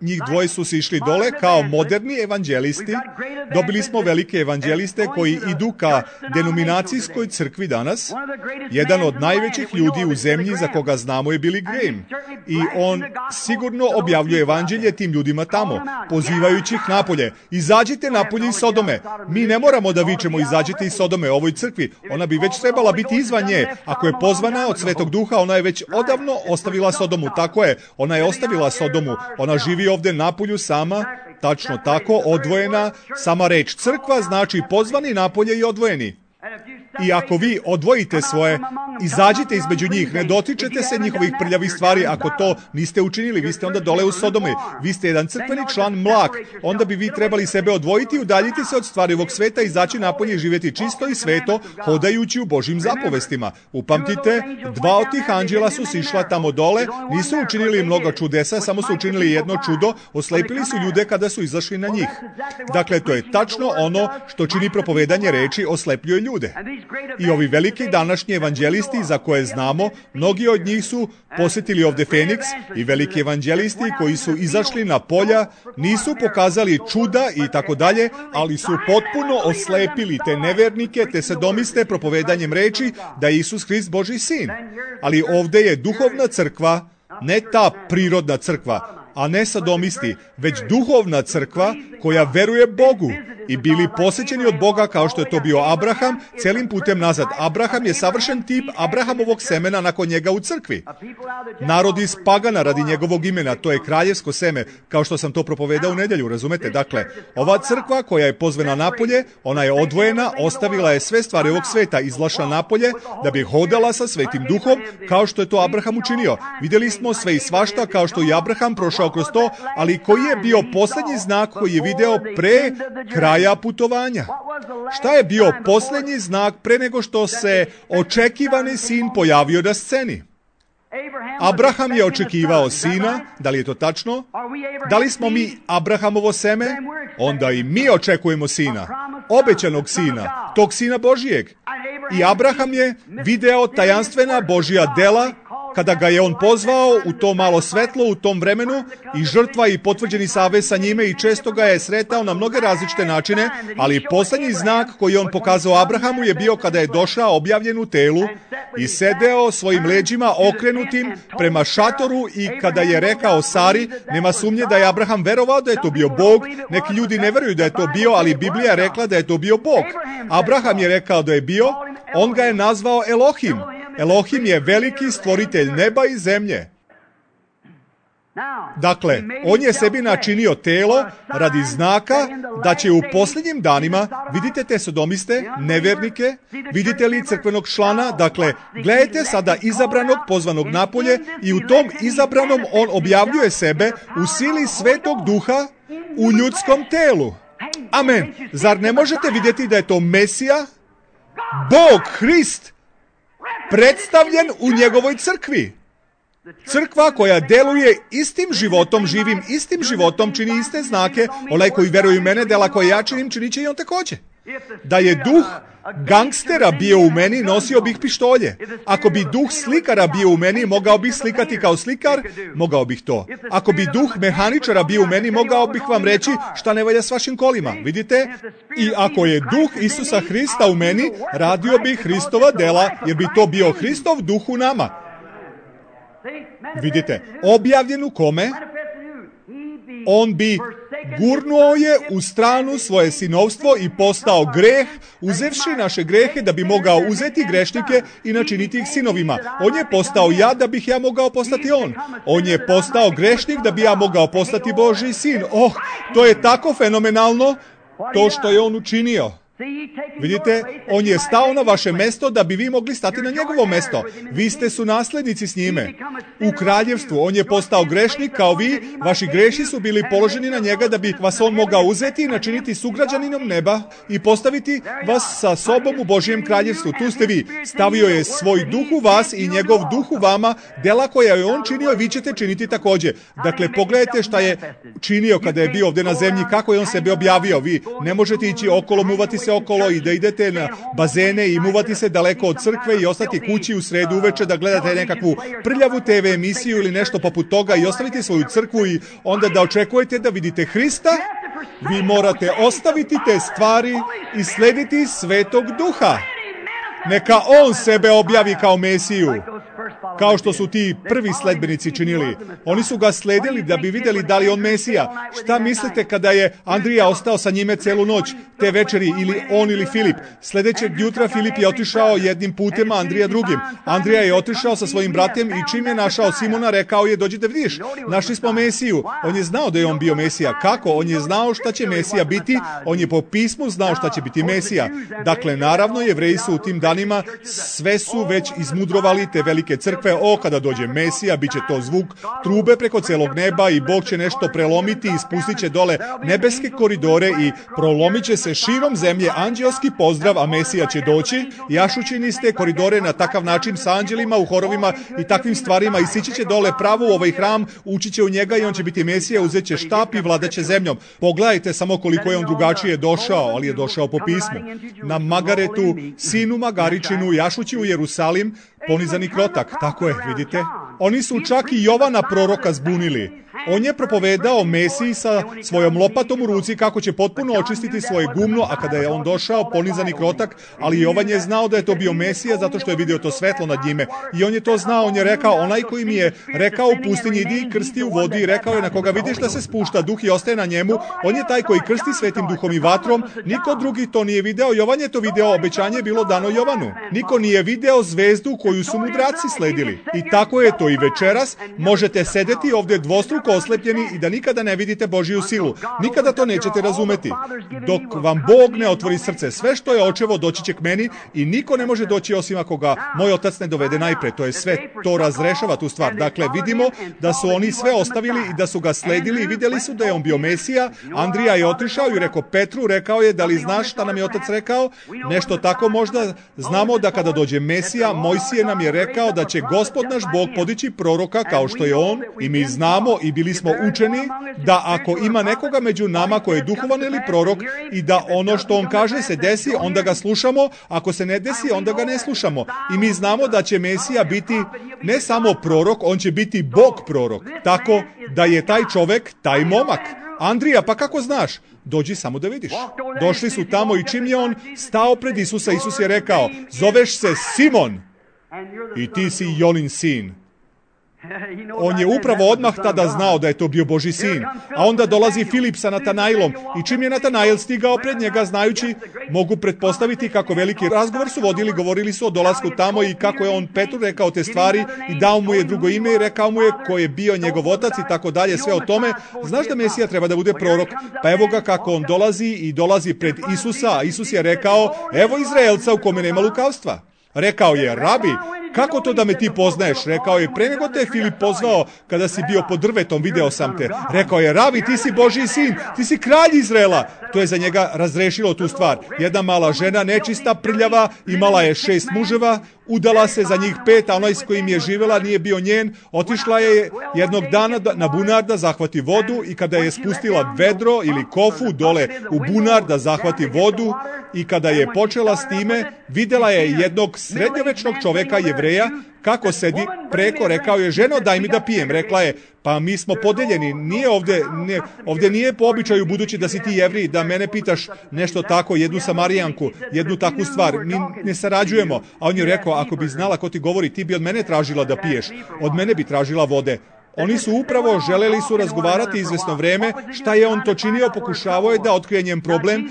njih dvoje su se išli dole kao moderni evanđelisti. Dobili smo velike evanđeliste koji idu ka denominacijskoj crkvi danas. Jedan od najvećih ljudi u zemlji za koga znamo je Billy Graham. I on sigurno objavljuje evanđelje tim ljudima tamo, pozivajući ih napolje. Izađite napolje iz Sodome. Mi ne moramo da vičemo izađite iz Sodome ovoj crkvi. Ona bi već trebala biti izvan nje. Ako je pozvana od Svetog Duha, ona je već odavno ostavila Sodomu. Tako je, ona je ostavila Sodomu. Ona živi ovde napolju sama, tačno tako, odvojena. Sama reč crkva znači pozvani napolje i odvojeni. I ako vi odvojite svoje, izađite između njih, ne dotičete se njihovih prljavih stvari. Ako to niste učinili, vi ste onda dole u Sodome. Vi ste jedan crkveni član mlak. Onda bi vi trebali sebe odvojiti, udaljiti se od stvari ovog sveta, izaći napolje i živjeti čisto i sveto, hodajući u Božjim zapovestima. Upamtite, dva od tih anđela su sišla tamo dole, nisu učinili mnogo čudesa, samo su učinili jedno čudo, oslepili su ljude kada su izašli na njih. Dakle, to je tačno ono što čini propovedanje reči, oslepljuje ljude. I ovi veliki današnji evanđelisti za koje znamo, mnogi od njih su posjetili ovde Feniks i veliki evanđelisti koji su izašli na polja, nisu pokazali čuda i tako dalje, ali su potpuno oslepili te nevernike, te sodomiste propovedanjem reči da je Isus Hrist Božji sin. Ali ovde je duhovna crkva, ne ta prirodna crkva, a ne sodomisti, već duhovna crkva koja veruje Bogu i bili posjećeni od Boga kao što je to bio Abraham celim putem nazad. Abraham je savršen tip Abrahamovog semena nakon njega u crkvi. Narod iz pagana radi njegovog imena, to je kraljevsko seme, kao što sam to propovedao u nedjelju, razumete? Dakle, ova crkva koja je pozvana napolje, ona je odvojena, ostavila je sve stvari ovog sveta, izlašla napolje da bi hodala sa Svetim Duhom kao što je to Abraham učinio. Vidjeli smo sve i svašta kao što i Abraham prošao kroz to, ali koji je bio posljednji znak koji je video pre kraja putovanja? Šta je bio posljednji znak pre nego što se očekivani sin pojavio na sceni? Abraham je očekivao sina, da li je to tačno? Da li smo mi Abrahamovo seme? Onda i mi očekujemo sina, obećanog sina, tog sina Božijeg. I Abraham je video tajanstvena Božja dela kada ga je on pozvao u to malo svetlo u tom vremenu i žrtva i potvrđeni savez sa njime i često ga je sretao na mnoge različite načine, ali posljednji znak koji je on pokazao Abrahamu je bio kada je došao objavljen u telu i sedeo svojim leđima okrenutim prema šatoru i kada je rekao Sari, nema sumnje da je Abraham verovao da je to bio Bog. Neki ljudi ne veruju da je to bio, ali Biblija je rekla da je to bio Bog. Abraham je rekao da je bio, on ga je nazvao Elohim. Elohim je veliki stvoritelj neba i zemlje. Dakle, on je sebi načinio telo radi znaka da će u posljednjim danima, vidite te sodomiste, nevernike, vidite li crkvenog člana, dakle, gledajte sada izabranog, pozvanog napolje i u tom izabranom on objavljuje sebe u sili Svetog Duha u ljudskom telu. Amen. Zar ne možete vidjeti da je to Mesija, Bog, Hrist, predstavljen u njegovoj crkvi? Crkva koja deluje istim životom, živim istim životom, čini iste znake. Onaj koji veruje u mene, dela koje ja činim, činit će i on također. Da je duh gangstera bio u meni, nosio bih pištolje. Ako bi duh slikara bio u meni, mogao bih slikati kao slikar, mogao bih to. Ako bi duh mehaničara bio u meni, mogao bih vam reći šta ne valja s vašim kolima. Vidite? I ako je duh Isusa Hrista u meni, radio bi Hristova dela, jer bi to bio Hristov duh u nama. Vidite, objavljen u kome? On bi gurnuo je u stranu svoje sinovstvo i postao greh, uzevši naše grehe da bi mogao uzeti grešnike i načiniti ih sinovima. On je postao ja da bih ja mogao postati on. On je postao grešnik da bi ja mogao postati Božji sin. Oh, to je tako fenomenalno to što je on učinio. Vidite, on je stao na vaše mesto da bi vi mogli stati na njegovo mesto. Vi ste su naslednici s njime. U kraljevstvu on je postao grešnik kao vi, vaši greši su bili položeni na njega da bi vas on mogao uzeti i načiniti sugrađaninom neba i postaviti vas sa sobom u Božjem kraljevstvu. Tu ste vi. Stavio je svoj duh u vas i njegov duh u vama, dela koja je on činio, vi ćete činiti također. Dakle, pogledajte šta je činio kada je bio ovdje na zemlji, kako je on sebe objavio. Vi ne možete ići okolo, muvati se okolo i da idete na bazene i muvati se daleko od crkve i ostati kući u sredu uveče da gledate nekakvu prljavu te ve emisiju ili nešto poput toga i ostaviti svoju crkvu i onda da očekujete da vidite Hrista. Vi morate ostaviti te stvari i slediti Svetog Duha. Neka on sebe objavi kao Mesiju, kao što su ti prvi sledbenici činili. Oni su ga sledili da bi vidjeli da li on Mesija. Šta mislite kada je Andrija ostao sa njime celu noć te večeri, ili on ili Filip? Sljedećeg jutra Filip je otišao jednim putem, a Andrija drugim. Andrija je otišao sa svojim bratem i čim je našao Simona, rekao je: dođi da vidiš, našli smo Mesiju. On je znao da je on bio Mesija. Kako? On je znao šta će Mesija biti. On je po pismu znao šta će biti Mesija. Dakle, naravno, Jevreji su u tim danima sve su već izmudrovali te velike crkve. O, kada dođe Mesija, bit će to zvuk trube preko celog neba i Bog će nešto prelomiti i spustit će dole nebeske koridore i prolomit će se širom zemlje anđelski pozdrav, a Mesija će doći jašući niz te koridore na takav način sa anđelima u horovima i takvim stvarima i sići će dole pravo u ovaj hram, ući će u njega i on će biti Mesija, uzet će štap i vladat će zemljom. Pogledajte samo koliko je on drugačije došao, ali je došao po pismu. Na Magaretu, sinu Magaričinu, jašući u Jerusalim, ponizani krotak. Tako je, vidite. Oni su čak i Jovana proroka zbunili. On je propovedao Mesiji sa svojom lopatom u ruci kako će potpuno očistiti svoje gumno, a kada je on došao, ponizan i krotak, ali Jovan je znao da je to bio Mesija zato što je vidio to svetlo nad njime. I on je to znao, on je rekao: onaj koji mi je rekao u pustinji idi i krsti u vodi, i rekao je: na koga vidiš da se spušta duh i ostaje na njemu, on je taj koji krsti svetim duhom i vatrom. Niko drugi to nije video, Jovan je to video, obećanje je bilo dano Jovanu. Niko nije video zvezdu koju su mudraci sledili. I tako je to i večeras. Možete sedeti ovdje dvostruko oslepljeni i da nikada ne vidite Božju silu. Nikada to nećete razumeti. Dok vam Bog ne otvori srce, sve što je očevo doći će k meni i niko ne može doći osim ako ga moj otac ne dovede najpre. To je sve, to razrešava tu stvar. Dakle, vidimo da su oni sve ostavili i da su ga sledili i vidjeli su da je on bio Mesija. Andrija je otišao i rekao Petru, rekao je: da li znaš šta nam je otac rekao? Nešto tako možda. Znamo da kada dođe Mesija, Mojsije nam je rekao da će Gospod naš Bog podići proroka kao što je on, i mi znamo i bili smo učeni da ako ima nekoga među nama koji je duhovan ili prorok i da ono što on kaže se desi, onda ga slušamo, ako se ne desi, onda ga ne slušamo. I mi znamo da će Mesija biti ne samo prorok, on će biti Bog prorok. Tako da je taj čovjek, taj momak. Andrija, pa kako znaš? Dođi samo da vidiš. Došli su tamo i čim je on stao pred Isusa, Isus je rekao: zoveš se Simon i ti si Jonin sin. On je upravo odmah tada znao da je to bio Božji sin. A onda dolazi Filip sa Natanailom i čim je Natanail stigao pred njega, znajući, mogu pretpostaviti kako veliki razgovor su vodili, govorili su o dolasku tamo i kako je on Petru rekao te stvari i dao mu je drugo ime i rekao mu je ko je bio njegov otac i tako dalje, sve o tome. Znaš da Mesija treba da bude prorok? Pa evo ga kako on dolazi i dolazi pred Isusa. Isus je rekao: evo Izraelca u kome nema lukavstva. Rekao je: rabi, kako to da me ti poznaješ? Rekao je: pre nego te je Filip pozvao kada si bio pod drvetom, video sam te. Rekao je: rabi, ti si Božji sin, ti si kralj Izraela. To je za njega razrešilo tu stvar. Jedna mala žena, nečista, prljava, imala je šest muževa, udala se za njih pet, a onaj s kojim je živjela nije bio njen. Otišla je jednog dana na bunar da zahvati vodu i kada je spustila vedro ili kofu dole u bunar da zahvati vodu i kada je počela s time, vidjela je jednog srednjovečnog čovjeka, Jevreja, kako sedi preko. Rekao je: ženo, daj mi da pijem. Rekla je: pa mi smo podeljeni, nije ovdje, nije, ovdje nije po običaju, budući da si ti Jevrij, da mene pitaš nešto tako, jednu Samarijanku, jednu takvu stvar, mi ne sarađujemo. A on je rekao: ako bi znala ko ti govori, ti bi od mene tražila da piješ, od mene bi tražila vode. Oni su upravo želeli su razgovarati izvesno vreme, šta je on to činio, pokušavao je da otkrije njen problem.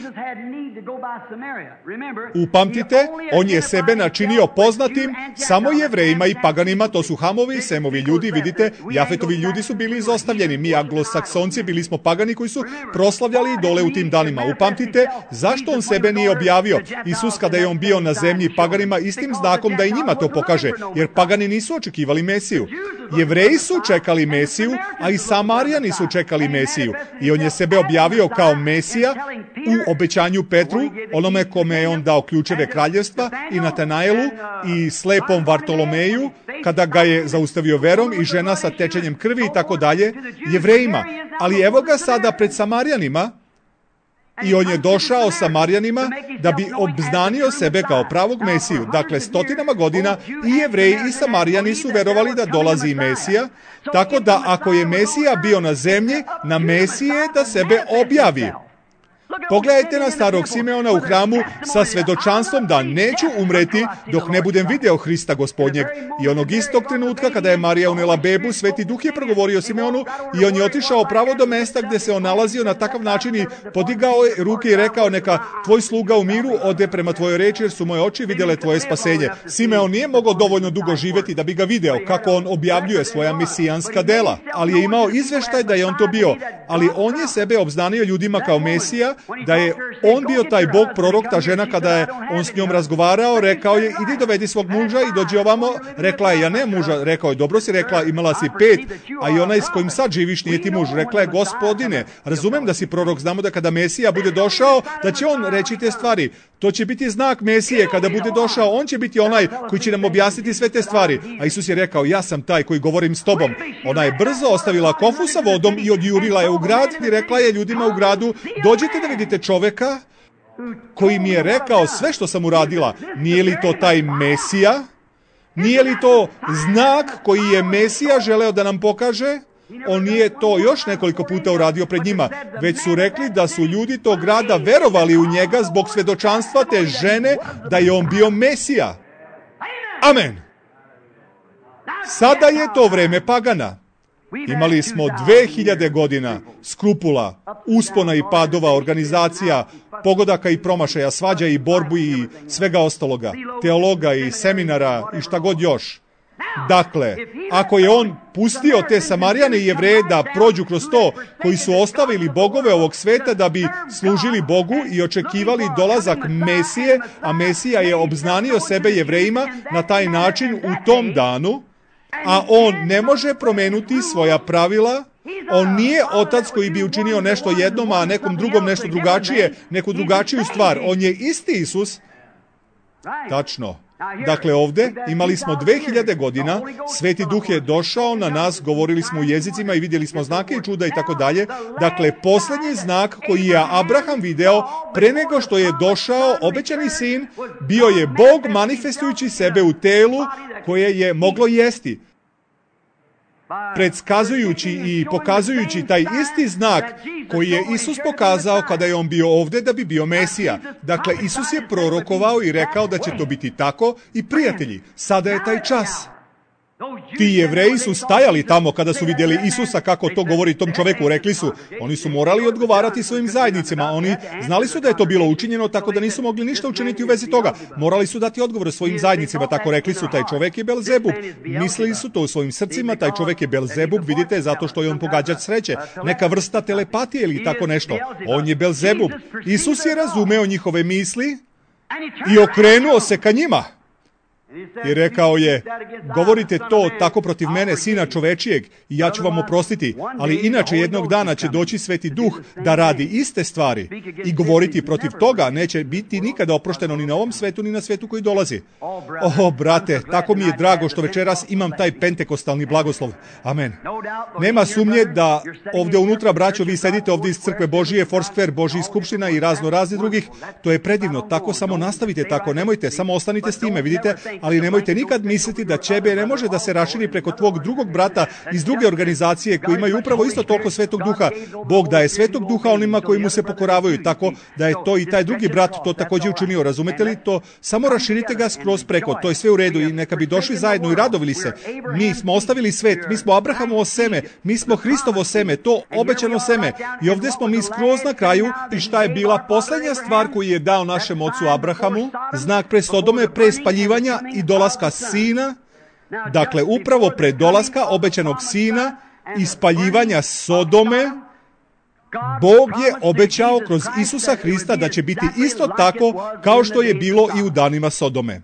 Upamtite, on je sebe načinio poznatim samo Jevrejima i paganima, to su Hamovi i Semovi ljudi, vidite, Jafetovi ljudi su bili izostavljeni, mi Anglosaksonci bili smo pagani koji su proslavljali dole u tim danima. Upamtite, zašto on sebe nije objavio? Isus kada je on bio na zemlji paganima, istim znakom da i njima to pokaže, jer pagani nisu očekivali Mesiju. Jevreji su čekali Mesiju, a i Samarijani su čekali Mesiju. I on je sebe objavio kao Mesija u obećanju Petru, onome kome je on dao ključeve kraljevstva, i Natanaelu i slepom Vartolomeju, kada ga je zaustavio verom, i žena sa tečenjem krvi i tako dalje, Jevrejima. Ali evo ga sada pred Samarijanima, i on je došao Samarijanima da bi obznanio sebe kao pravog Mesiju. Dakle, stotinama godina i Jevreji i Samarijani su verovali da dolazi Mesija, tako da ako je Mesija bio na zemlji, na Mesije je da sebe objavi. Pogledajte na starog Simeona u hramu sa svedočanstvom da neću umreti dok ne budem video Hrista Gospodnjeg. I onog istog trenutka kada je Marija unela bebu, Sveti Duh je progovorio Simeonu i on je otišao pravo do mesta gde se on nalazio na takav način i podigao je ruke i rekao: neka tvoj sluga u miru ode prema tvojoj reči, jer su moje oči vidjele tvoje spasenje. Simeon nije mogao dovoljno dugo živjeti da bi ga video kako on objavljuje svoja mesijanska dela, ali je imao izveštaj da je on to bio. Ali on je sebe obznanio ljudima kao Mesija, da je on bio taj Bog prorok. Ta žena, kada je on s njom razgovarao, rekao je: idi dovedi svog muža i dođi ovamo. Rekla je: ja ne muža. Rekao je: dobro si rekla, imala si pet, a i onaj s kojim sad živiš nije ti muž. Rekla je: gospodine, razumem da si prorok, znamo da kada Mesija bude došao, da će on reći te stvari. To će biti znak Mesije, kada bude došao, on će biti onaj koji će nam objasniti sve te stvari. A Isus je rekao: ja sam taj koji govorim s tobom. Ona je brzo ostavila kofu sa vodom i odjurila je u grad i rekla je ljudima u gradu: dođite da vidite čoveka koji mi je rekao sve što sam uradila. Nije li to taj Mesija? Nije li to znak koji je Mesija želeo da nam pokaže? On nije to još nekoliko puta uradio pred njima, već su rekli da su ljudi tog grada verovali u njega zbog svedočanstva te žene da je on bio Mesija. Amen. Sada je to vreme pagana. Imali smo dve hiljade godina skrupula, uspona i padova, organizacija, pogodaka i promašaja, svađa i borbu i svega ostaloga, teologa i seminara i šta god još. Dakle, ako je on pustio te Samarijane i Jevreje da prođu kroz to, koji su ostavili bogove ovog sveta da bi služili Bogu i očekivali dolazak Mesije, a Mesija je obznanio sebe Jevrejima na taj način u tom danu, a on ne može promenuti svoja pravila. On nije otac koji bi učinio nešto jednom, a nekom drugom nešto drugačije, neku drugačiju stvar. On je isti Isus. Tačno. Dakle, ovdje imali smo dve hiljade godina, Sveti Duh je došao na nas, govorili smo u jezicima i vidjeli smo znake i čuda i tako dalje. Dakle, posljednji znak koji je Abraham video pre nego što je došao obećani sin, bio je Bog manifestujući sebe u telu koje je moglo jesti. Predskazujući i pokazujući taj isti znak koji je Isus pokazao kada je on bio ovdje da bi bio Mesija. Dakle, Isus je prorokovao i rekao da će to biti tako i prijatelji, sada je taj čas. Ti Jevreji su stajali tamo kada su vidjeli Isusa kako to govori tom čoveku. Rekli su, oni su morali odgovarati svojim zajednicama. Oni znali su da je to bilo učinjeno, tako da nisu mogli ništa učiniti u vezi toga. Morali su dati odgovor svojim zajednicima. Tako rekli su, taj čovek je Belzebub. Mislili su to u svojim srcima, taj čovek je Belzebub, vidite, zato što je on pogađač sreće. Neka vrsta telepatije ili tako nešto. On je Belzebub. Isus je razumeo njihove misli i okrenuo se ka njima. I rekao je, govorite to tako protiv mene, sina čovečijeg, i ja ću vam oprostiti, ali inače jednog dana će doći Sveti Duh da radi iste stvari i govoriti protiv toga neće biti nikada oprošteno ni na ovom svetu, ni na svetu koji dolazi. O, brate, tako mi je drago što večeras imam taj pentekostalni blagoslov. Amen. Nema sumnje da ovdje unutra, braćo, vi sedite ovdje iz Crkve Božije, Foursquare, Božjih skupština i razno razni drugih. To je predivno, tako samo nastavite tako, nemojte, samo ostanite s time, vidite. ali nemojte nikad misliti da ćebe ne može da se raširi preko tvog drugog brata iz druge organizacije koji imaju upravo isto toliko Svetog Duha. Bog daje Svetog Duha onima koji mu se pokoravaju, tako da je to i taj drugi brat to također učinio. Razumete li to? Samo raširite ga skroz preko, to je sve u redu i neka bi došli zajedno i radovili se. Mi smo ostavili svet, mi smo Abrahamovo seme, mi smo Hristovo seme, to obećano seme. I ovdje smo mi skroz na kraju i šta je bila posljednja stvar koju je dao našem ocu Abrahamu? Znak pre Sodome, pre spaljivanja i dolaska sina. Dakle, upravo pre dolaska obećanog sina i spaljivanja Sodome, Bog je obećao kroz Isusa Hrista da će biti isto tako kao što je bilo i u danima Sodome.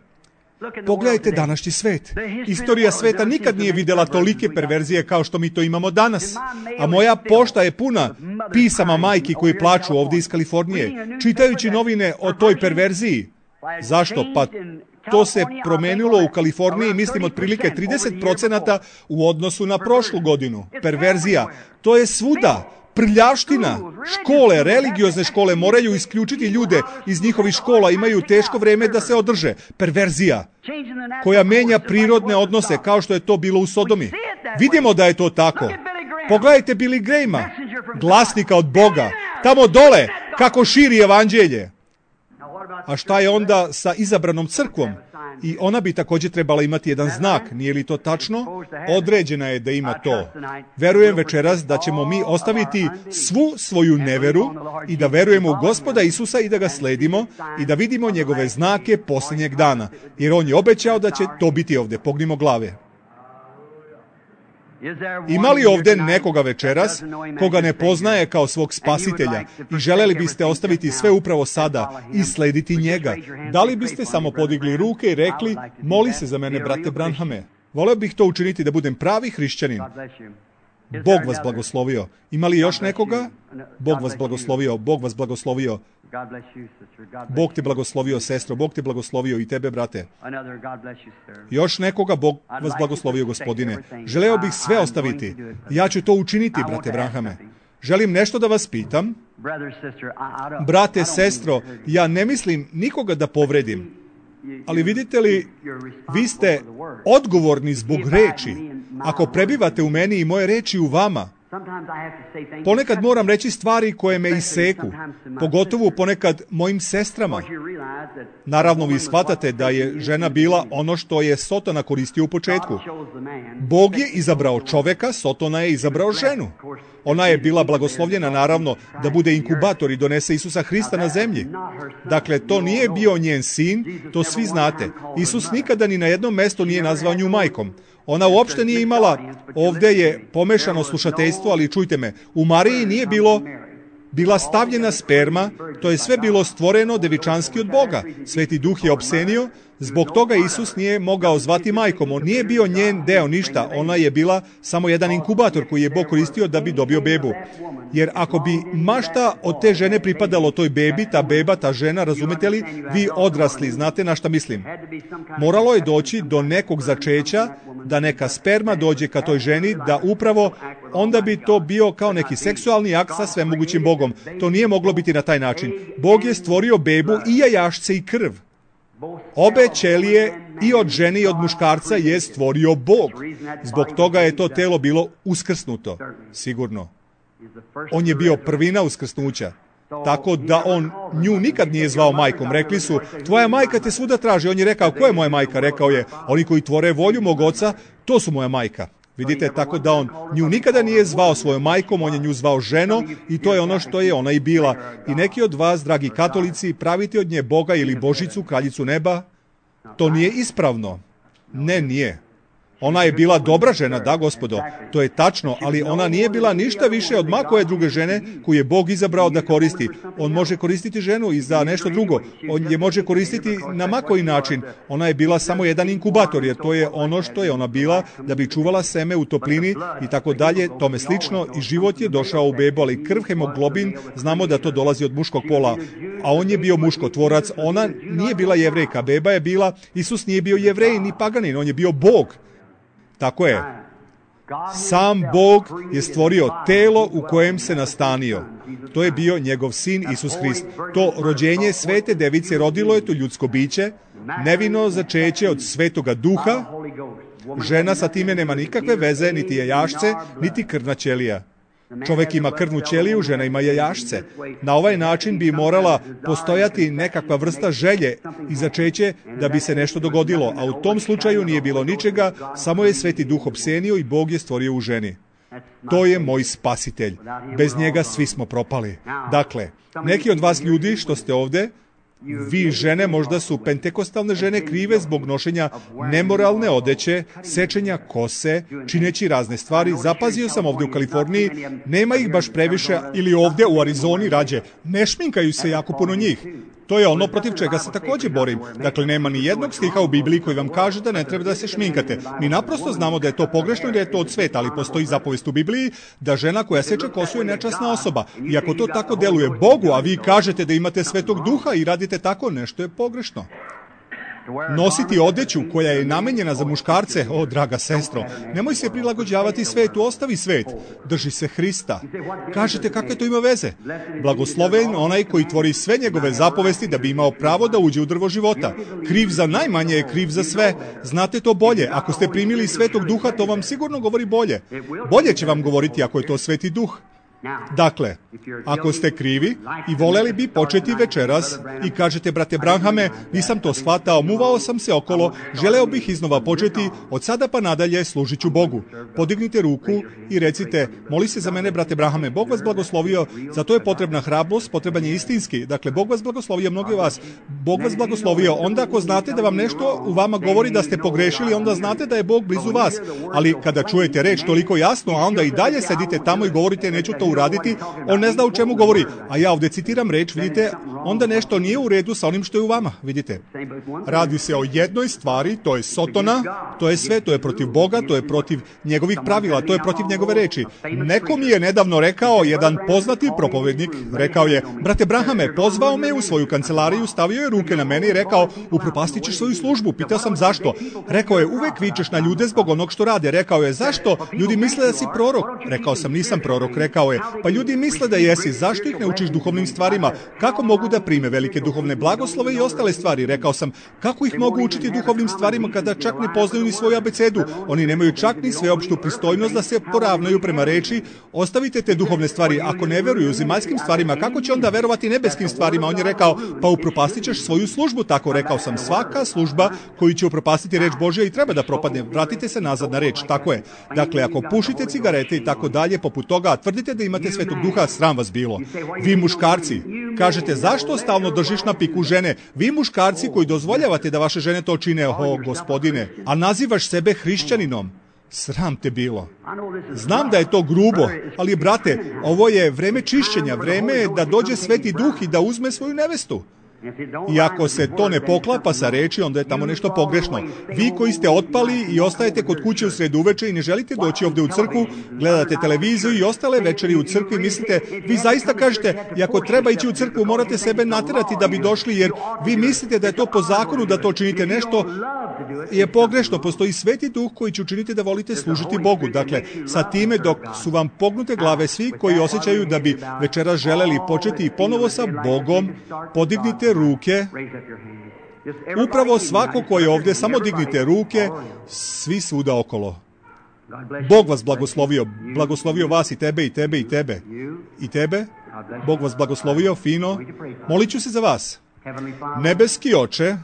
Pogledajte današnji svet. Istorija sveta nikad nije vidjela tolike perverzije kao što mi to imamo danas. A moja pošta je puna pisama majki koji plaču ovdje iz Kalifornije, čitajući novine o toj perverziji. Zašto? Pa to se promenilo u Kaliforniji, mislim, otprilike trideset procenata u odnosu na prošlu godinu. Perverzija. To je svuda. Prljavština. Škole, religiozne škole moraju isključiti ljude iz njihovih škola, imaju teško vrijeme da se održe. Perverzija koja menja prirodne odnose kao što je to bilo u Sodomi. Vidimo da je to tako. Pogledajte Billy Grahama, glasnika od Boga, tamo dole, kako širi evanđelje. A šta je onda sa izabranom crkvom? I ona bi također trebala imati jedan znak, nije li to tačno? Određena je da ima to. Verujem večeras da ćemo mi ostaviti svu svoju neveru i da verujemo u Gospoda Isusa i da ga sledimo i da vidimo njegove znake posljednjeg dana. Jer on je obećao da će to biti ovdje. Pognimo glave. Ima li ovdje nekoga večeras koga ne poznaje kao svog spasitelja i želeli biste ostaviti sve upravo sada i slediti njega? Da li biste samo podigli ruke i rekli, moli se za mene, brate Branhame? Voleo bih to učiniti da budem pravi hrišćanin. Bog vas blagoslovio. Ima li još nekoga? Bog vas blagoslovio, Bog vas blagoslovio. Bog te blagoslovio, sestro, Bog te blagoslovio i tebe, brate. Još nekoga? Bog vas blagoslovio, gospodine. Želeo bih sve ostaviti. Ja ću to učiniti, brate Branhame. Želim nešto da vas pitam. Brate, sestro, ja ne mislim nikoga da povredim. Ali vidite li, vi ste odgovorni zbog reči. Ako prebivate u meni i moje reči u vama, ponekad moram reći stvari koje me iseku, pogotovo ponekad mojim sestrama. Naravno, vi shvatate da je žena bila ono što je Sotona koristio u početku. Bog je izabrao čoveka, Sotona je izabrao ženu. Ona je bila blagoslovljena, naravno, da bude inkubator i donese Isusa Hrista na zemlji. Dakle, to nije bio njen sin, to svi znate. Isus nikada ni na jednom mjestu nije nazvao nju majkom. Ona uopšte nije imala, ovdje je pomešano slušateljstvo, ali čujte me, u Mariji nije bilo bila stavljena sperma, to je sve bilo stvoreno devičanski od Boga. Sveti Duh je opsenio, zbog toga Isus nije mogao zvati majkom. On nije bio njen deo ništa, ona je bila samo jedan inkubator koji je Bog koristio da bi dobio bebu. Jer ako bi mašta od te žene pripadalo toj bebi, ta beba, ta žena, razumete li, vi odrasli, znate na šta mislim. Moralo je doći do nekog začeća, da neka sperma dođe ka toj ženi, da upravo onda bi to bio kao neki seksualni akt sa svemogućim Bogom. To nije moglo biti na taj način. Bog je stvorio bebu i jajašce i krv. Obe ćelije i od žene i od muškarca je stvorio Bog. Zbog toga je to telo bilo uskrsnuto. Sigurno. On je bio prvina uskrsnuća. Tako da on nju nikad nije zvao majkom. Rekli su, tvoja majka te svuda traži. On je rekao, ko je moja majka? Rekao je, oni koji tvore volju mog oca, to su moja majka. Vidite, tako da on nju nikada nije zvao svojom majkom, on je nju zvao ženo i to je ono što je ona i bila. I neki od vas, dragi katolici, pravite od nje Boga ili Božicu, kraljicu neba. To nije ispravno. Ne, nije. Ona je bila dobra žena, da, gospodo, to je tačno, ali ona nije bila ništa više od ma koje druge žene koju je Bog izabrao da koristi. On može koristiti ženu i za nešto drugo. On je može koristiti na ma koji način. Ona je bila samo jedan inkubator, jer to je ono što je ona bila, da bi čuvala seme u toplini i tako dalje, tome slično. I život je došao u bebu, ali krv, hemoglobin, znamo da to dolazi od muškog pola. A on je bio muškotvorac, ona nije bila Jevrejka, beba je bila, Isus nije bio Jevrej ni paganin, on je bio Bog. Tako je. Sam Bog je stvorio telo u kojem se nastanio. To je bio njegov sin Isus Hrist. To rođenje svete device rodilo je to ljudsko biće. nevino začeće od Svetoga Duha, žena sa time nema nikakve veze, niti jajašce, niti krvna ćelija. Čovjek ima krvnu ćeliju, žena ima jajašce. Na ovaj način bi morala postojati nekakva vrsta želje i začeće da bi se nešto dogodilo, a u tom slučaju nije bilo ničega, samo je Sveti Duh opsenio i Bog je stvorio u ženi. To je moj spasitelj. Bez njega svi smo propali. Dakle, neki od vas ljudi što ste ovdje, vi žene možda su pentekostalne žene krive zbog nošenja nemoralne odeće, sečenja kose, čineći razne stvari. Zapazio sam ovdje u Kaliforniji, nema ih baš previše, ili ovdje u Arizoni rađe. Ne šminkaju se jako puno njih. To je ono protiv čega se također borim. Dakle, nema ni jednog stiha u Bibliji koji vam kaže da ne treba da se šminkate. Mi naprosto znamo da je to pogrešno i da je to od sveta, ali postoji zapovest u Bibliji da žena koja seče kosu je nečasna osoba. I ako to tako deluje Bogu, a vi kažete da imate Svetog Duha i radite tako, nešto je pogrešno. Nositi odeću koja je namenjena za muškarce, o draga sestro, nemoj se prilagođavati svetu, ostavi svet, drži se Hrista. Kažete kakve to ima veze? Blagosloven onaj koji tvori sve njegove zapovesti da bi imao pravo da uđe u drvo života. Kriv za najmanje je kriv za sve. Znate to bolje. Ako ste primili Svetog Duha, to vam sigurno govori bolje. Bolje će vam govoriti ako je to Sveti Duh. Dakle, ako ste krivi i voleli bi početi večeras i kažete, brate Branhame, nisam to shvatao, muvao sam se okolo, želeo bih iznova početi, od sada pa nadalje služit ću Bogu. Podignite ruku i recite, moli se za mene, brate Branhame, Bog vas blagoslovio, za to je potrebna hrabrost, potreban je istinski. Dakle, Bog vas blagoslovio, mnogi vas, Bog vas blagoslovio. Onda ako znate da vam nešto u vama govori da ste pogrešili, onda znate da je Bog blizu vas. Ali kada čujete reč toliko jasno, a onda i dalje sedite tamo i govorite, neću to uraditi, on ne zna u čemu govori. A ja ovdje citiram reč, vidite, onda nešto nije u redu sa onim što je u vama, vidite. Radi se o jednoj stvari, to je sotona, to je sve, to je protiv Boga, to je protiv njegovih pravila, to je protiv njegove reči. Neko mi je nedavno rekao, jedan poznati propovednik, rekao je, brate Branhame, pozvao me u svoju kancelariju, stavio je ruke na mene i rekao, upropastit ćeš svoju službu. Pitao sam zašto. Rekao je, uvek vičeš na ljude zbog onog što rade. Rekao je, zašto? Ljudi misle da si prorok. Rekao sam, nisam prorok. Rekao je, pa ljudi misle da jesi, zašto ih ne učiš duhovnim stvarima? Kako mogu da prime velike duhovne blagoslove i ostale stvari? Rekao sam, kako ih mogu učiti duhovnim stvarima kada čak ne poznaju ni svoju abecedu? Oni nemaju čak ni sveopštu pristojnost da se poravnaju prema reči. Ostavite te duhovne stvari, ako ne veruju zemaljskim stvarima, kako će onda verovati nebeskim stvarima? On je rekao, pa upropastit ćeš svoju službu. Tako rekao sam, svaka služba koju će upropastiti reč Božja i treba da propadne. Vratite se nazad na reč, tako je. Dakle, ako pušite cigarete i tako dalje, poput toga, tvrdite da imate Svetog Duha, sram vas bilo. Vi muškarci, kažete, zašto stalno držiš na piku žene? Vi muškarci koji dozvoljavate da vaše žene to čine, o gospodine, a nazivaš sebe hrišćaninom. Sram te bilo. Znam da je to grubo, ali brate, ovo je vreme čišćenja, vreme je da dođe Sveti Duh i da uzme svoju nevestu. I ako se to ne poklapa sa reči, onda je tamo nešto pogrešno. Vi koji ste otpali i ostajete kod kuće u sred uveče i ne želite doći ovdje u crkvu, gledate televiziju i ostale večeri u crkvi, mislite, vi zaista kažete, i ako treba ići u crkvu, morate sebe naterati da bi došli, jer vi mislite da je to po zakonu da to činite. Nešto je pogrešno. Postoji Sveti Duh koji će učiniti da volite služiti Bogu. Dakle, sa time dok su vam pognute glave svi koji osjećaju da bi večeras želeli početi ponovo sa Bogom, podignite ruke. Upravo svako ko je ovdje, samo dignite ruke, svi svuda okolo. Bog vas blagoslovio, blagoslovio vas i tebe, i tebe, i tebe. I tebe? Bog vas blagoslovio, fino. Molit ću se za vas. Nebeski Oče,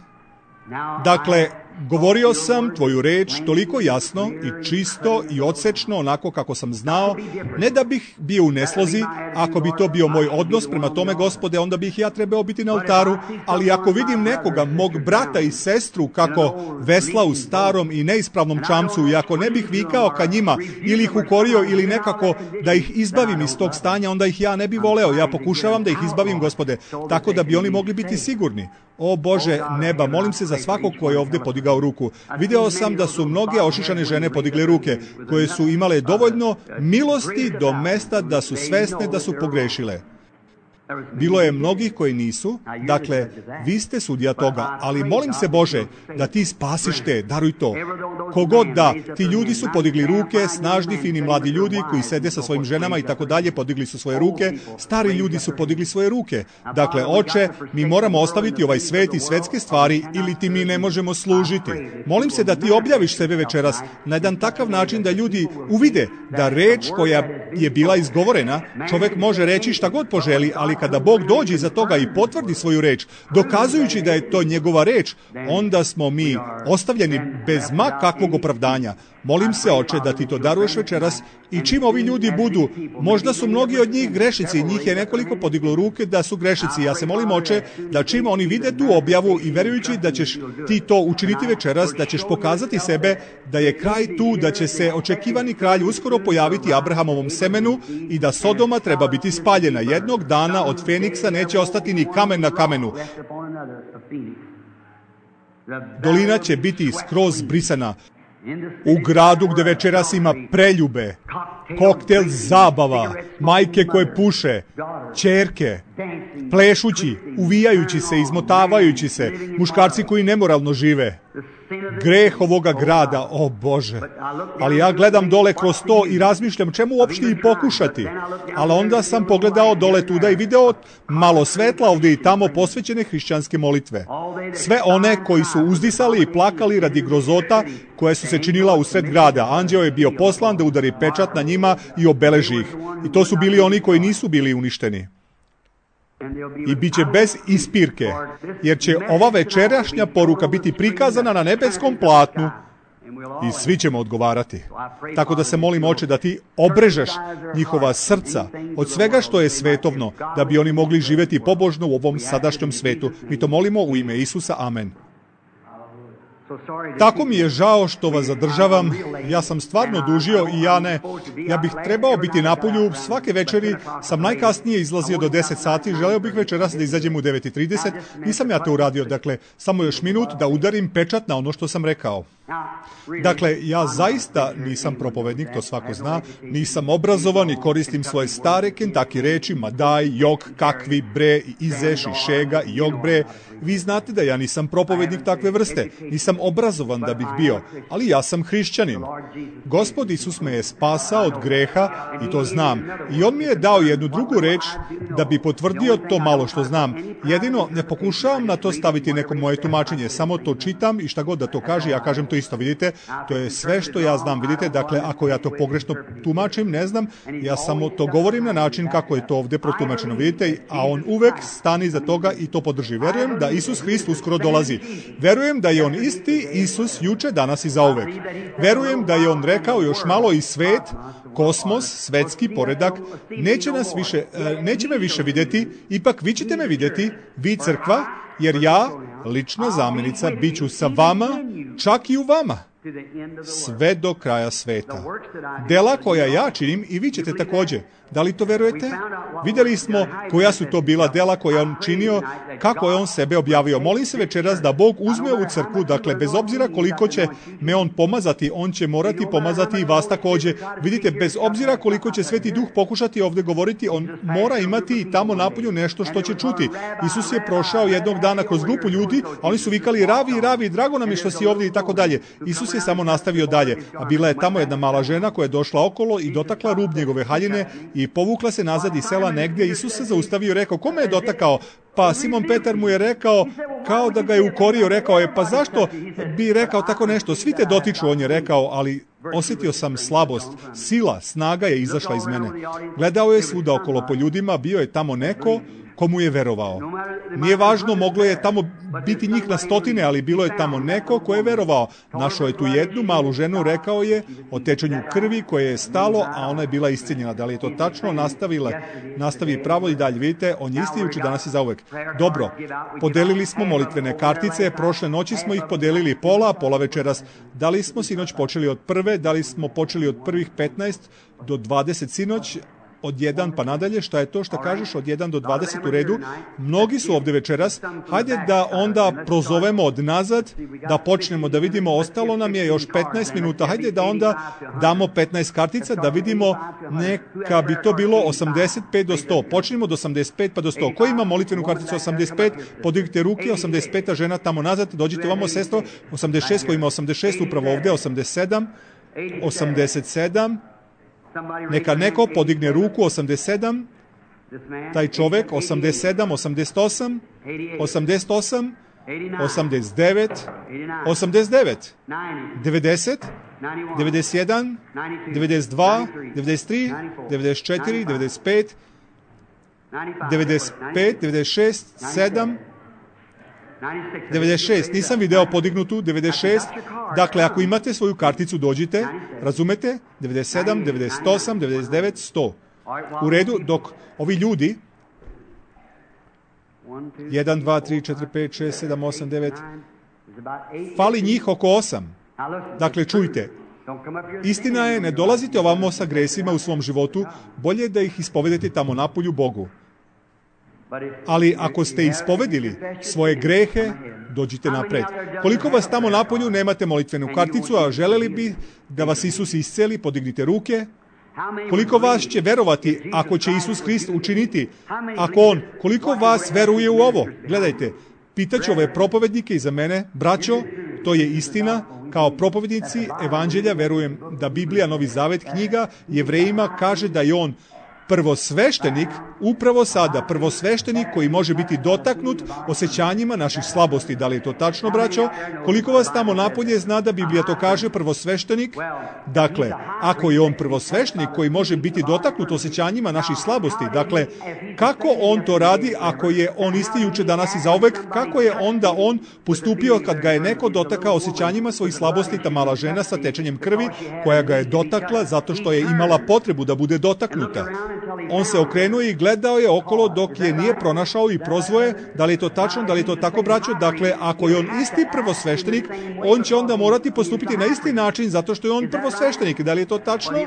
dakle, govorio sam tvoju reč toliko jasno i čisto i odsečno, onako kako sam znao, ne da bih bio u neslozi. Ako bi to bio moj odnos prema tome, Gospode, onda bih ja trebao biti na oltaru, ali ako vidim nekoga, mog brata i sestru, kako vesla u starom i neispravnom čamcu, i ako ne bih vikao ka njima ili ih ukorio ili nekako da ih izbavim iz tog stanja, onda ih ja ne bi voleo. Ja pokušavam da ih izbavim, Gospode, tako da bi oni mogli biti sigurni. O Bože neba, molim se za svakog koji je ovdje podigao ruku. Video sam da su mnoge ošišane žene podigle ruke, koje su imale dovoljno milosti do mesta da su svesne da su pogrešile. Bilo je mnogih koji nisu, dakle, vi ste sudija toga, ali molim se Bože da ti spasiš te, daruj to. Kogod da, ti ljudi su podigli ruke, snažni, fini mladi ljudi koji sede sa svojim ženama i tako dalje, podigli su svoje ruke, stari ljudi su podigli svoje ruke. Dakle, Oče, mi moramo ostaviti ovaj svet i svetske stvari ili ti mi ne možemo služiti. Molim se da ti objaviš sebe večeras na jedan takav način da ljudi uvide da reč koja je bila izgovorena, čovjek može reći šta god poželi, ali kada Bog dođe iza toga i potvrdi svoju reč, dokazujući da je to njegova reč, onda smo mi ostavljeni bez ma kakvog opravdanja. Molim se, Oče, da ti to daruješ večeras i čim ovi ljudi budu, možda su mnogi od njih grešici, njih je nekoliko podiglo ruke da su grešici. Ja se molim, Oče, da čim oni vide tu objavu i verujući da ćeš ti to učiniti večeras, da ćeš pokazati sebe, da je kraj tu, da će se očekivani kralj uskoro pojaviti Abrahamovom semenu i da Sodoma treba biti spaljena. Jednog dana od Feniksa neće ostati ni kamen na kamenu. Dolina će biti skroz brisana. U gradu gde večeras ima preljube, koktel zabava, majke koje puše, ćerke, plešući, uvijajući se, izmotavajući se, muškarci koji nemoralno žive. Greh ovoga grada, o Bože. Ali ja gledam dole kroz to i razmišljam čemu uopšte i pokušati. Ali onda sam pogledao dole tuda i video malo svetla ovdje i tamo posvećene hrišćanske molitve. Sve one koji su uzdisali i plakali radi grozota koja su se činila u sred grada. Anđeo je bio poslan da udari pečat na njima i obeleži ih. I to su bili oni koji nisu bili uništeni. I bit će bez ispirke, jer će ova večerašnja poruka biti prikazana na nebeskom platnu i svi ćemo odgovarati. Tako da se molim, Oče, da ti obrežeš njihova srca od svega što je svetovno, da bi oni mogli živjeti pobožno u ovom sadašnjem svetu. Mi to molimo u ime Isusa. Amen. Tako mi je žao što vas zadržavam, ja sam stvarno dužio i ja ne, ja bih trebao biti na polju, svake večeri sam najkasnije izlazio do deset sati, želeo bih večeras da izađem u devet i trideset, nisam ja to uradio, dakle, samo još minut da udarim pečat na ono što sam rekao. Dakle, ja zaista nisam propovednik, to svako zna, nisam obrazovan i koristim svoje stare Kentucky reči, madaj, jok, kakvi, bre, izeš, i šega, i jok, bre. Vi znate da ja nisam propovednik takve vrste, nisam obrazovan da bih bio, ali ja sam hrišćanin. Gospod Isus me je spasao od greha i to znam. I on mi je dao jednu drugu reč da bi potvrdio to malo što znam. Jedino, ne pokušavam na to staviti neko moje tumačenje, samo to čitam i šta god da to kaže, ja kažem to isto, vidite, to je sve što ja znam, vidite, dakle, ako ja to pogrešno tumačim, ne znam, ja samo to govorim na način kako je to ovdje protumačeno, vidite, a on uvek stani za toga i to podrži. Verujem da Isus Hrist uskoro dolazi. Verujem da je on isti Isus juče, danas i zauvek. Verujem da je on rekao još malo i svet, kosmos, svetski poredak, neće nas više, neće me više vidjeti, ipak vi ćete me vidjeti, vi crkva, jer ja, lična zamjenica, bit ću sa vama, čak i u vama, sve do kraja sveta. Dela koja ja činim i vi ćete također. Da li to verujete? Vidjeli smo koja su to bila dela koja on činio, kako je on sebe objavio. Molim se večeras da Bog uzme ovu crkvu, dakle, bez obzira koliko će me on pomazati, on će morati pomazati i vas također. Vidite, bez obzira koliko će Sveti Duh pokušati ovdje govoriti, on mora imati i tamo napolju nešto što će čuti. Isus je prošao jednog dana kroz grupu ljudi, a oni su vikali ravi, ravi, drago nam je što si ovdje i tako dalje. Isus je samo nastavio dalje, a bila je tamo jedna mala žena koja je došla okolo i dotakla rub njegove haljine i povukla se nazad iz sela negdje. Isus se zaustavio i rekao, kome je dotakao? Pa Simon Petar mu je rekao, kao da ga je ukorio, rekao je, pa zašto bi rekao tako nešto? Svi te dotiču, on je rekao, ali osjetio sam slabost, sila, snaga je izašla iz mene. Gledao je svuda okolo po ljudima, bio je tamo neko komu je verovao. Nije važno, moglo je tamo biti njih na stotine, ali bilo je tamo neko ko je verovao. Našao je tu jednu malu ženu, rekao je o tečenju krvi koje je stalo, a ona je bila iscijenjena. Da li je to tačno? Nastavila, nastavi pravo i dalje. Vidite, on je isti juče, danas i zauvek. Dobro, podelili smo molitvene kartice, prošle noći smo ih podelili pola, pola večeras. Da li smo sinoć počeli od prve, da li smo počeli od prvih petnaest do dvadeset sinoć? od jedan pa nadalje, šta je to što kažeš od jedan do dvadeset u redu? Mnogi su ovdje večeras. Hajde da onda prozovemo od nazad, da počnemo da vidimo, ostalo nam je još petnaest minuta. Hajde da onda damo petnaest kartica, da vidimo, neka bi to bilo osamdeset pet do sto. Počnimo od osamdeset pet pa do sto. Ko ima molitvenu karticu osamdeset pet? Podignite ruke, osamdeset peta žena tamo nazad, dođite vamo, sestro. osamdeset šest, ko ima osamdeset šest, upravo ovdje, osamdeset sedam, osamdeset sedam, neka neko podigne ruku, osamdeset sedam, taj čovjek, osamdeset sedam, osamdeset osam, osamdeset osam, osamdeset devet, osamdeset devet, devedeset, devedeset jedan, devedeset dva, devedeset tri, devedeset četiri, devedeset pet, devedeset pet, devedeset šest, sedam, devedeset šest, nisam video podignutu, devedeset šest, dakle ako imate svoju karticu dođite, razumete, devedeset sedam, devedeset osam, devedeset devet, sto. U redu, dok ovi ljudi, jedan, dva, tri, četiri, pet, šest, sedam, osam, devet, fali njih oko osam. Dakle, čujte, istina je, ne dolazite ovamo sa gresima u svom životu, bolje da ih ispovedete tamo napolju Bogu. Ali ako ste ispovedili svoje grehe, dođite napred. Koliko vas tamo napolju nemate molitvenu karticu, a želeli bi da vas Isus isceli, podignite ruke. Koliko vas će verovati ako će Isus Hrist učiniti? Ako On, koliko vas veruje u ovo? Gledajte, pitaću ove propovednike iza mene, braćo, to je istina, kao propovednici evanđelja verujem da Biblija, Novi Zavet, knjiga Jevrejima kaže da je On prvosveštenik, upravo sada, prvosveštenik koji može biti dotaknut osjećanjima naših slabosti. Da li je to tačno, braćo? Koliko vas tamo napolje zna da Biblija to kaže, prvosveštenik? Dakle, ako je On prvosveštenik koji može biti dotaknut osjećanjima naših slabosti, dakle, kako On to radi ako je On isti juče, danas i zauvek? Kako je onda On postupio kad ga je neko dotakao osjećanjima svojih slabosti, ta mala žena sa tečenjem krvi, koja ga je dotakla zato što je imala potrebu da bude dotaknuta? On se okrenuo i gledao je okolo dok je nije pronašao i prozvoje. Da li je to tačno, da li je to tako, braćo? Dakle, ako je On isti prvosveštenik, On će onda morati postupiti na isti način zato što je On prvosveštenik. Da li je to tačno?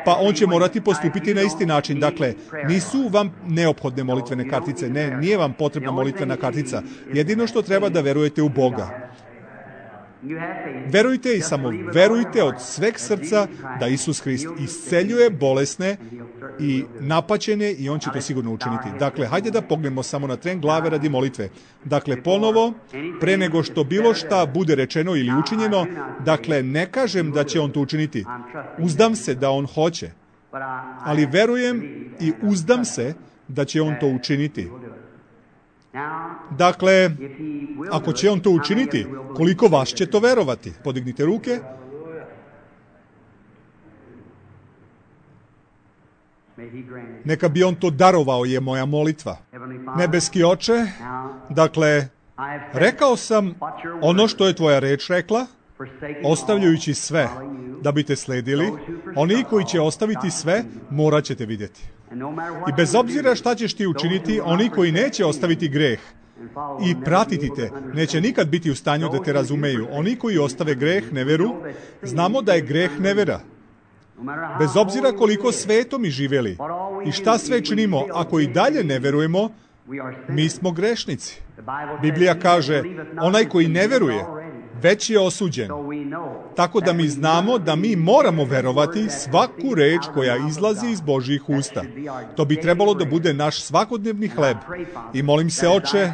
Pa On će morati postupiti na isti način. Dakle, nisu vam neophodne molitvene kartice. Ne, nije vam potrebna molitvena kartica. Jedino što treba da verujete u Boga. Verujte i samo verujte od sveg srca da Isus Hrist isceljuje bolesne i napaćene i On će to sigurno učiniti. Dakle, hajde da pognemo samo na tren glave radi molitve. Dakle, ponovo, pre nego što bilo šta bude rečeno ili učinjeno, dakle, ne kažem da će On to učiniti. Uzdam se da On hoće, ali verujem i uzdam se da će On to učiniti. Dakle, ako će On to učiniti, koliko vas će to verovati? Podignite ruke. Neka bi On to darovao, je moja molitva. Nebeski Oče, dakle, rekao sam ono što je Tvoja reč rekla, ostavljajući sve da bi Te sledili. Oni koji će ostaviti sve, morat ćete vidjeti. I bez obzira šta ćeš ti učiniti, oni koji neće ostaviti greh i pratiti te, neće nikad biti u stanju da te razumeju. Oni koji ostave greh, neveru, znamo da je greh nevera. Bez obzira koliko svetom mi živjeli i šta sve činimo, ako i dalje ne verujemo, mi smo grešnici. Biblija kaže, onaj koji ne veruje, već je osuđen. Tako da mi znamo da mi moramo verovati svaku reč koja izlazi iz Božjih usta. To bi trebalo da bude naš svakodnevni hleb. I molim se, Oče,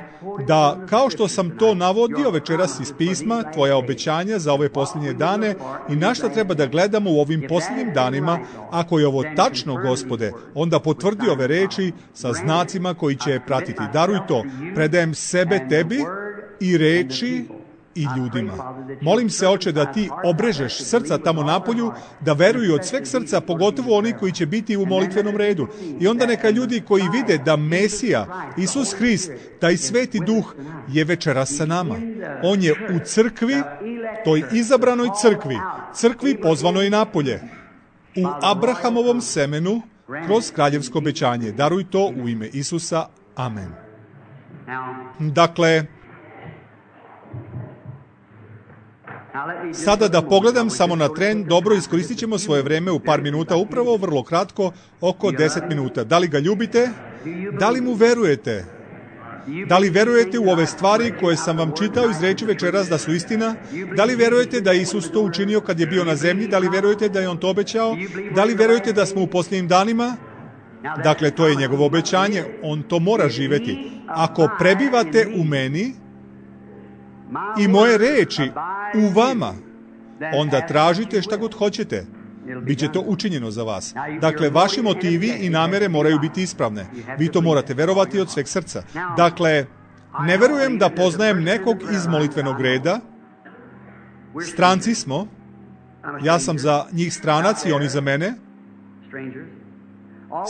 da kao što sam to navodio večeras iz pisma, Tvoja obećanja za ove posljednje dane i na šta treba da gledamo u ovim posljednjim danima, ako je ovo tačno, Gospode, onda potvrdi ove reči sa znacima koji će je pratiti. Daruj to, predajem sebe Tebi i reči i ljudima. Molim se, Oče, da Ti obrežeš srca tamo napolju, da veruju od sveg srca, pogotovo oni koji će biti u molitvenom redu. I onda neka ljudi koji vide da Mesija, Isus Hrist, taj Sveti Duh, je večeras sa nama. On je u crkvi, toj izabranoj crkvi, crkvi pozvanoj napolje, u Abrahamovom semenu, kroz kraljevsko obećanje. Daruj to u ime Isusa. Amen. Sada da pogledam samo na tren, dobro, iskoristit ćemo svoje vreme u par minuta, upravo vrlo kratko, oko deset minuta. Da li ga ljubite? Da li mu verujete? Da li verujete u ove stvari koje sam vam čitao iz reči večeras da su istina? Da li verujete da je Isus to učinio kad je bio na zemlji? Da li verujete da je on to obećao? Da li verujete da smo u posljednjim danima? Dakle, to je njegovo obećanje. On to mora živjeti. Ako prebivate u meni i moje reči u vama, onda tražite šta god hoćete. Biće to učinjeno za vas. Dakle, vaši motivi i namere moraju biti ispravne. Vi to morate verovati od sveg srca. Dakle, ne verujem da poznajem nekog iz molitvenog reda. Stranci smo. Ja sam za njih stranac i oni za mene.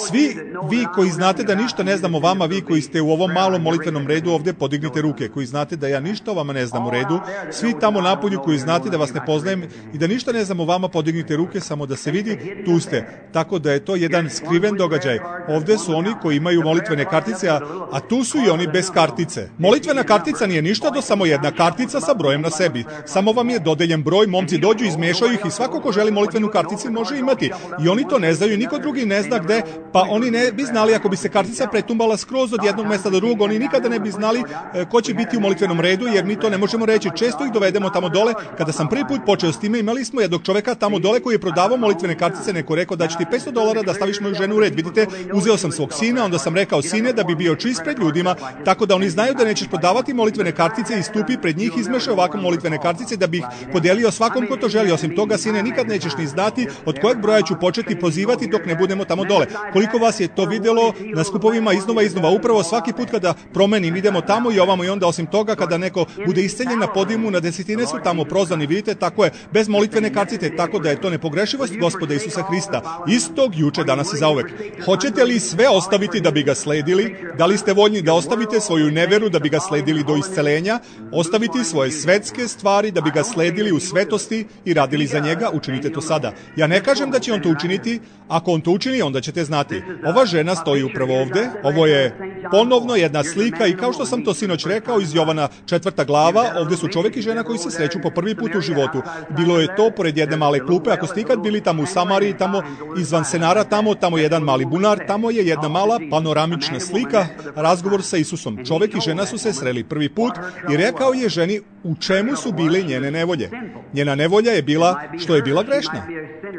Svi vi koji znate da ništa ne znam o vama, vi koji ste u ovom malom molitvenom redu ovdje, podignite ruke. Koji znate da ja ništa o vama ne znam u redu. Svi tamo napolju koji znate da vas ne poznajem i da ništa ne znam o vama, podignite ruke, samo da se vidi, tu ste. Tako da je to jedan skriven događaj. Ovdje su oni koji imaju molitvene kartice, a, a tu su i oni bez kartice. Molitvena kartica nije ništa do samo jedna kartica sa brojem na sebi. Samo vam je dodeljen broj, momci dođu, izmešaju ih i svako ko želi molitvenu karticu može imati. I oni to ne znaju, niko drugi ne zna gde. Pa oni ne bi znali, ako bi se kartica pretumbala skroz od jednog mjesta do drugog, oni nikada ne bi znali e, ko će biti u molitvenom redu, jer mi to ne možemo reći. Često ih dovedemo tamo dole. Kada sam prvi put počeo s time, imali smo jednog čoveka tamo dole koji je prodavao molitvene kartice, neko rekao da će ti petsto dolara da staviš moju ženu u red. Vidite, uzeo sam svog sina, onda sam rekao, sine, da bi bio čist pred ljudima, tako da oni znaju da nećeš prodavati molitvene kartice, i stupi pred njih, izmeša ovako molitvene kartice da bi ih podelio svakom ko to želi. Osim toga, sine, nikad nećeš ni znati od kojeg broja ću početi prozivati dok ne budemo tamo dole. Koliko vas je to vidjelo na skupovima iznova iznova, upravo svaki put kada promenim, idemo tamo i ovamo, i onda osim toga kada neko bude isceljen na podijumu, na desetine su tamo prozvani, vidite, tako je, bez molitvene kartice, tako da je to nepogrešivost Gospoda Isusa Hrista, istog juče, danas i zauvek. Hoćete li sve ostaviti da bi ga sledili? Da li ste voljni da ostavite svoju neveru da bi ga sledili do isceljenja, ostaviti svoje svetske stvari da bi ga sledili u svetosti i radili za njega? Učinite to sada. Ja ne kažem da će on to učiniti, ako on to učini, onda ćete znati. Ova žena stoji upravo ovdje, ovo je ponovno jedna slika, i kao što sam to sinoć rekao iz Jovana četvrta glava, ovdje su čovjek i žena koji se sreću po prvi put u životu. Bilo je to pored jedne male klupe, ako ste ikad bili tamo u Samariji, tamo izvan Senara, tamo, tamo jedan mali bunar, tamo je jedna mala panoramična slika, razgovor sa Isusom. Čovjek i žena su se sreli prvi put i rekao je ženi u čemu su bile njene nevolje. Njena nevolja je bila što je bila grešna.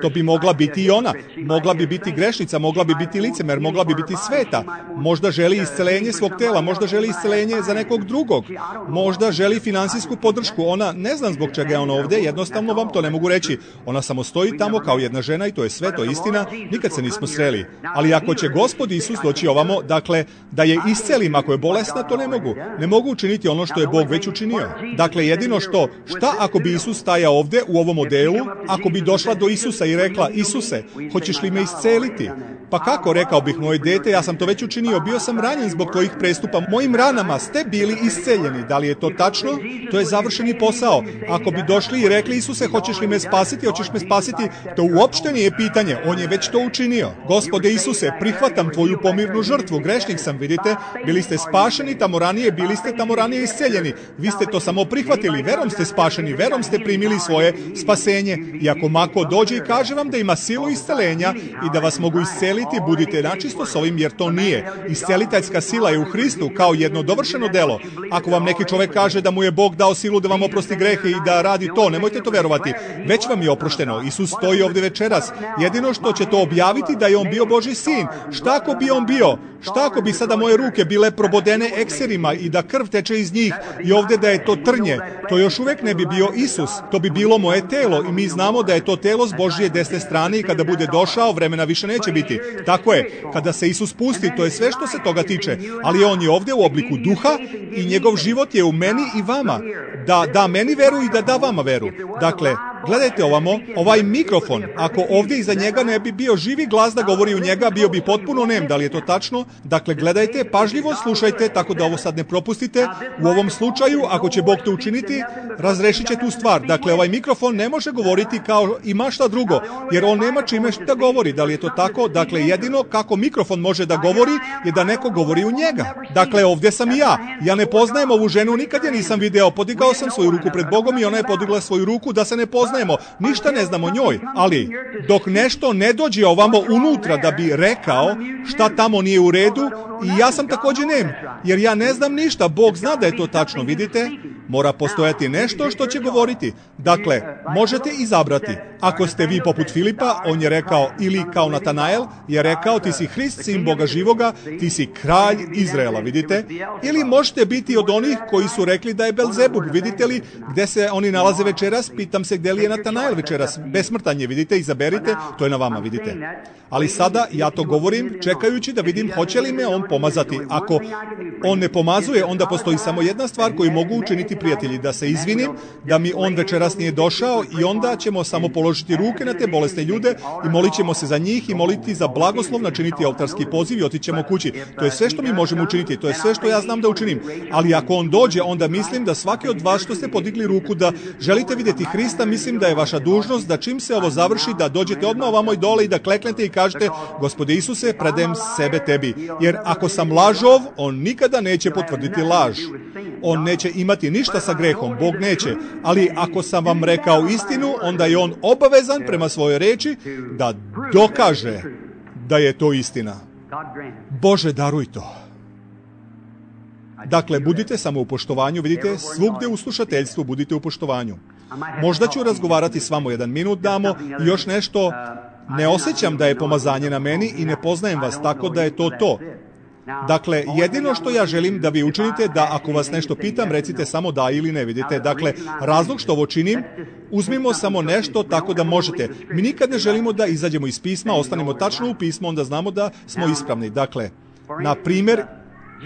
To bi mogla biti i ona. Mogla bi biti grešnica, mogla bi biti licemer, mogla bi biti sveta. Možda želi iscelenje svog tela, možda želi iscelenje za nekog drugog. Možda želi finansijsku podršku. Ona ne znam zbog čega je ona ovdje, jednostavno vam to ne mogu reći. Ona samo stoji tamo kao jedna žena i to je sve, to je istina. Nikad se nismo sreli. Ali ako će Gospod Isus doći ovamo, dakle, da je iscelim ako je bolesna, to ne mogu. Ne mogu učiniti ono što je Bog već učinio. Dakle, jedino što, šta ako bi Isus stajao ovdje u ovom modelu, ako bi došla do Isusa i rekla, Isuse, hoćeš li me isceliti? Pa kako, rekao bih, moje dete, ja sam to već učinio, bio sam ranjen zbog tvojih prestupa, mojim ranama ste bili isceljeni. Da li je to tačno? To je završeni posao. Ako bi došli i rekli, Isuse, hoćeš li me spasiti, hoćeš me spasiti, to uopšte nije pitanje, on je već to učinio. Gospode Isuse, prihvatam tvoju pomirnu žrtvu, grešnik sam, vidite, bili ste spašeni tamo ranije, bili ste tamo ranije isceljeni. Vi ste to samo prihvatili, verom ste spašeni, verom ste primili svoje spasenje. I ako mako dođe i kaže vam da ima silu iscelenja i da vas mogu isceliti, budite načisto s ovim, jer to nije. Isceliteljska sila je u Hristu kao jedno dovršeno delo. Ako vam neki čovjek kaže da mu je Bog dao silu da vam oprosti grehe i da radi to, nemojte to verovati. Već vam je oprošteno. Isus stoji ovdje večeras. Jedino što će to objaviti da je on bio Božji sin. Šta ako bi on bio? Šta ako bi sada moje ruke bile probodene ekserima i da krv teče iz njih i ovdje da je to trnje? To još uvijek ne bi bio Isus. To bi bilo moje telo i mi znamo da je to telo s Božje desne strane i kada bude došao, vremena više neće biti. Tako je, kada se Isus pusti, to je sve što se toga tiče. Ali on je ovdje u obliku duha i njegov život je u meni i vama. Da da meni veru i da da vama veru. Dakle, Gledajte ovamo, ovaj mikrofon, ako ovdje iza njega ne bi bio živi glas da govori u njega, bio bi potpuno nem. Da li je to tačno? Dakle, gledajte, pažljivo slušajte, tako da ovo sad ne propustite. U ovom slučaju, ako će Bog to učiniti, razrešit će tu stvar. Dakle, ovaj mikrofon ne može govoriti kao ima šta drugo, jer on nema čime da govori. Da li je to tako? Dakle, jedino kako mikrofon može da govori je da neko govori u njega. Dakle, ovdje sam i ja. Ja ne poznajem ovu ženu, nikad je nisam video. Podigao sam svoju ruku pred Bogom i ona je podigla svoju ruku da se ne poznajemo. Ništa ne znam o njoj. Ali, dok nešto ne dođe ovamo unutra da bi rekao šta tamo nije u redu, i ja sam također nem, jer ja ne znam ništa. Bog zna da je to tačno, vidite? Mora postojati nešto što će govoriti. Dakle, možete izabrati. Ako ste vi poput Filipa, on je rekao, ili kao Natanael, je rekao, ti si Hrist, sin Boga živoga, ti si kralj Izraela, vidite? Ili možete biti od onih koji su rekli da je Belzebub, vidite li, gde se oni nalaze večeras? Pitam se gde li je Natanael večeras. Besmrtan je, vidite, izaberite, to je na vama, vidite. Ali sada ja to govorim čekajući da vidim hoće li me on pomazati. Ako on ne pomazuje, onda postoji samo jedna stvar koju mogu učiniti prijatelji, da se izvinim, da mi on večeras nije došao i onda ćemo samo položiti ruke na te bolesne ljude i molit ćemo se za njih i moliti za blagoslov, načiniti oltarski poziv i otićemo kući. To je sve što mi možemo učiniti, to je sve što ja znam da učinim. Ali ako on dođe, onda mislim da svaki od vas što ste podigli ruku da želite vidjeti Hrista, mislim da je vaša dužnost da čim se ovo završi, da dođete odmah ovamo i dole i da kleknete i kažete, Gospode Isuse, predajem sebe tebi. Jer ako sam lažov, on nikada neće potvrditi laž. On neće imati ništa sa grehom, Bog neće. Ali ako sam vam rekao istinu, onda je on obavezan prema svojoj reči da dokaže da je to istina. Bože, daruj to. Dakle, budite samo u poštovanju, vidite, svugde u slušateljstvu budite u poštovanju. Možda ću razgovarati s vama jedan minut, damo, i još nešto. Ne osjećam da je pomazanje na meni i ne poznajem vas, tako da je to to. Dakle, jedino što ja želim da vi učinite, da ako vas nešto pitam, recite samo da ili ne, vidite. Dakle, razlog što ovo činim, uzmimo samo nešto tako da možete. Mi nikad ne želimo da izađemo iz pisma, ostanemo tačno u pismu, onda znamo da smo ispravni. Dakle, na primjer,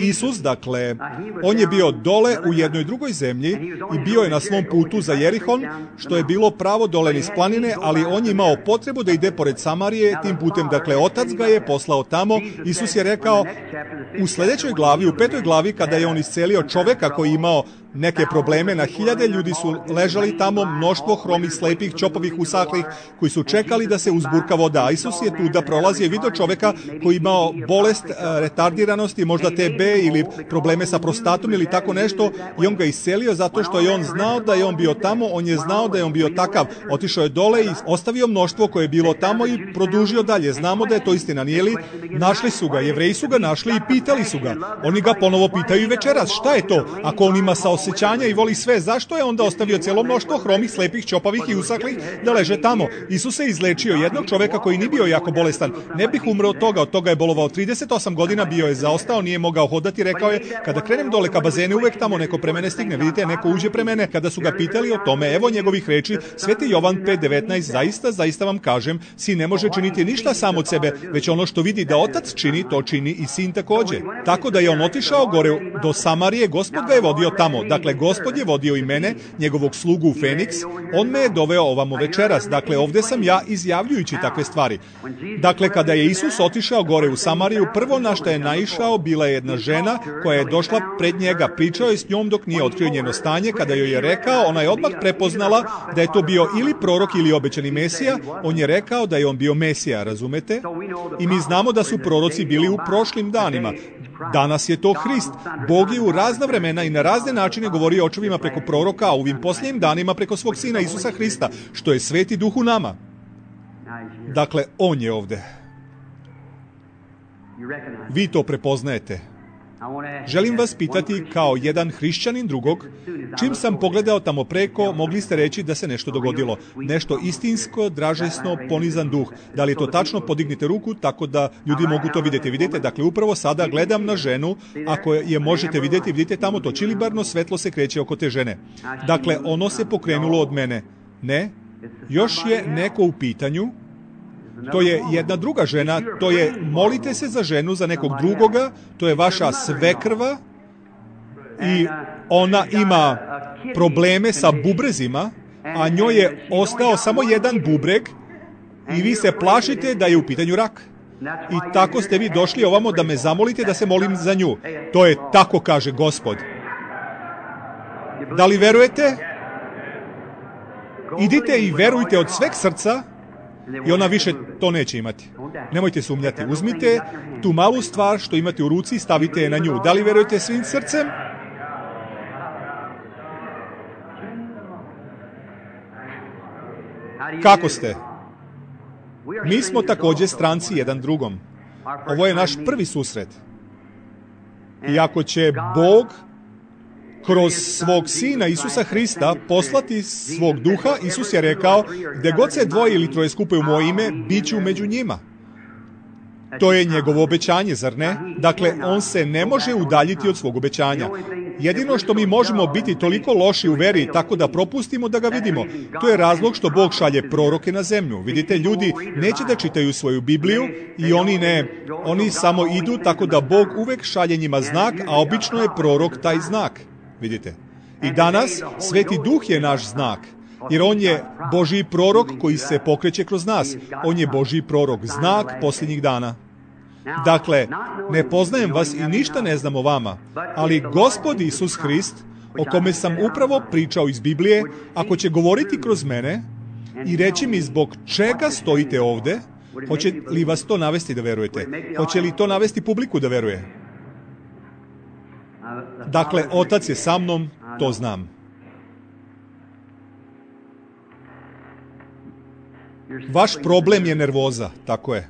Isus, dakle, on je bio dole u jednoj drugoj zemlji i bio je na svom putu za Jerihon, što je bilo pravo dole niz planine, ali on je imao potrebu da ide pored Samarije tim putem. Dakle, otac ga je poslao tamo. Isus je rekao u sljedećoj glavi, u petoj glavi, kada je on iscelio čoveka koji je imao neke probleme, na hiljade ljudi su ležali tamo, mnoštvo hromih, slepih, čopovih, usahlih, koji su čekali da se uzburka voda. A Isus je tu da prolazi i vidio čoveka koji imao bolest, retardiranosti, možda T B ili probleme sa prostatom ili tako nešto, i on ga iscelio zato što je on znao da je on bio tamo, on je znao da je on bio takav. Otišao je dole i ostavio mnoštvo koje je bilo tamo i produžio dalje. Znamo da je to istina, nije li? Našli su ga, Jevreji su ga našli i pitali su ga. Oni ga ponovo pitaju i večeras, šta je to? Ako on ima saosećanja i voli sve, zašto je onda ostavio cijelo mnoštvo hromih, slepih, čopavih i usaklih da leže tamo? Isus je izlečio jednog čoveka koji nije bio jako bolestan. Ne bih umro od toga, od toga je bolovao trideset osam godina, bio je zaostao, nije mogao hodati, rekao je, kada krenem dole ka bazenu, uvek tamo neko pre mene stigne, vidite, neko uđe pre mene. Kada su ga pitali o tome, evo njegovih reči, Sveti Jovan pet devetnaest, zaista, zaista vam kažem, sin ne može činiti ništa sam od sebe, već ono što vidi da otac čini, to čini i sin također. Tako da je on otišao gore do Samarije, Gospod ga je vodio tamo. Dakle, Gospod je vodio i mene, njegovog slugu u Feniks, on me je doveo ovamo večeras. Dakle, ovdje sam ja izjavljujući takve stvari. Dakle, kada je Isus otišao gore u Samariju, prvo na što je naišao bila je jedna žena koja je došla pred njega, pričao je s njom dok nije otkrio njeno stanje. Kada joj je rekao, ona je odmah prepoznala da je to bio ili prorok ili obećani Mesija. On je rekao da je on bio Mesija, razumete? I mi znamo da su proroci bili u prošlim danima. Danas je to Hrist. Bog je u razna vremena i na razne načine govorio očevima preko proroka, a u ovim posljednjim danima preko svog Sina Isusa Hrista, što je Sveti Duh u nama. Dakle, on je ovdje. Vi to prepoznajete. Želim vas pitati kao jedan hrišćanin drugog, čim sam pogledao tamo preko, mogli ste reći da se nešto dogodilo. Nešto istinsko, dražesno, ponizan duh. Da li je to tačno? Podignite ruku tako da ljudi mogu to vidjeti. Vidite, dakle, upravo sada gledam na ženu, ako je možete vidjeti, vidite tamo to čilibarno svetlo se kreće oko te žene. Dakle, ono se pokrenulo od mene. Ne, još je neko u pitanju. To je jedna druga žena, to je, molite se za ženu, za nekog drugoga, to je vaša svekrva i ona ima probleme sa bubrezima a njoj je ostao samo jedan bubreg i vi se plašite da je u pitanju rak. I tako ste vi došli ovamo da me zamolite da se molim za nju. To je tako, kaže Gospod. Da li verujete? Idite i verujte od sveg srca i ona više to neće imati. Nemojte sumnjati. Uzmite tu malu stvar što imate u ruci i stavite je na nju. Da li verujete svim srcem? Kako ste? Mi smo također stranci jedan drugom. Ovo je naš prvi susret. I ako će Bog kroz svog Sina Isusa Hrista poslati svog duha, Isus je rekao, gdje god se dvoje ili troje skupe u moje ime, bit ću među njima. To je njegovo obećanje, zar ne? Dakle, on se ne može udaljiti od svog obećanja. Jedino što mi možemo biti toliko loši u veri tako da propustimo da ga vidimo, to je razlog što Bog šalje proroke na zemlju. Vidite, ljudi neće da čitaju svoju Bibliju i oni ne, oni samo idu tako da Bog uvek šalje njima znak, a obično je prorok taj znak. Vidite. I danas Sveti Duh je naš znak. Jer on je Božji prorok koji se pokreće kroz nas. On je Božji prorok, znak posljednjih dana. Dakle, ne poznajem vas i ništa ne znam o vama, ali Gospod Isus Hrist, o kome sam upravo pričao iz Biblije, ako će govoriti kroz mene i reći mi zbog čega stojite ovde, hoće li vas to navesti da verujete? Hoće li to navesti publiku da veruje? Dakle, Otac je sa mnom, to znam. Vaš problem je nervoza, tako je.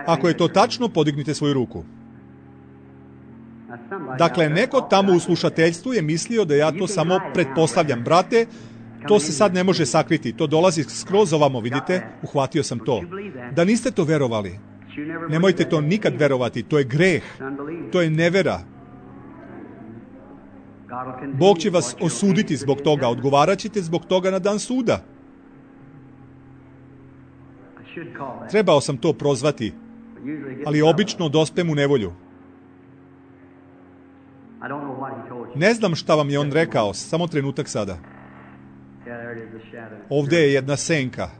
Ako je to tačno, podignite svoju ruku. Dakle, neko tamo u slušateljstvu je mislio da ja to samo pretpostavljam. Brate, to se sad ne može sakriti. To dolazi skroz ovamo, vidite? Uhvatio sam to. Da niste to verovali. Nemojte to nikad verovati. To je greh. To je nevera. Bog će vas osuditi zbog toga. Odgovarat ćete zbog toga na dan suda. Trebao sam to prozvati, ali obično dospem u nevolju. Ne znam šta vam je on rekao, samo trenutak sada. Ovdje je jedna senka.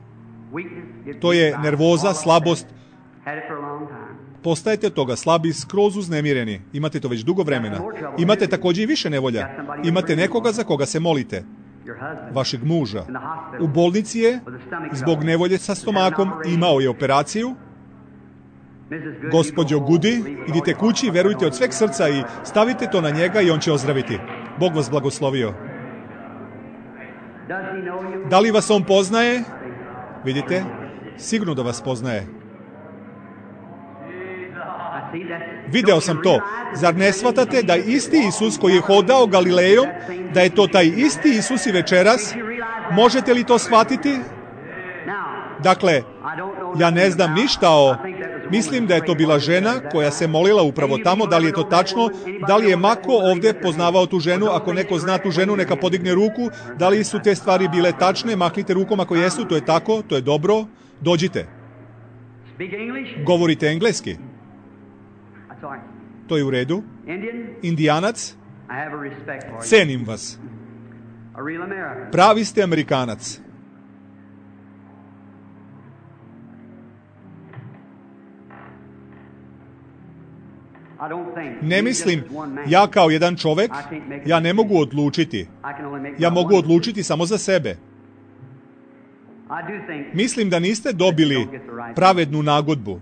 To je nervoza, slabost. Postajete toga slabi, skroz uznemireni. Imate to već dugo vremena. Imate također i više nevolja. Imate nekoga za koga se molite. Vašeg muža. U bolnici je, zbog nevolje sa stomakom, imao je operaciju. Gospođo Gudi, idite kući, verujte od sveg srca i stavite to na njega i on će ozdraviti. Bog vas blagoslovio. Da li vas on poznaje? Vidite? Sigurno da vas poznaje. Video sam to. Zar ne shvatate da isti Isus koji je hodao Galilejom, da je to taj isti Isus i večeras? Možete li to shvatiti? Dakle, ja ne znam ništa o... Mislim da je to bila žena koja se molila upravo tamo. Da li je to tačno? Da li je Mako ovdje poznavao tu ženu? Ako neko zna tu ženu, neka podigne ruku. Da li su te stvari bile tačne? Mahnite rukom ako jesu, to je tako, to je dobro. Dođite. Govorite engleski? To je u redu. Indijanac? Cenim vas. Pravi ste Amerikanac. Ne mislim, ja kao jedan čovjek, ja ne mogu odlučiti. Ja mogu odlučiti samo za sebe. Mislim da niste dobili pravednu nagodbu.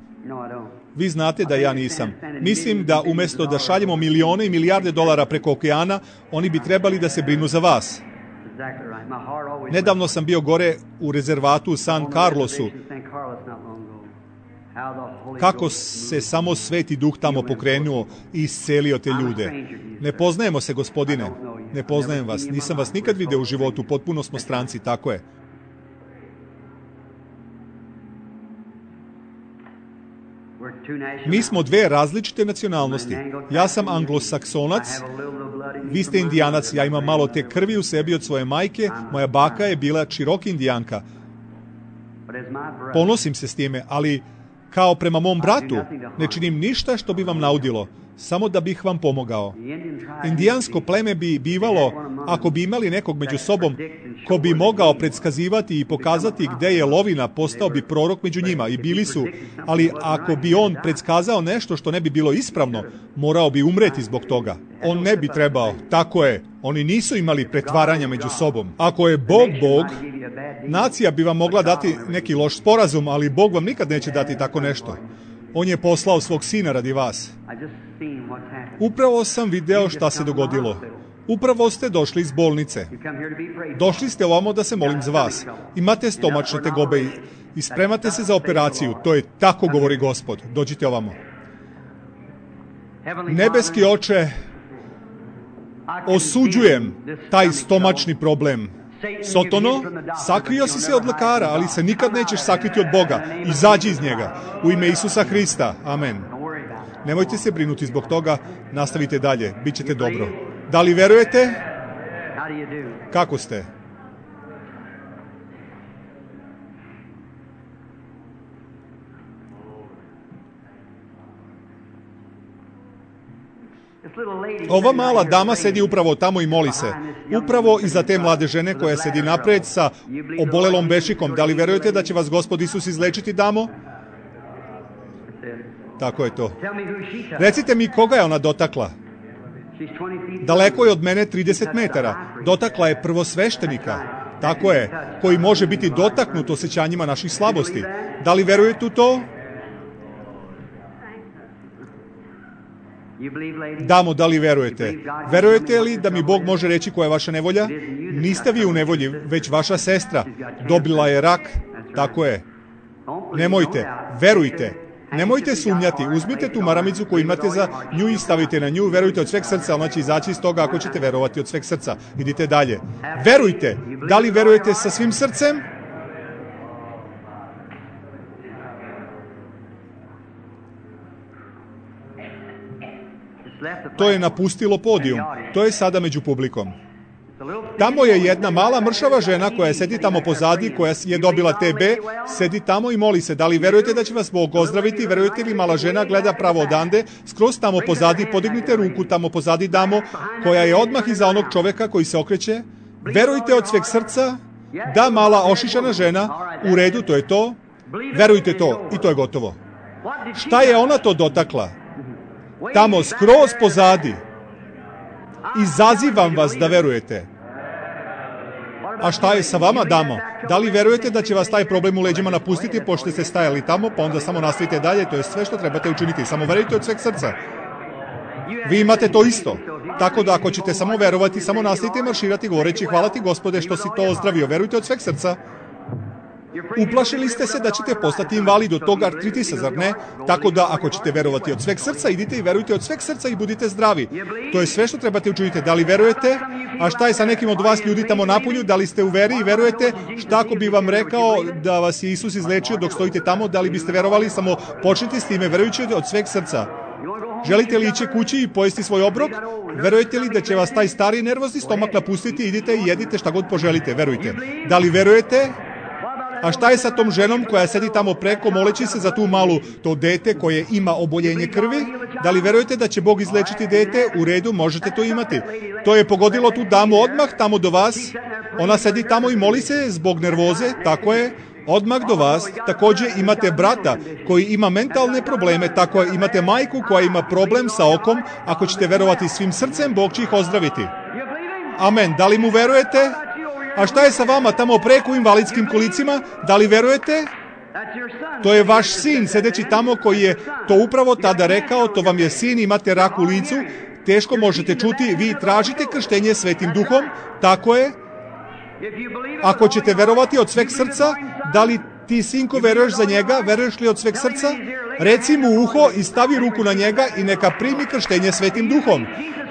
Vi znate da ja nisam. Mislim da umjesto da šaljemo milione i milijarde dolara preko okeana, oni bi trebali da se brinu za vas. Nedavno sam bio gore u rezervatu u San Carlosu. Kako se samo Sveti Duh tamo pokrenuo i iscelio te ljude. Ne poznajemo se, gospodine. Ne poznajem vas. Nisam vas nikad vidio u životu. Potpuno smo stranci, tako je. Mi smo dve različite nacionalnosti. Ja sam anglosaksonac, vi ste indijanac, ja imam malo te krvi u sebi od svoje majke, moja baka je bila Cherokee indijanka. Ponosim se s time, ali kao prema mom bratu ne činim ništa što bi vam naudilo, samo da bih vam pomogao. Indijansko pleme bi bivalo, Ako bi imali nekog među sobom ko bi mogao predskazivati i pokazati gde je lovina, postao bi prorok među njima i bili su, ali ako bi on predskazao nešto što ne bi bilo ispravno, morao bi umreti zbog toga. On ne bi trebao, tako je, oni nisu imali pretvaranja među sobom. Ako je Bog Bog, nacija bi vam mogla dati neki loš sporazum, ali Bog vam nikad neće dati tako nešto. On je poslao svog sina radi vas. Upravo sam video šta se dogodilo. Upravo ste došli iz bolnice. Došli ste ovamo da se molim za vas. Imate stomačne tegobe i spremate se za operaciju. To je tako govori Gospod. Dođite ovamo. Nebeski Oče, osuđujem taj stomačni problem. Sotono, sakrio si se od lekara, ali se nikad nećeš sakriti od Boga. Izađi iz njega. U ime Isusa Hrista. Amen. Nemojte se brinuti zbog toga. Nastavite dalje. Bićete dobro. Da li verujete? Kako ste? Ova mala dama sedi upravo tamo i moli se. Upravo iza te mlade žene koja sedi napred sa obolelom bešikom. Da li verujete da će vas Gospod Isus izlečiti, damo? Tako je to. Recite mi koga je ona dotakla? Daleko je od mene trideset metara. Dotakla je prvosveštenika. Tako je, koji može biti dotaknut osjećanjima naših slabosti. Da li verujete u to? Damo, da li verujete? Verujete li da mi Bog može reći koja je vaša nevolja? Niste vi u nevolji, već vaša sestra. Dobila je rak. Tako je. Nemojte, verujte. Nemojte sumnjati, uzmite tu maramicu koju imate za nju i stavite na nju, verujte od sveg srca, ona će izaći iz toga ako ćete verovati od sveg srca. Idite dalje. Verujte! Da li verujete sa svim srcem? To je napustilo podijum. To je sada među publikom. Tamo je jedna mala mršava žena koja sedi tamo pozadi, koja je dobila T B, sedi tamo i moli se. Da li verujete da će vas Bog ozdraviti? Verujete li mala žena gleda pravo odande? Skroz tamo pozadi, podignite ruku tamo pozadi, damo, koja je odmah iza onog čoveka koji se okreće. Verujte od sveg srca? Da, mala ošišana žena. U redu, to je to. Verujte to i to je gotovo. Šta je ona to dotakla? Tamo, skroz pozadi. Izazivam vas da verujete. A šta je sa vama, damo? Da li verujete da će vas taj problem u leđima napustiti pošto ste stajali tamo, pa onda samo nastavite dalje? To je sve što trebate učiniti. Samo verujte od sveg srca. Vi imate to isto. Tako da ako ćete samo verovati, samo nastavite marširati govoreći hvala ti Gospode što si to ozdravio. Verujte od sveg srca. Uplašili ste se da ćete postati invalid od tog artritisa, zar ne? Tako da, ako ćete verovati od sveg srca, idite i verujte od sveg srca i budite zdravi. To je sve što trebate učiniti. Da li verujete? A šta je sa nekim od vas ljudi tamo napolju? Da li ste u veri i verujete? Šta ako bi vam rekao da vas je Isus izlečio dok stojite tamo? Da li biste verovali? Samo počnite s time, verujući od sveg srca. Želite li ići kući i pojesti svoj obrok? Verujete li da će vas taj stari nervozni stomak napustiti? Idite i jedite šta god poželite, verujte. Da li verujete? A šta je sa tom ženom koja sedi tamo preko, moleći se za tu malu, to dete koje ima oboljenje krvi? Da li verujete da će Bog izlečiti dete? U redu, možete to imati. To je pogodilo tu damu odmah tamo do vas. Ona sedi tamo i moli se zbog nervoze, tako je. Odmah do vas. Također imate brata koji ima mentalne probleme, tako je. Imate majku koja ima problem sa okom. Ako ćete verovati svim srcem, Bog će ih ozdraviti. Amen. Da li mu verujete? A šta je sa vama tamo preko u invalidskim kolicima? Da li verujete? To je vaš sin sedeći tamo koji je to upravo tada rekao, to vam je sin, imate rak u licu, teško možete čuti, vi tražite krštenje Svetim Duhom, tako je. Ako ćete verovati od sveg srca, da li ti sinko veruješ za njega, veruješ li od sveg srca? Reci mu u uho i stavi ruku na njega i neka primi krštenje Svetim Duhom.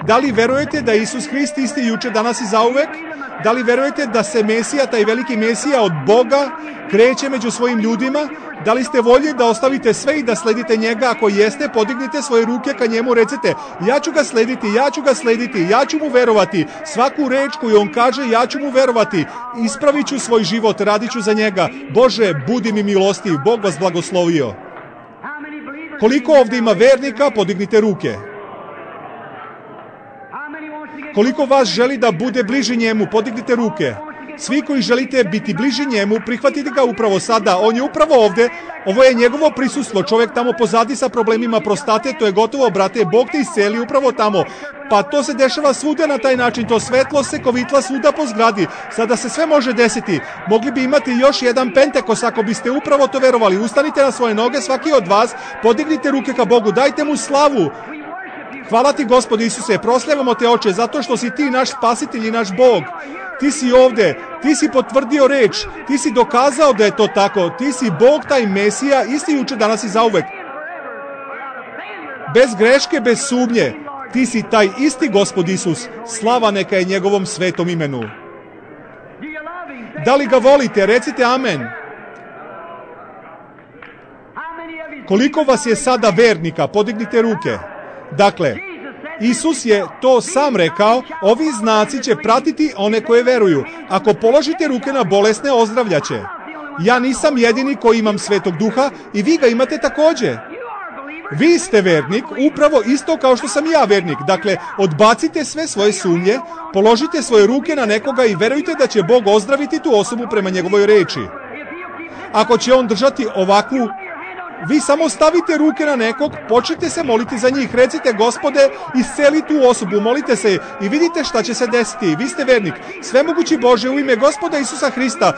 Da li verujete da Isus Hrist isti juče, danas i zauvek? Da li verujete da se Mesija, taj veliki Mesija od Boga, kreće među svojim ljudima? Da li ste voljni da ostavite sve i da sledite njega? Ako jeste, podignite svoje ruke ka njemu, recite, ja ću ga slediti, ja ću ga slediti, ja ću mu verovati. Svaku reč koju on kaže, ja ću mu verovati. Ispravit ću svoj život, radit ću za njega. Bože, budi mi milostiv, Bog vas blagoslovio. Koliko ovdje ima vernika, podignite ruke. Koliko vas želi da bude bliži njemu, podignite ruke. Svi koji želite biti bliži njemu, prihvatite ga upravo sada. On je upravo ovde. Ovo je njegovo prisustvo. Čovjek tamo pozadi sa problemima prostate, to je gotovo, brate. Bog te isceli upravo tamo. Pa to se dešava svuda na taj način. To svetlo se kovitla svuda po zgradi. Sada se sve može desiti. Mogli bi imati još jedan Pentekos ako biste upravo to verovali. Ustanite na svoje noge, svaki od vas. Podignite ruke ka Bogu. Dajte mu slavu. Hvala ti, Gospode Isuse. Proslavljamo te, Oče, zato što si ti naš spasitelj i naš Bog. Ti si ovde, ti si potvrdio reč, ti si dokazao da je to tako, ti si Bog, taj Mesija, isti juče, danas i zauvek. Bez greške, bez sumnje, ti si taj isti Gospod Isus, slava neka je njegovom svetom imenu. Da li ga volite? Recite amen. Koliko vas je sada vernika? Podignite ruke. Dakle, Isus je to sam rekao, ovi znaci će pratiti one koje veruju. Ako položite ruke na bolesne, ozdravljaće. Ja nisam jedini koji imam Svetog Duha i vi ga imate takođe. Vi ste vernik, upravo isto kao što sam ja vernik. Dakle, odbacite sve svoje sumnje, položite svoje ruke na nekoga i verujte da će Bog ozdraviti tu osobu prema njegovoj reči. Ako će on držati ovakvu, vi samo stavite ruke na nekog, počnite se moliti za njih, recite Gospode, isceli tu osobu, molite se i vidite šta će se desiti. Vi ste vernik, svemogući Bože, u ime Gospoda Isusa Hrista,